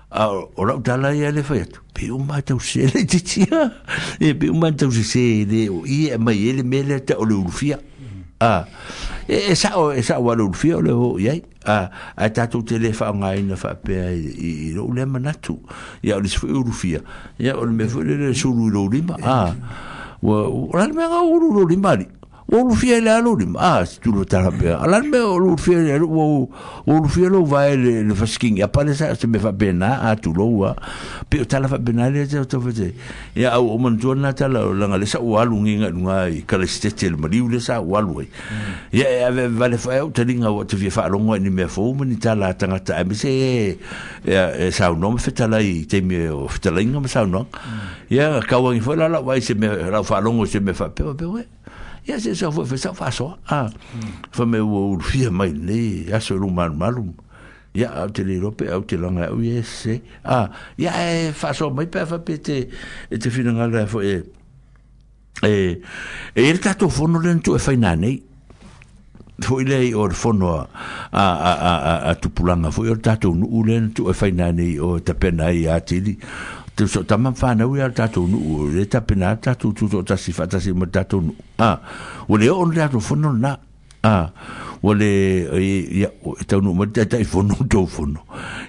a o lau tala ia le fai atu pe uma tau sese le titia e pe uma tau sese le o i e mai e le mea lea ta o le ulufia a e sao e sao le ulufia o le o i ai a a tatou te le faaaogaina faapea i lou lea manatu ia o le isi foi ulufia ia o le mea foi lele sulu i lou lima a ua o le mea ga ulu lou lima ali ua ulufia i le a lou lima a se tulu tala faapea a la le mea o le ulufia i le ua ua ulufia lou vae le le fasikiga apa le sa se mea faapena a tulou a pe o tala faapena lea te tau fate ia au o manatua lena tala o laga le sa ua alu giga i luga i kalaisitete le maliu le sa ua alu ai ia e ave vale fae au taliga ua te fia faalogo ai ni mea fou ma ni tala a tagata aemaise e e saunoa ma fetalai i taimi o fetalaiga ma saunoaga ia kauagi foi la lau vaai se mea lau faalogo i se mea faapea faapea uē ia se sa foi sa faasoa a fa me ua ulufia mai lenei aso i lou malumalu ia au te le iloa pe au te laga au ia e sese a ia e faasoa mai pe a faapea te e te finagalo ai foi e e e i le tatou fono lea na tuu e faina nei foi lea i o le fono a a a a a tupulaga foi o le tatou nuu lea na tuu e faina nei o tapena ai atili te so tama whanau ia le tatou nuu le tapena tatou tutoatasi faatasi ma le tatou nuu a ua le oo le tatou fono lena a ua le ia e taunuu mai le taitai fono tou fono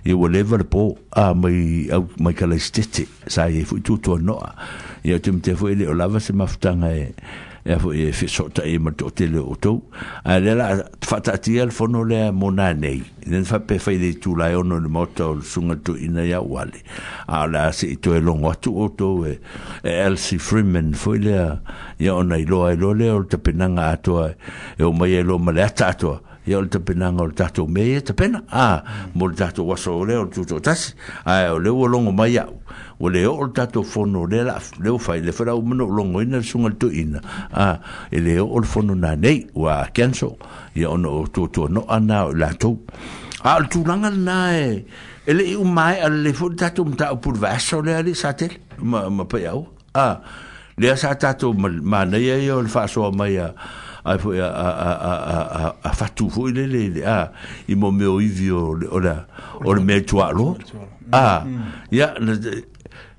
ia ua leva le po a mai au mai kalaisitete sa iai foi tuatuanoa ia o te matea foi e le o lava se mafutaga e e foi e feso'ota'i ma le to'atele o outou ae lea la faataatia le fono lea mo nanei lena faapea fai le itula e ono i le maota o le susuga le toeaina ia uale a o le a se'i toe logo atu outou e e Elsie Freeman foi lea ia ona iloa ai loa lea o le tapenaga atoa e o mai ai loa ma le ata atoa ia o le tapenaga o le tatou mea ia tapena a mo le tatou aso lea o le tutoatasi ae o lea ua logo mai a'u ua le oo le tatou fono lea la lea ua fai le foi la uma na ou logoina le susuga le toeaina a e le oo le fono nanei ua cancel ia ona o tuatuano'a na o i latou a o le tulaga lena e e le'i uma ae'a lelei foi le tatou mataupu i le vaiaso lea alii sa tele ma ma paiaua a lea sa tatou manaia ia o le faasoa mai a ai foi a a a a a a fatu foi lele le a i mo mea o ivi o le o le o le mea tuaaloa a ia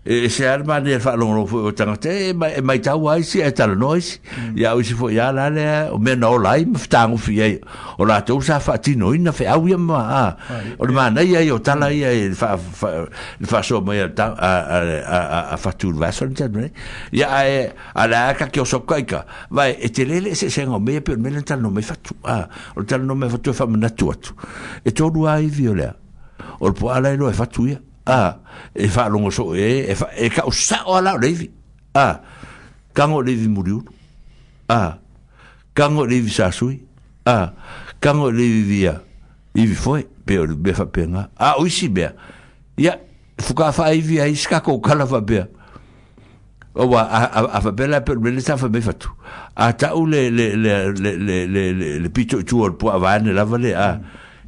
e se a le manaia le faalogologo foi o tagata e mai e maitau ai isi ae talanoa isi ia o isi foi a la lea o mea na ola ai ma fetagofi ai o latou sa faatinoina feau ia ma a o le manaia ia o tala ia i le faa le faasoa mai a a a a fatu i le vaiaso le talu nei ia ae a le a ka ke oso kaika vai e tele le eseesega o mea ia pei o le mea lea na talanoa mai fatu a o le talanoa mai fatu e faamanatu atu e tolu lava ivi o lea o le puaa la e iloa e fatu ia A e faalogo soo e e e taʻusao ala o le ivi a kago le ivi muliulu a kago le ivi sasui a kago le ivi via ivi foe pe o le mea faapega a o isi mea ia fuka faaivi ai isi kakou kala faapea oa a faapea la pe le sa faamai fatu a taʻu le le le le le le le pito i tua o le puaʻa vaeane lava le a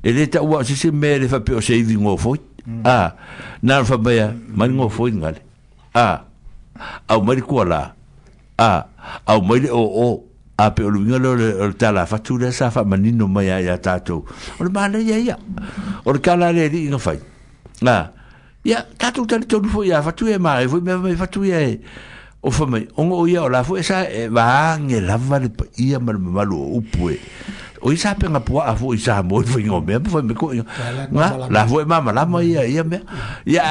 e lē taʻua o sisi mea le faapea o se ivi gofoi a na le faamaia mai le gofoi gale a au mai le kualā a au mai le oo a pe o le uiga lea o le tala fatu lea sa faamanino mai a iā tatou o le manaia ia o le kala le aliʻi na fai a ia tatou talitonu foʻi iā fatu ia e maʻe foi mea mai fatu ia e o famai ona o ia o la foʻi sa e vaage lava le paia ma le mamalu o upu e o isa penga puaʻa foʻi sa mo i faiga o mea ma fai mai koʻiga ga la foʻi mamalama ia ia mea ia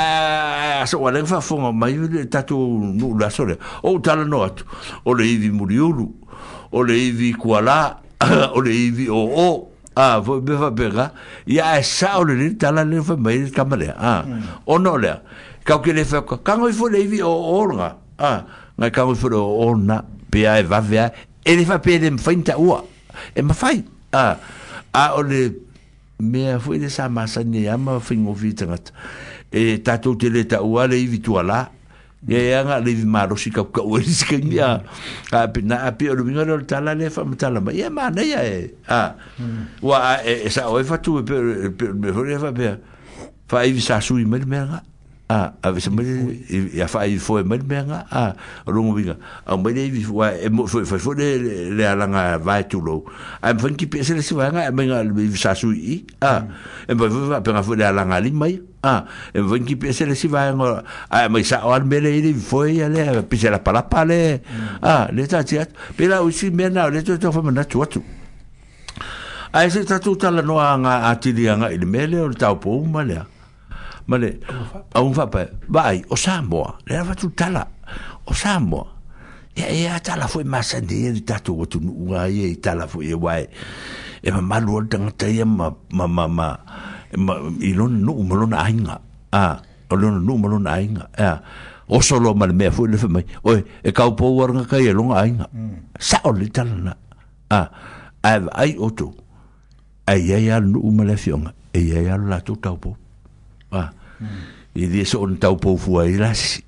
aso ua lega faafofoga mai le tatou nuu le aso lea ou talanoa atu o le ivi muliulu o le ivi kualā o le ivi oo a foi mea faapega ia ae sao lelei le tala le fai mai le tama lea a ona o lea kau ke le fai kago ifo le ivi oo lega a ngai kago ifo le oo na pea e vave a e le faapea e le mafai ni taʻua e mafai a a o le mea foi le sa masani ai ma faigofie tagata e tatou te le taʻua le ivi tualā ia e aga le ivi malosi kaukau e lisi kaimi a a pe na a pe o le uiga lea o le tala lea faamatala mai ia manaia e a ua e sao ai fatu e pe pe mea foi lea faapea faaivi sasui mai le mea ga a ave se mai ia faaivi foe mai le mea ga a o logo uiga au mai le ivi ua e mo foi foi le le alaga vae tulou ae mafai ni kipi ese le isi vaega e mai ga le ivi sasui i a e mafai foi faapega foi le alaga lima ia a e mafai ni kipi ese le isi vaega ae mai sao a le mea lea i le ivi foe ia lea pise lapalapa le a le taatia atu pe la o isi mea na o le toe tau faamanatu atu ae se tatou talanoa aga atili agaʻi le mea lea o le taupou ma lea ma le auga faapae vaai o Samoa le lava tala o Samoa ia e a tala foi masani ia le tatou atunuu a ia i tala foi e uae e mamalu o le tagata ia ma ma ma ma ma i lona nuu ma lona aiga a o lona nuu ma lona aiga a oso loa ma le mea foi le fai mai oe e kaupou ala gaka ia lona aiga sao le tala na a ae vaai outou ae iai a le nuu ma le afioga e iai a lo latou taupou a i le so ona taupou fua ai lasi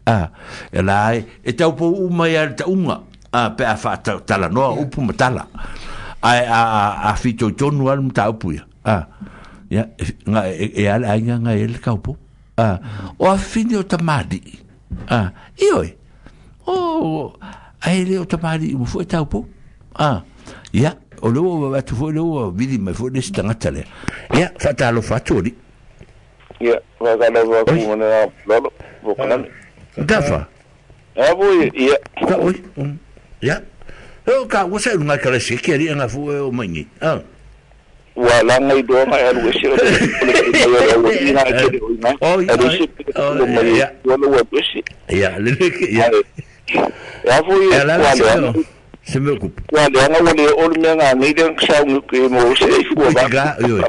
a e la ai e taupou uma ia le taʻuga a pe a faatalanoa upu ma tala ae a a fitoitonu a le mataupu ia a ia nga e a le aiga ngai e le taupou a o afifini o tamalii a ioe o ae le o tamalii uma foʻi taupou a ia o le ua atu foʻi le ua vili mai foʻi le isi tagata lea ia faatalofa atu alii ia faatalofa atu ma le lolo vokalani Gafa a voi ia ka oi ia o ka ua sa ngai kala se ke ali nga fu o mai ni a ua langa i doa mai alu ese o le o le ina ke o ina alu ese o mai o le ua ese ia le le ia ia voi ia la se se me ocupe ua le anga ua le o le mea ngā nei le sau ke mo se i fua va ga io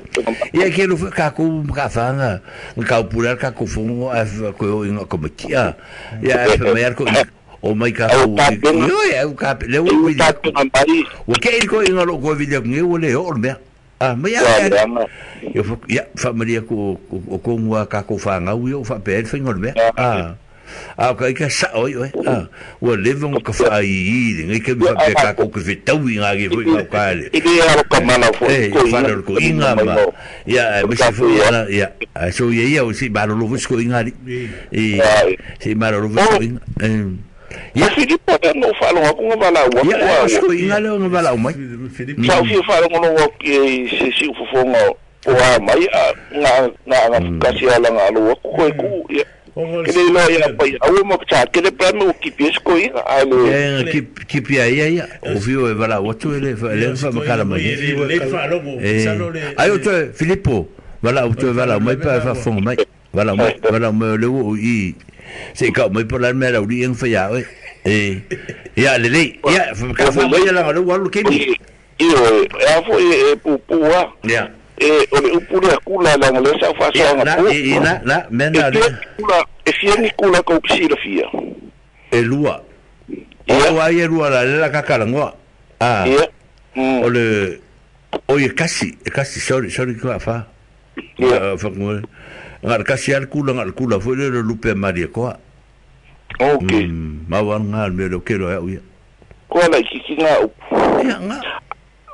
ia ke lo ka ku ka fanga ka pura ka ku fungo a ko inga ko matia ia e me ar ko o mai ka ku io e ka le o vi o ke ko inga lo ko vi le ngi o le o mea a mai a io ia fa maria ko o ko ngua ka ko fanga io fa pe fingo mea a a ka ka sa oi oi a ua leva ka fa i i ngai ke fa pe ka ko ke tau i ngai foi ka ka le i le aro ka mana fo ko fa ko inga ma ia me se fo ia ia so ia ia o si ba lo lo ko inga li e si ba lo lo ko inga ia Filipo no fa lo ko nga la wa ia ko inga le nga la mai sa fi fa lo lo ke se si fo fo nga o a mai nga nga nga ka si ala nga lo ko ko ia ke le lo ia pai au mo ka ke le pa mo ki pes ko ia a le e ki ki pia ia ia o vio e vala o tu ele ele fa makala mai le fa lo sa lo le ai o te Filippo vala o te vala mai pa fa fong mai vala mai vala mai le o i se ka mai por la mera uri en fa ya e ia le le ia ka fa mai la lo wa lo ke ni io e a fo e pu pu ia E o le upu lea kula laga lea sa faasoaga po. I la la mena le kula e fia ni kula kou silafia. E lua. O ai e lua la le kakalagoa. Ah. O le o e kasi, e kasi sorry sorry ka fa. Ia fa ngo. Ngar kasi al kula ngar kula foi le lupe Maria koa. Okay. Ma wa ngar me lo kero ya uia. Koa la ki nga upu. Ia nga.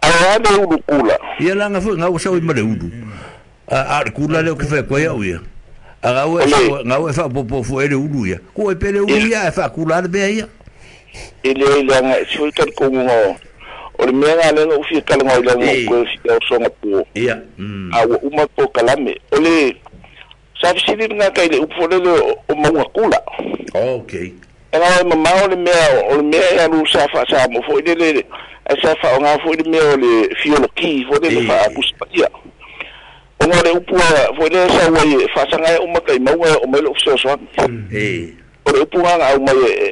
A le ulu kula. Ia la nga foi nga o sa i mare ulu. A a kula le o ke fa koa ya uia. A nga o nga o fa popo foi le ulu ia. Ko e pele ulu ia e fa kula le bea ia. Ele ele nga sui ka ko ngo. O le mea nga le o fi kala ngo ile ngo ko fi o songa po. Ia. A o uma po kalame. O le sa fi nga ka ile upo le o maunga kula. Okay. Ela mama o le mea o le mea ia lu sa fa sa mo foi le le sa fa o nga foi le mea o le fioloki foi le fa akuspaia. O nga le upu foi le sa wai fa sa nga o makai maunga o mai lo so so. Eh. O le upu nga au mai e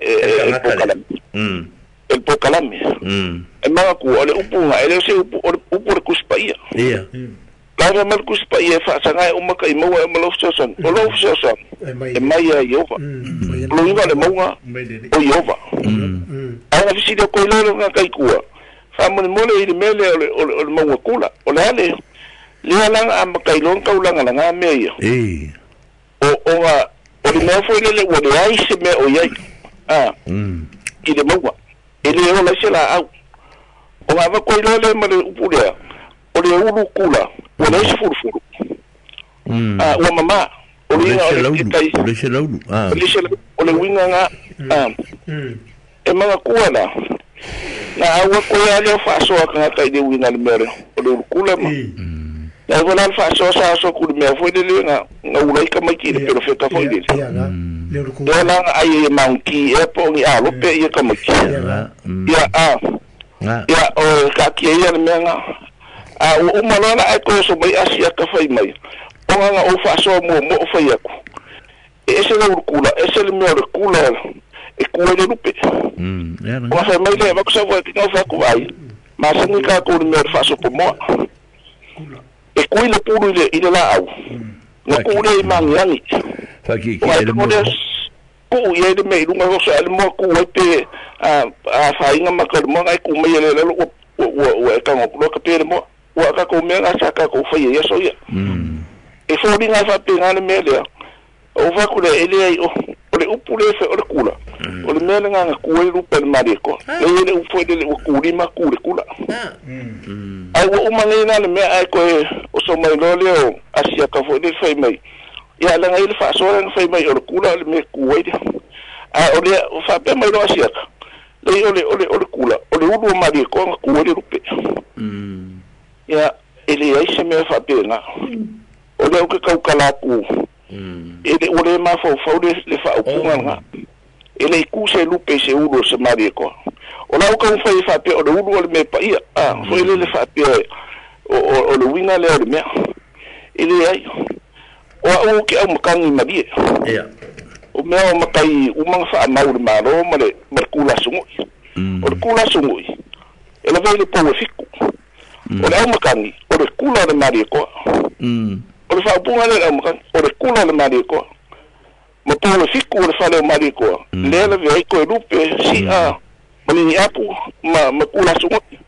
e po kalame. Mm. El po kalame. Mm. E manga ku o le upu nga ele se upu o le upu le kuspaia. Ia. La ma le kuspaia fa sa nga o makai maunga o lo so so. O lo so so. E mai a Iova. Lo inga le maunga o Iova. Ana fisili ko ile nga kai kua. Fa mo mo le ile mele o le o le maunga kula. O le ale le ala a makai lo ka ulanga la nga me ia. Eh. O o nga o le mea foi le ua le ai se mea o iai. Ah. I le maunga. E le o la se la au. O nga va ko ile le ma le upu lea. O le ulu kula. O le se furu furu. Ah, ua mama. O le o le se laulu. Ah. O le se o le winga nga. Ah. E manga kua la. Na aua ko ia le faasoa ka ngata i le winga le mea o le ulu kula ma. Na wala fa so sa so ku me foi le nga nga ula ka mai ki le pero feta foi le. Le la ai e manki e po ngi a lo pe ia ka mai. Ia a. Ia o ka ki ia le me nga. A o uma la ai ko so mai asia ka fai mai. O nga o fa so mo mo fai aku. E ese le kula, ese le me le kula e ku le lupe. Mm. Ia. O fa mai le va ko sa va ki no fa ku ai. Ma sa ni ka ko le me fa so po mo. E kui le pulu ile ile la au. Na ku le mangiangi. Fa ki ki le mo. Ku ia le me lunga ho sa le mo ku e pe a a fa inga ma ka mo ngai ku me le le o o e ka ngo ka pe le mo. Wa ka ko me nga sa ka ko fa ia so ia. E fo ri nga fa pe nga le me le. O va ku le ele ai o o le upu le fe o le kula. O le me le nga ku e lu pe mari ko. Le le upu le o ku ri ma ku le kula. Ai o uma nei na le mea ai koe o so mai lo leo asia ka foi le fai mai. Ia la ngai le fa so le fai mai o le kula le me ku ai. A o le fa pe mai lo asia ka. Le o le o le o le kula o le ulu mari ko ku le rupe. Ia ele ai se me fa pe na. O le o ke kau kala ku. Ele o le ma fo fo le le fa o ku nga. Ele ku se lupe se ulu se mari ko. O la o ka fai fa pe o le ulu o le me pa ia. Ah, foi le le fa pe o o o le winga le o le mea. Ele ai. O o ke au makangi mari. Ia. O mea o makai o manga fa mau le malo ma le ma le kula sungui. O le kula sungui. E la vele po fiku. O le au makangi o le kula le mari ko. O le fa punga le au makangi o le kula le mari ko. Ma po le fiku o le fa le mari ko. Le le vei ko lupe si a mani apu ma ma kula sungui.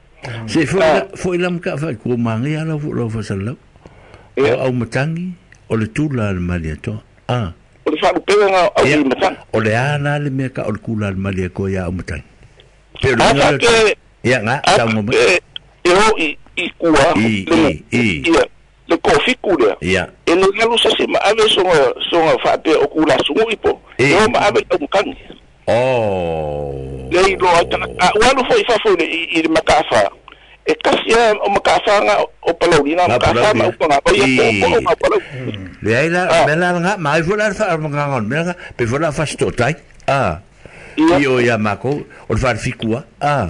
Se foi foi lam ka fa ko mangi ala fo lo fa sala. O au matangi o le tula le mali to. Ah. O le fa lu pega nga au i matangi. O le ana le mea ka o le kula le mali ko ia au matangi. Pe lo nga. Ia nga ta ngo mai. E o i i kua i i. Ia le ko fiku le. Ia. E le ngalu sa se ma ave so so fa pe o kula sungui po. E o ma ave au matangi. Oh. Le lo a wa lo foi fa foi i le makafa. E kasi o makafa nga o palaulina makafa ma upa nga pa ia po o ma palau. Le ai la me la nga mai foi la fa nga nga me nga pe foi la fa sto tai. Ah. I o ia mako o fa fikua. Ah.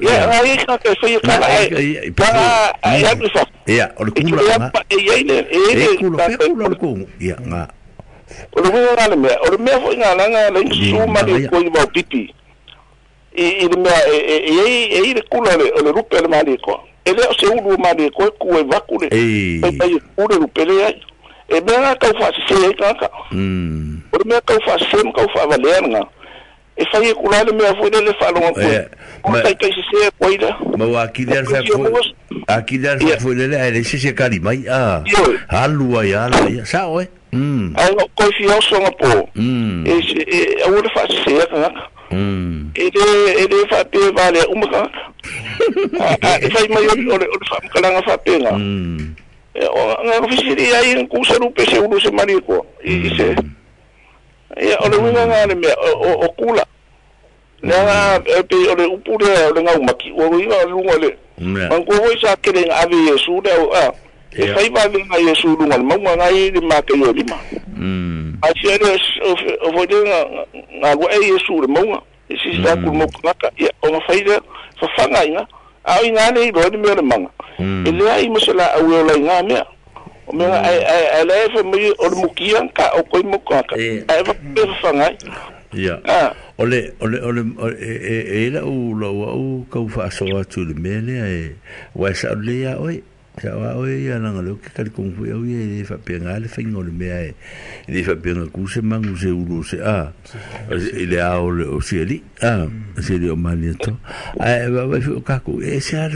Ia ai ka ka foi ka ai. Pa ai ai fa. Ia o le kula nga. Ia ile e kula pe kula le ko. Ia nga. O le mea le mea, o le mea foi ngā langa le suma le koi wau pipi. I le mea, e e e i le kula le, o le rupe le mali koa. E le o se ulu ma le koe ku e vaku le. Pai pai ku le lupele ai. E mea ngā kau whaasese ai kaka. O le mea kau whaasese ma kau whaavalea ngā. E whai e kula le mea fwele le whaalonga koe. O tai kai sese e koe la. Ma wa akili al wha akili al wha fwele le ae le sese kari mai. Halu ai ala ia. Sa oe. Ai ngā koe whia o songa po. E aua le whaasese e kaka. E le e le whaape wale uma kaka. E whai mai o le whaamakalanga whaape ngā. Ngā fisiri ai ngā kusa rupe se ulu se mari koa. I se. Ia o le winga ngā le mea o kula. Lea ngā pe o le upu lea o le ngau maki. O le winga o le lunga le. Mangkua hoi sa kere ngā ave Yesu lea o a. E whai wawe ngā Yesu lunga le maunga ngā i le mākei o lima. A sia le o foi le ngā lua e Yesu le maunga. E sisi tā kuru mauka ngaka. Ia o ngā whai lea whawhanga i ngā. A o i ngā le iloa ni mea le manga. E lea i masala au e ola i ngā mea. O mea ai lea e whai mai o le mukia ka o koi mauka ngaka. Ai whawhanga whawhanga ai. Ia. O le, o le, o le, e ila u lau au kau whaasoa atu le mea lea e waisa o lea oe. Sa wa oe ia nanga leo ke kari kongfu au ia e whapenga le whainga o le mea e le whapenga ku se mangu se ulu se a i le ao le o sieli a sieli o mani ato a e wawai o kaku e se a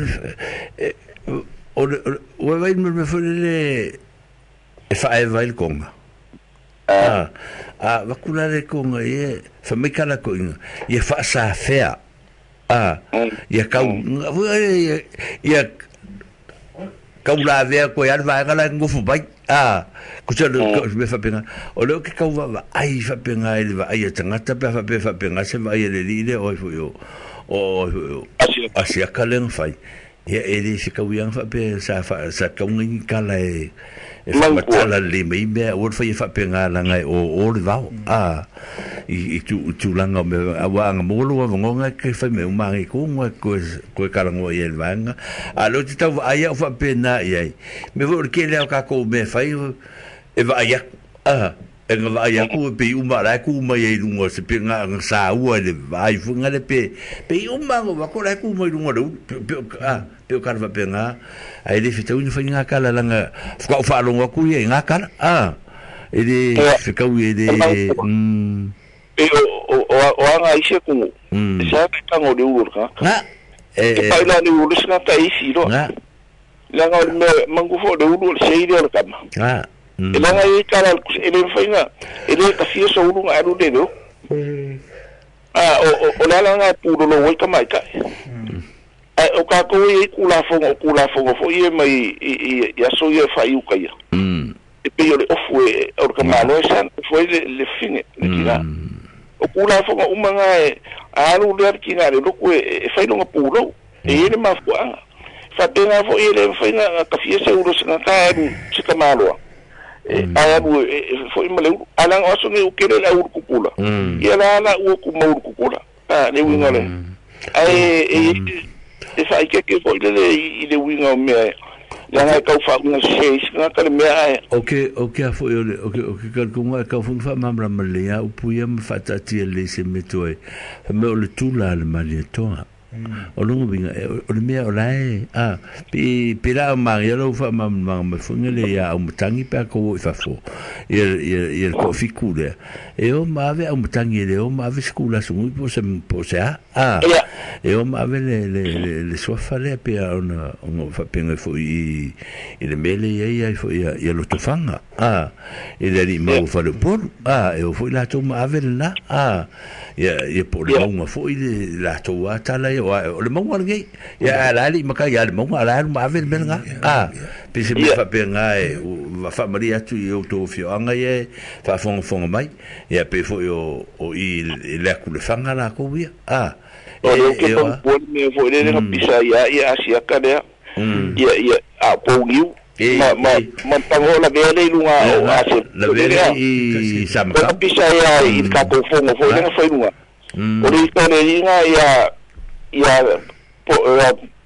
o le o wai me me fole le e whae vai le konga a a wakula le konga e whamikala ko inga ia whaasafea a ia kau ia kau la vea koe ala vaega la ngofu mai a ko se le fapenga o le ke kau va ai fapenga ele va ai tangata pe fa pe fapenga se va ai le le o fo yo o asia kaleng fai ia ele se kau yang fa pe sa fa sa kau ngi kala e e fa matala le me me o fa fapenga la ngai o o le vao a i tu tu langa me awa nga molo wa ngonga ke fa me uma ngi ko ngo ko ko kala ngo i el vanga a lo ti tau ai o fa pe na i me vo ke le ka ko me fa e va ia a e nga va ia ku pe uma la ku ma i lunga se pe nga sa ua le vai fu nga le pe pe uma ngo va ko la ku ma i lunga le a pe o kala fa pe nga ai le fita uni fa nga kala langa fa fa longa ku i nga kala a e le fe ka u e le e o o o anga ise ku sa ka ngo le ulu ka na e pa ila le ulu sa ta isi ro na la nga me mangu fo le ulu se ile le kama na e la nga i kala e le fainga e le ka fia so ulu nga alu le lo a o o la la nga pu lo wai kama ka a o ka ko i kula fo o kula fo fo i mai i i so i fa i ka ia e pe le ofu e o ka malo sa fo le le fine le kila o kula fo uma nga e alu le ki nga le lo ko e fa longa pu lo e le ma fo anga fa tenga fo i le fainga ka fia se ulu sa ka alu se ka malo e alu fo i male ala o so ngi o kele la ulu kukula ia la la u ku ma ulu kukula a le winga le ai e e fa ke ke fo le i le winga me la nga kau fa nga se nga ka le me ai okay okay fo le okay okay ka ko nga ka fo fa mamla male ya u puia ma fa tati le se metoe me o le tula le mali toa o longo binga o le mea o lae a pe pe la ma ia lo fa ma ma ma funga le ia o matangi pe ko i fafo ia ia ia ko fiku le e o ma ave o matangi le o ma ave skula sungu po se po se a a e o ma ave le le le le sofa le pe ona ona fa pe fo i i le mele ia ia fo ia ia lo tofanga a e le ri ma o fa le polu a e o fo la to ma ave la a ia ia po le maunga fo i le la to atala o le maunga le ia la li maka ia le maunga la ma ave le nga a pe se me fa pe nga e fa maria tu i o to fio anga ye fa fonga fonga mai ia pe fo o o i le ku le fanga la ko ia a o le ke po me fo le le pisa ia ia asia ka le ia ia a po giu ma ma ma pango la vele lunga o a se la vele i samka pisa ia i ka ko fonga fo le fa lunga o le ko le inga ia ia po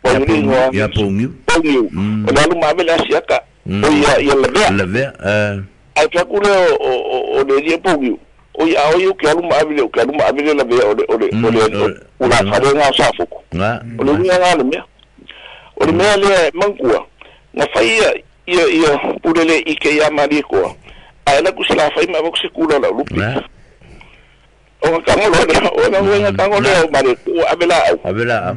po lingo ia po ngiu po ngiu o la lu ma vele asia ka o ia ia la vea la vea ai ka ku le o o le ia po ngiu o ia o ia ke alu ma vele o ke alu ma vele la vea o le o le o le o la fa le nga sa fo nga o le nga nga le mea O le mea lea mangua na fai ia ia ia pule le ike ia mali koa. Ai la kusila fai ma vox kula la lupi. O ka ngolo le o na wenga ka ngolo o mali ko abela au. Abela au.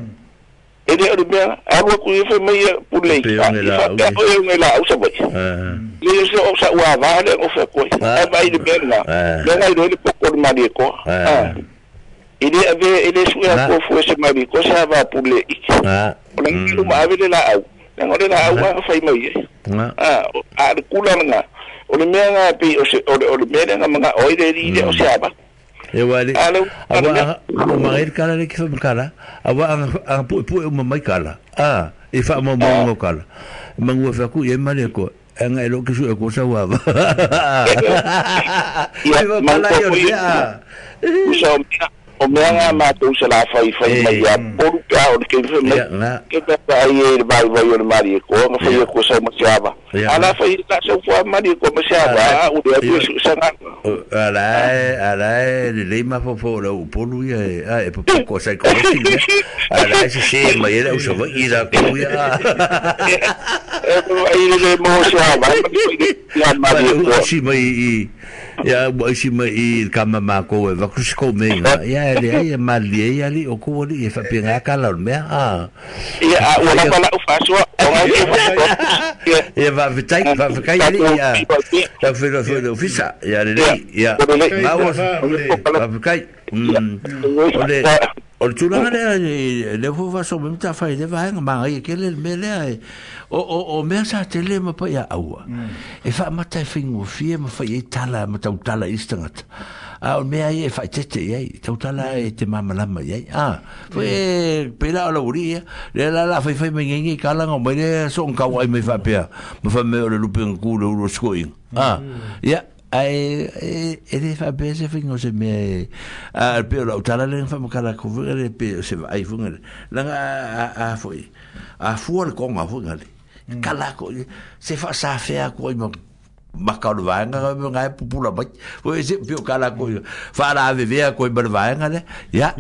Ele o le mea alu ku ife mai pule i fa o ngai la au sa vai. Le se o sa ua va le o fa ko. Ai vai le mea na. Le ngai le poko le mali ko. Ah. Ele ave ele su a ko fu se mali ko sa va pule i. O le ngai ma ave la au. Le ngole la au a fai mai. Ah, a le kula nga. O le mea nga pe o se o le mea nga manga oi le ri o se aba. E wale awa o mai kala le ki fa kala awa a pu pu o mai kala ah e fa mo mo kala mangu fa ku e male ko anga e lo ki su e ko sa wa ya kala yo ya so o mea nga matou se la fai fai mai a polu ka o ke fai mai ke ka ai e vai vai o mari ko nga fai ko sa mo siaba ala fai ta se fo mari ko mo siaba o de ko sa nga ala ala le le ma fo fo lo polu ia e e po ko sa ko si ala se se mai era o so i da ko ia e ai le mo siaba ya mari ko si mai i ya si mai i kama ma ko e va ku ko me ya le ai mali ai ali o ko li e fa pinga kala o mea ah ia a ua lava lau faasoa o ngai ia va fitai va fitai ali ia ta filo filo fisa ia le ia ma va fitai o le o le tulaga lea le fo faso me ta fai le vaega magai ke le me lea o o o mea sa tele ma pa ia aua e fa mata e faigofie ma fai ai tala ma tautala i se tagata a o mea ia e faitete i ai tautala e te mamalama i ai a foi e pela o lauri ia le la la fai fai mai ngeingei kalaga o mai lea soogakau ai mai faapea ma faamea o le lupe gaku le ulu o sikoiga a ia ai e le faapea se faiga o se mea e a pe o lau tala le faamakala kofuga le pe o se vaai fuga le laga a foi a fua le konga fuga le kala ko se faasafea ko ai ma maka o le vaega ngai pupula mai foi se pio kala ko faala avevea ko ma le vaega le ia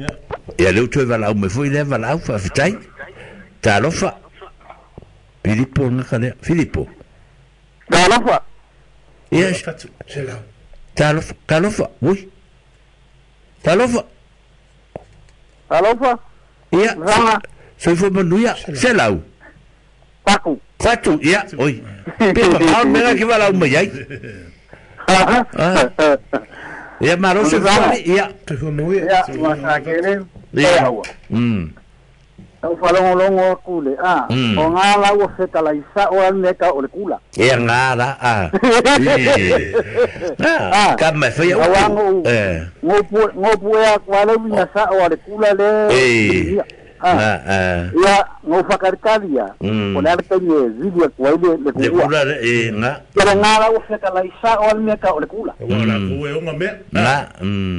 ia le utu e valaau mai foi le valaau faafetai talofa Filipo ngaka lea Filipo talofa Yes. Talofa, talofa, ui. Talofa. Talofa. Ia. Soifua manuia, selau. Fatu. Fatu, ia, oi. Pe pa mea ki valaau mai ai. Ah. Ia maro se fale, ia. Soifua manuia. Ia, masakele. Ia. Mm. Au falongolongo aku le a o ngā lau o whetala i sa o aneka o le kula. Ia ngā la a. Ah, ka mai whai au. Ngō puea kwa leu ina sa o le kula le. Ah, ah. Ia ngō whakarikari ia. O le alakaini e zili a kua ile le kua. Le kula le e ngā. Ia ngā lau o whetala i sa o aneka o le kula. Ua la kue o ngā mea. Ngā.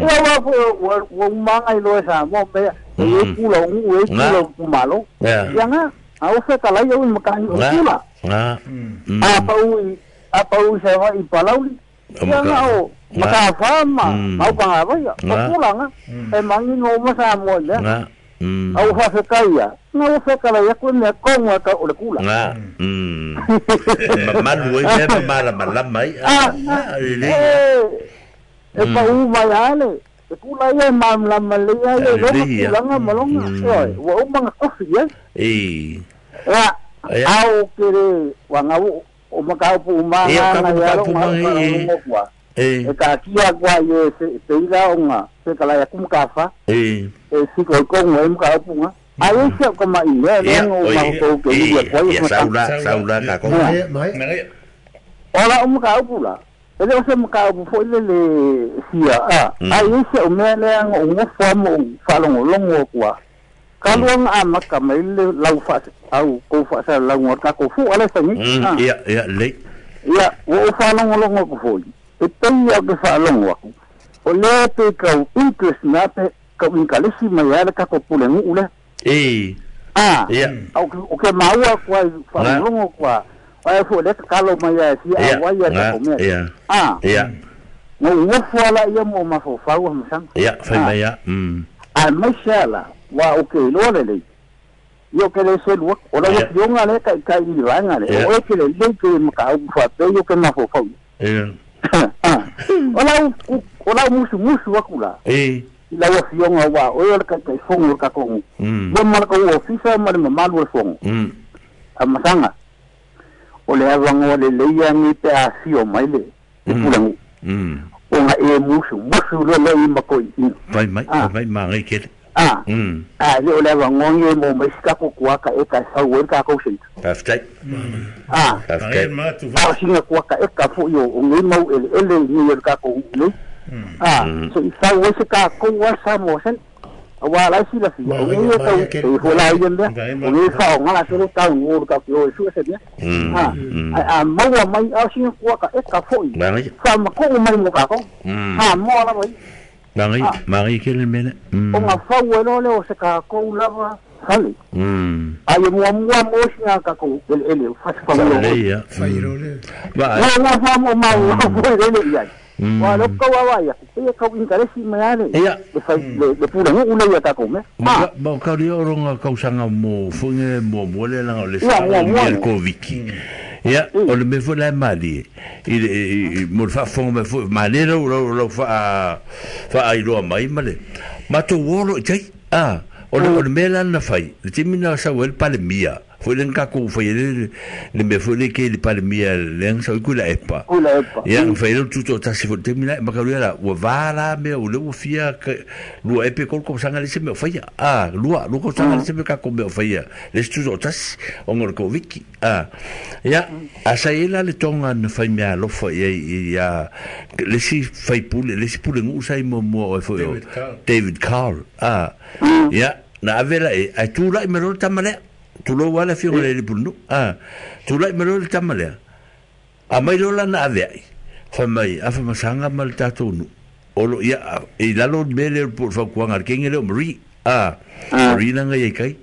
Ua ua ua umanga i loe sa mō mea. E kula o e kula o kumalo. Ia ngā, a o whetala ia ui makahi o kula. Ngā. A pau i, a pau i sewa i palauli. Ia ngā o, makaha ma, mau panga vaia. O kula ngā, e mangi ngō masa moa lea. Ngā. Au whawhekai ia, ngā o whekala ia koe mea konga ka o le kula. Ngā. Mamalu ai mea mamala malama ai. E pau mai ale. E kula ia e mamlama le ia e longa kulanga malonga. Ua umanga kofi ia. E. Ia, au kere wanga o makaupu umanga nga ia lo nga kua. E ka kia kua i e te ila o nga whekala ia kumkafa. E. E siko i kongo e mukaupu nga. Ai e sia o kama i lea lea o mahutou ke ia kua ia. Ia saula, saula ka konga. Ola o mukaupu la. Ele o se mukaupu foi le le sia a. Ai e sia o mea lea o ngofua mo whalongolongo kua. Kaluanga a maka mai le lau wha au kou wha lau ngor ka kou fu ale sangi. Ia, ia, le. Ia, o o whalongolongo ku foi. E tei au ke whalongo aku. O lea te kau interest nā te kau inkalesi mai ale ka ko pule ngu ule. E. Ah. Ia. O ke maua kua whalongolongo kua. Ai fo le kalo mai a si a wai a ko mea. Ia. Ah. Ia. Ngo ngofua la ia mo mafofau a masanga. Ia, fai mai ia. Mm. A mai sala wa o ke loa le. Io ke le selu o la fionga le ka ka i vanga le o e ke le le ke ma ka u fa pe io ke ma fo fo eh o la o la musu musu akula eh la fionga wa o le ka ka fongo ka ko mo ma ko ofisa ma le ma lu fongo a masanga o le avanga le le ia ni pe a fio mai le pula o nga e musu musu le le ma ko i vai mai vai ma ngai ke Ah, ah, le o leva ngongi mo mai ka ko kuaka e ka sau e ka ko sent. Perfect. Ah, perfect. Ah, singa kuaka e ka fo yo o ngi mau ele ele ni yo ka ko ni. Ah, so i sau e ka ko wa sa mo sen. Wa la si la fi. O ngi ka e ho la yende. O ngi fa o ngala se ka ngo ka ko su se ne. Ah, a mau mai a singa kuaka e ka fo i. Fa ma ko mai mo ka ko. Ah, mo la mai. Marie, Marie ke le mele. O nga fau e lole o se ka kou lava fale. Ai mua mua mo singa ka kou ele ele fasi fa mo. Ia. Ba. Nga nga fa mo ma mo ele ia. Wa lo kau wa ia. Ia kau interesi me ale. Ia. Le fai le pula ngo ule ia ka kou me. Ma ma ka ri oro nga kau sanga mo funge mo mo le langa le sa le Covid. Ia, o le me foi la mali. I mo fa fo me foi mali lo lo fa fa ai lo mai male. Ma to wolo tai ah o le o le mela na fai. Le timina sa wel palemia. Foi le ka ko foi le le me foi le ke le palemia le sa ku la epa. Ku la epa. Ia fai le tuto ta se foi timina ma ka la o va la me o le o fia lo epe ko ko sanga le se me fai. Ah lo lo ko sanga le se me ka ko me fai. Le tuto ta o ngor ko wiki. Ah ia a sa ela le tonga na fai me alofa ia ia le si fai pule le si pule ngu sai mo mo o foi David Carl. Ah ia na avela e ai tu la me lo tamale tu lo wala fi ngole le pulu ah tu la me lo tamale a mai lo la na ave fa mai a fa masanga mal tatu nu o lo ia e la lo mele por fa kuanga ke ngele mri ah mri na ngai kai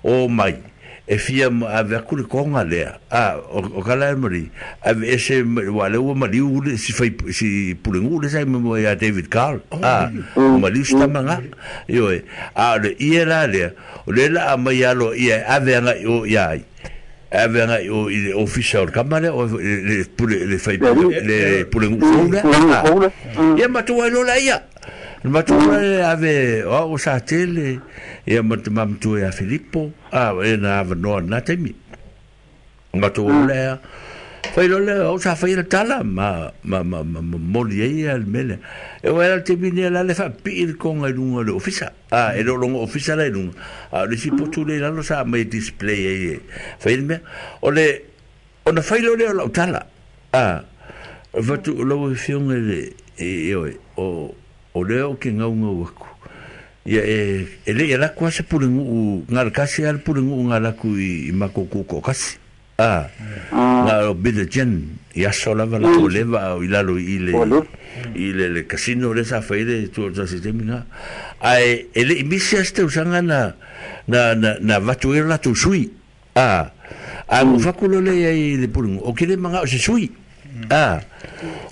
o mai e fia ave ku le konga le ah o kala mri ave ese wale o mali u si fai si pulengu le sai mo ya David Carl ah mali sta manga yo a le ia la le le la mai alo ia ave nga o ia ave nga o ile official kamale o le pule le fai le pulengu le ia matua lo la ia matua ave o sa tele ia matua tu ia Filippo ah e na no na temi matua le fai lo le o sa fai le tala ma ma ma moli ia le mele e o era te mine la le fa pi con el lungo le ofisa ah e lo longo ofisa le lungo ah le si potu le la lo sa mai display e fai me o le o na fai lo le o tala ah va tu lo fionge le e o o le o ke ngau ngau aku ia e e le la kwa se pulengu ngal kasi al pulengu ngal aku i makoko ko kasi ah nga o bide jen ia sola va la oleva o ilalo ile ile le casino le sa feire tu sa sistema ai ele misia ste usanga na na na na vatu la tu sui ah a mo fakulo le ai le pulengu o ke le manga o se sui ah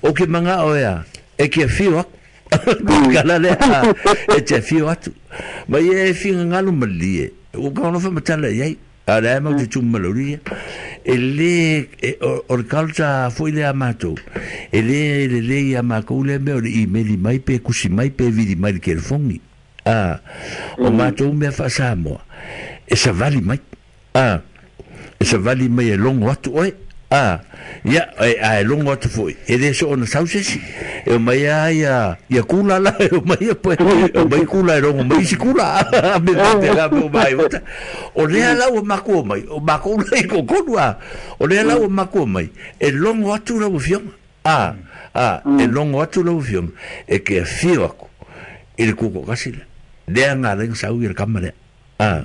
o ke manga o ya e ke fio kala le e te fio atu ma ye fi ngalo malie o ka no fa matala ye ala ma te tumaloria e le o kalta foi le amato e le le le ya makule me o i meli mai pe kusi mai pe vidi mai ke fongi ah o mato me fa samo e sa vali mai ah e sa vali mai e longo atu oi ah ia e a longo atu foi e le so ona sausesi e mai ia ia kula la e mai po e mai kula e longo mai sikula me te la mo mai o le ala o mako mai o mako le ko konua o le ala o mako mai e longo atu la fio ah ah e longo atu la fio e ke fio aku e le koko kasila le anga le sau i kamare ah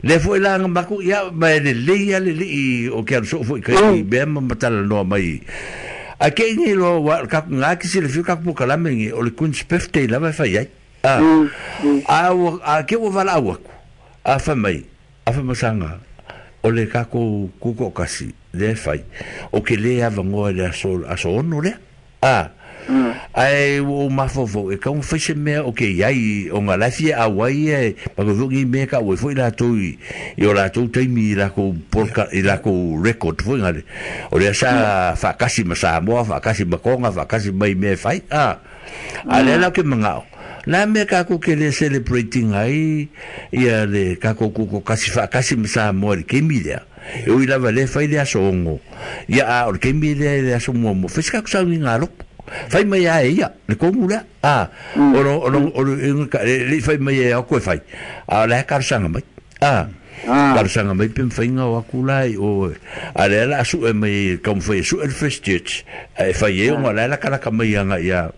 le foi la maku ia mai le le ia le le o ke so foi kai be ma matala no mai a ke ni lo wa ka nga ki se le fio ka po kala me o le Queen's birthday la va fa ia ah a a ke o vala au a fa mai a fa masanga o le ka ko ko kasi le fai o ke le ava ngo le so a so no le ah Ai o mafofo e kaunga fai se mea o ke iai o ngā lafi e awai e pa ko ngi me ka o foi la toi i o la tou taimi i la ko polka i la ko record foi ngale o le sa whakasi ma Samoa whakasi ma Konga whakasi mai me fai a a le la ke mangao la me ka ko ke le celebrating ai ia le ka ko ko kasi whakasi ma Samoa le kemi lea e ui lava le fai le aso ongo ia a o le kemi le le aso mua mo fai ka kusa ngi ngā loko fai mai a ia le kongu lea a o lo o lo o le fai mai e o koe fai a le karasanga mai a karasanga mai pem whainga o aku lai o a le la su e mai kaum fai su el First Church e fai e o la la kalaka mai anga ia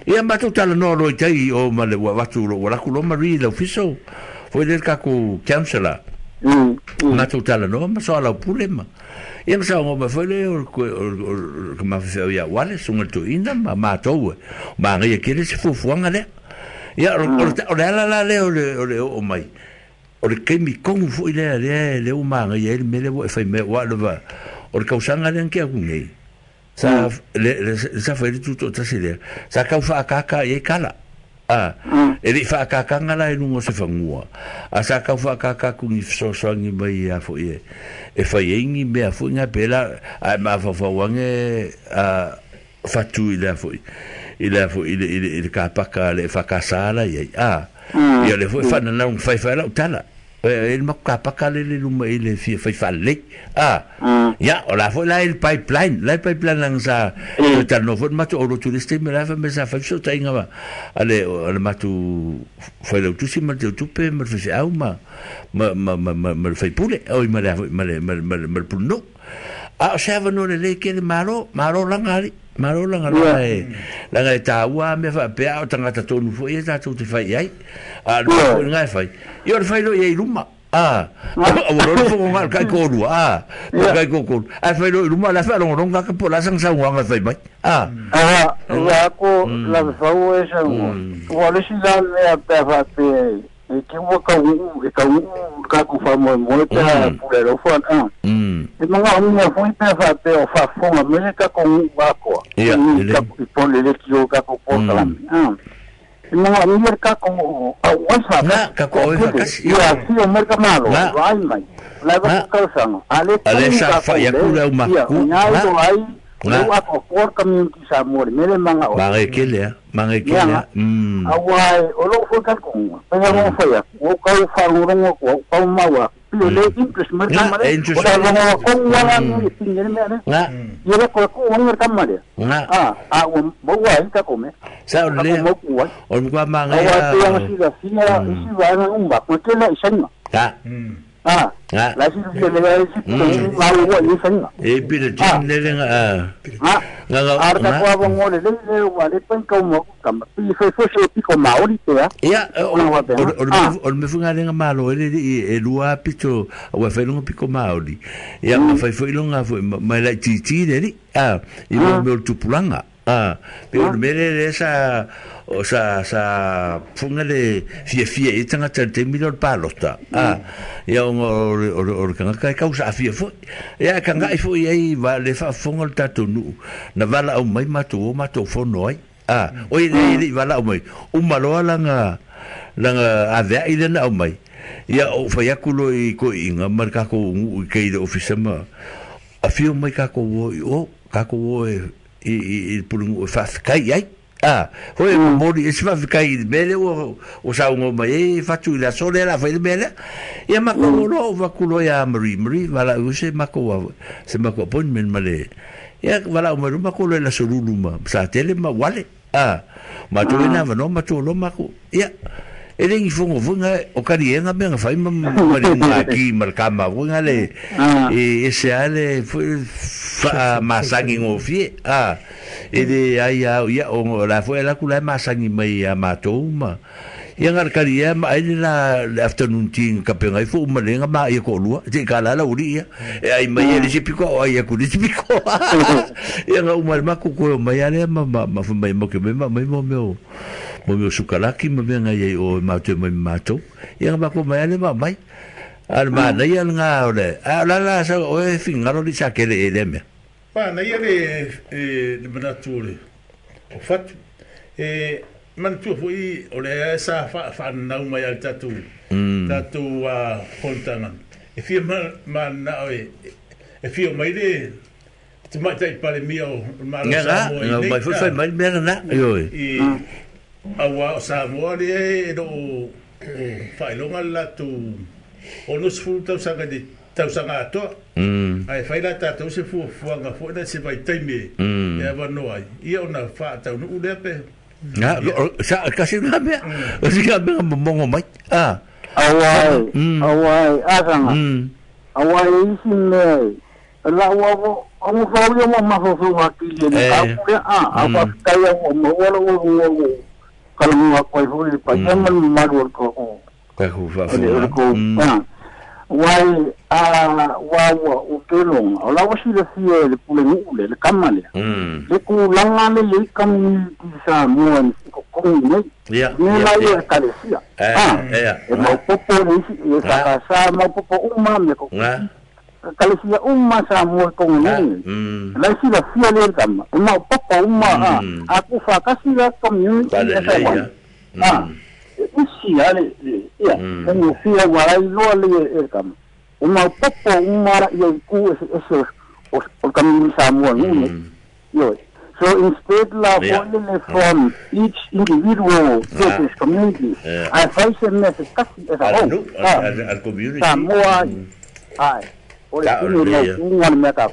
ia matu tala no lo tai o ma le watu lo wala ku lo mari lo fiso foi le ka ku counselor matu tala no ma so ala pule ma ia ma sa o ma foi le o o ma fe ia wale sunga tu ina ma ma tou ma ngai ke le se fufuanga le ia o le ala la le o le o le o mai o le kemi kongu foi le le le o ma ngai le mele o fai me wa le va o le kausanga le ke aku nei sa le sa foi tu to ta se le sa kau fa kaka e kala a e le fa kaka ngala e lungo se fangua a sa kau fa kaka ku ni so so ngi mai a foi e e fai ngi me a foi nga pela a ma fa fa wange a fatu ile foi ile foi ile ile ka paka le fa kasala ia a ia le foi fa na un fai fa la tala e il ma ka paka le le luma ile fi fai fa le a ya o la foi la il pipeline la pipeline lang sa ta no foi matu o tu liste me la fa me sa fa so ta inga ba ale ale matu foi le tu si ma tu pe ma fe au ma ma ma ma ma fai pule o ma la ma ma ma ma no a sa va no le le ke malo malo langa ali malo langa la e langa ta ua me fa pe au tangata tonu foi e ta tu te fai ai a no ngai fai io le fai lo e luma ah o lo fo ngal kai ko lu ah kai ko ko a fai lo luma la fa lo ronga ka po la sang sa nga fai mai ah ah la ko la fa o e sa o le si la me a pe fa pe e ke o ka u e ka u ka ku fa mo mo te pule lo fa ah e manga o mo foi pe fa pe o fa fo me ka ko u ba ko ia le po le le ki o ka ko po la ah no a mí ka ko a wasa na ka ko e ka si ia si o merka malo vai mai la va ka sa no ale ale sa fa ya ku la uma ku na ai no a ko por community sa mo me le manga o manga ke le manga ke le mm awai o lo fo ka ko pe mo fo ya o ka o fa ro ro ko ka ma wa pio le interest merka mare o la ro ko wa la ni pingere me ne na yo le ko ko merka mare na ah ah o mo wa ka ko me sa o le o mo kwa manga ya o si la si la si va na un ba ko te la isenga ta ah la si le le si ma wo ni senga e pi le tin le le ah ah ar ta ko bo ngole le le wa le pen ko mo ka pi fe fo se pi ko maori te ya o o me funga le malo le e lua pito o fe lo pi ko maori ya ma fe fo ilonga fo ma la ti ti le ah i mo me tupulanga ah pe o me le sa o sa sa funga le fia fia e tanga te mi lo palota ah ia o o o kanga kai kausa fia fo ia kanga i fo ia va le fa funga le tatu nu na vala o mai matu o matu fono ai ah o ile ile vala o mai o maloa langa langa avea ile na o mai ia o fa ia kulo i ko inga mar ka ko u ke ile ofisa ma a fio mai ka ko o ka ko e i i pulungu fa kai ai ah foi mori e fa kai mele o o sa ngo mai e fatu la sole la foi mele ia ma ko lo va kulo ya mri mri vala u se ma ko se ma ko appointment male ia vala o ma ko la solulu ma sa tele ma wale ah ma tu ina va no ma tu lo ma ko ia e le fongo fonga o kari enga me fai ma ma le ki ma ka ma fonga le e se ale fa masangi ngofie ah e le ai a ia o la foi la kula masangi mai a matou ma ia ngar kari ia ma ai la afternoon tea ka penga fo ma le ma ia ko lua te ka la la uri ia e ai mai le sipiko ai ia ku le sipiko ia nga uma ma ku ko mai ale ma ma ma mai mo ke ma mai mo mo mo meu sukalaki ma me ngai o ma te mai matou ia ma ko mai ale ma mai al ma nei al nga ole a la la sa o e fingaro li sa kele ele me pa nei le e le manatu le o fatu. E manatua foi o le sa whaanau mai al tatu tatu fonotaga. E fia manao e e fia mai le te maitai palemia o Malo Samoa i nei. Mai foi fai mai mea na. I aua o Samoa le e loo whailonga le latou ono sefulu tausaga i tausaga atoa. Ae fai la tatou se fuafuaga foi na se vaitaimi e avanoa ai. Ia ona faataunuu lea pe. Nga, sa kasi nga mea. Kasi nga mea momongo mai. Ah. Awai, awai, asanga. Awai isi mea. La ua o fau ia ma fofo akili ni ka pule a a pa kai o mo wala o o kala mo ko hoi pa yaman maru ko o ka ku fa fa wai a wa wa o kelong o la wasi le fie le pule ni le le kamale le ku langa le le community sa mo ko ko ni ya ni la ye kalesia ah ya e mo popo ni e sa sa mo popo uma me ko kalesia uma sa mo ko ni la si la fia le kama uma popo uma a ku fa kasi la community sa ah isi ale ia mo fia wala lo le el kama uma popo uma ia ku ese o o community sa mo ni yo. So instead la yeah. From each individual yeah. community yeah. I face a message kasi as a whole al community Samoa ai o le tino no un mea ka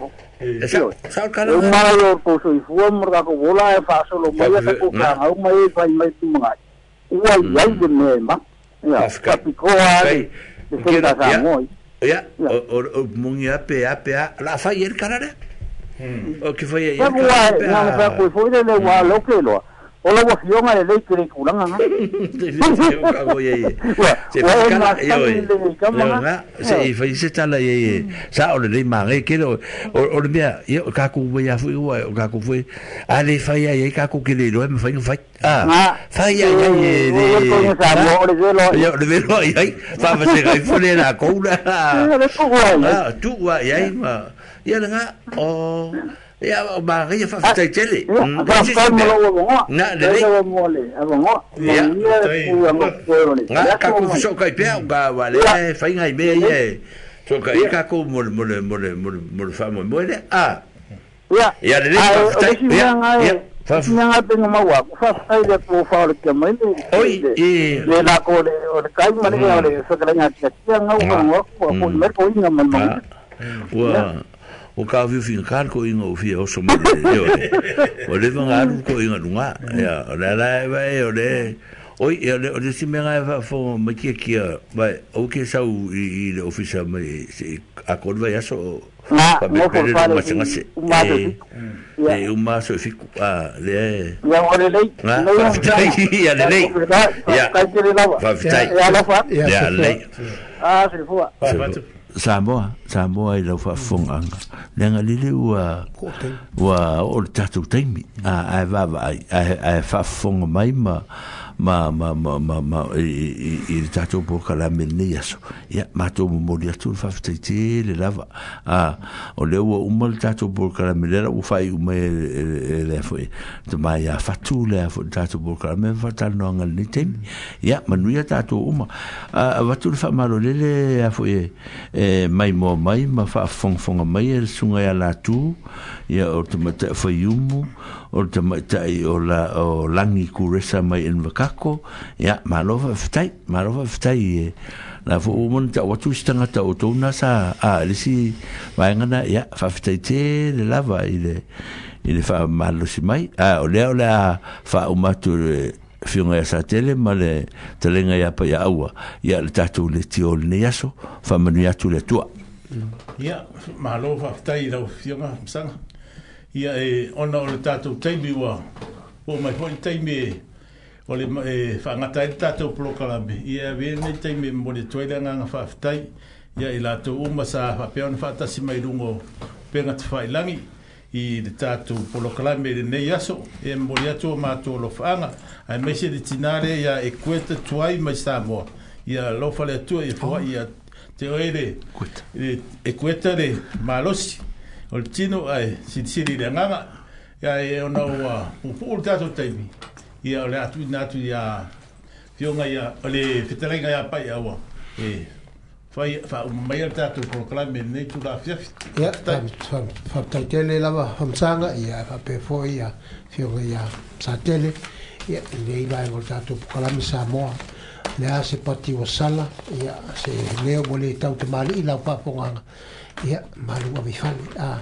sa kala o mara yo ko so ifua mora ko vola e fa solo mai ka ko ka au mai fai mai tu mai ua iai le mea ma ia papikoa le senta Samoa ia o o mungi ape ape la fa ier kala le o ke fai ier kala na fa ko foi le wa lo ke lo o la wafionga le lei kere kulanga nga se fa yo se fa se tala ye sa o le lei mange ke o o le mea yo ka ku ya fu o ka ku fu ale fa ya ye ka ku ke le lo me fa fa ah fa ya ya ye le yo le velo ai fa fa se ga fu le la koula ah tu wa ya ma ya nga o ia o Maria fa fa tele. Na le le. Ia. Nga ka ku so kai pe ga wa le fa ngai me ye. So kai ka ku mo mo mo mo mo fa mo mo le a. Ia. Ia le le fa ia. Ia. Nga pe nga mawa fa fa le po fa le ke mai le. Oi e le la ko le o le kai ma le o le so ka nga tia nga o nga ko ko me ko inga man man. Wa o ka viu fin kar ko inga o fia o so mo le o le vanga alu ko inga lunga ya o la la vai o le oi e le o le si menga fa fo ma kia kia vai o ke sau i le ofisa mai se a ko vai aso na mo fo fa le ma e uma so fiku a le ya o le lei ya le lei ya fa ya la fa ya lei ah se fo Samoa, Samoa i lau faafofogaga leaga lele ua ua oo le tatou taimi ae vaavaai ae faafofoga mai ma ma ma ma ma ma i i le tatou polokalame lenei aso ia matou momoli atu le faafetaitele lava a o lea ua uma le tatou polokalame lea la ua faaiu mai e lea foi tamai ia fatu lea foi le tatou polokalame ma faatalanoaga lenei taimi ia manuia tatou uma avatu le faamalolele a foi e mai moa mai ma faafofogafoga mai e le suga ia latu ia o le tamaitai faiumu o le tamaitai o la o Langi Kuresa mai i Nvakako ia malo faafetai malo faafetai e la fo o mona ta'u atu isi tagata o tou na sa a le isi vaega na ia faafetai tele lava i le i le faamalosi mai a o lea o le a faauma atu le fioga ia Satele ma le talega ia Paiaua ia le tatou le tio lenei aso faamanuia atu le Atua. Ia malo faafetai i lau fioga Masaga ia e ona o le tatou taimi ua oo mai foi le taimi o le faagata ai le tatou polokalame ia avea lenei taimi e momoli atu ai le agaga faafetai ia i latou uma sa faapea ona faatasi mai luga o upega tafailagi i le tatou polokalame i lenei aso e momoli atu o matou alofaaga ae maise le tinā lea ia e kueta tuai mai Samoa ia alofa le Atua ia foai ia te oe le e kueta le malosi o le tino ae silisili i le agaga Ia e ona ua puupuu le tatou taimi, ia o le a tuuina atu ia Fioga ia o le fetalaiga ia Paiaua e fai faauma mai le tatou polokalame i lenei itula afiafi. Ia, faafetai tele lava Famasaga, ia faapea foi ia Fioga ia Satele, ia i lenei vaega o le tatou polokalame Samoa. Le a se pati ua sala, ia se leo ua le tautamalii lau faafogaga, ia malu ave i fale. A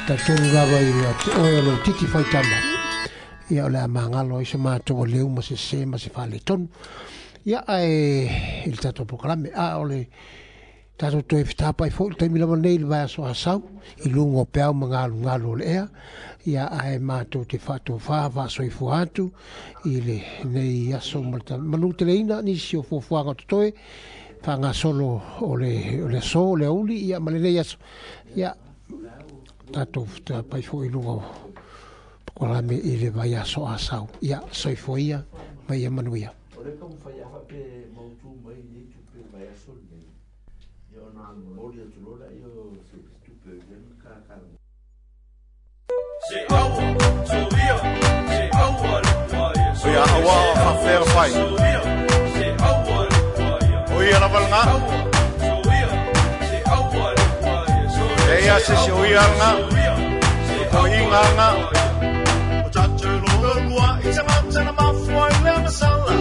talitonu lava ia te oe o lou titi faitama, ia o le a magalo ai se matou aleu ma se sē ma se faaletonu. Ia ae i le tatou polokalame, a o le tatou toe fetapai foi le taimi lava nei i le vaiaso asau i luga o peau ma galugalu o le ea, ia ae matou te faatofā faasoifua atu i lenei aso ma le manuteleina nisi o fuafuaga o totoe faagasolo o le o le aso o le aoauli, ia ma lenei aso. Ia tatou fetapai foi i luga o polokalame i le vaiaso asau. Ia soifua ia ma ia manuia. O le taumafai a faapea mautu mai nei tupe vaiaso lenei, ia ona momoli atu loa laia o se tupe lea na kalakala. Se aua, soia, se aua le kuaia. Soia aua faafea fai. Soia, se aua le kuaia. O ia lava lena. Soia, se aua le kuaia. Soia. E ia se se o ia lena. O inga lena. O tatou loa lua i te matana mafua i le masala.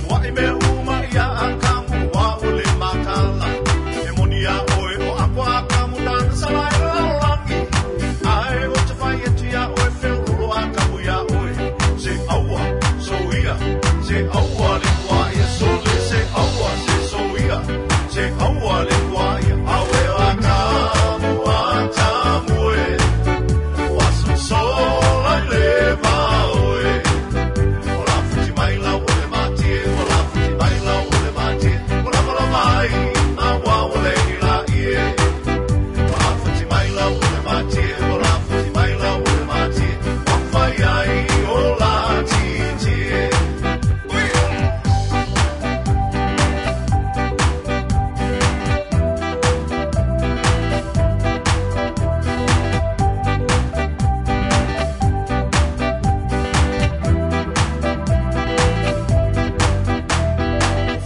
Ua i mea uma ia a kamu wa o le makala. E moni a oe o akwa a kamu nana sala i lalolagi. Ae o te whai atu ia oe wheororo a kamu ia oe. Se aua, so ia, se aua le kua ia sole, se aua, se so ia, se aua le kua ia. Awe a kamu a tamu e, waso sola i le maoe. O la futi mai la o le matie, o la futi mai la o le matie, o la mala mai a wa o le i la ie. O la futi mai la o le matie, o la futi mai la o le matie, o whai ai o la titie.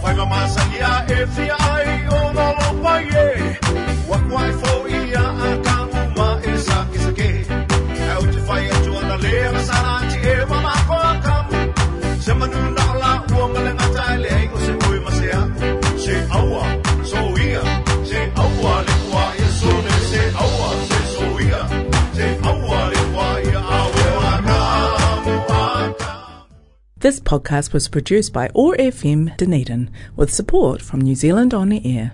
Whaiva masani a e whia ai o no lopa ie. Waku ai fo ia a kamu ma e sa ke sa ke. Au te whai atu ana lea masara ati e mamako a kamu. Se manu na la ua male ngata e le o se oi ma se a. Se aua, so ia, se aua le kua ia sone, se aua, se so ia, se aua le kua ia awe a kamu a kamu. This podcast was produced by O R F M Dunedin with support from New Zealand On Air.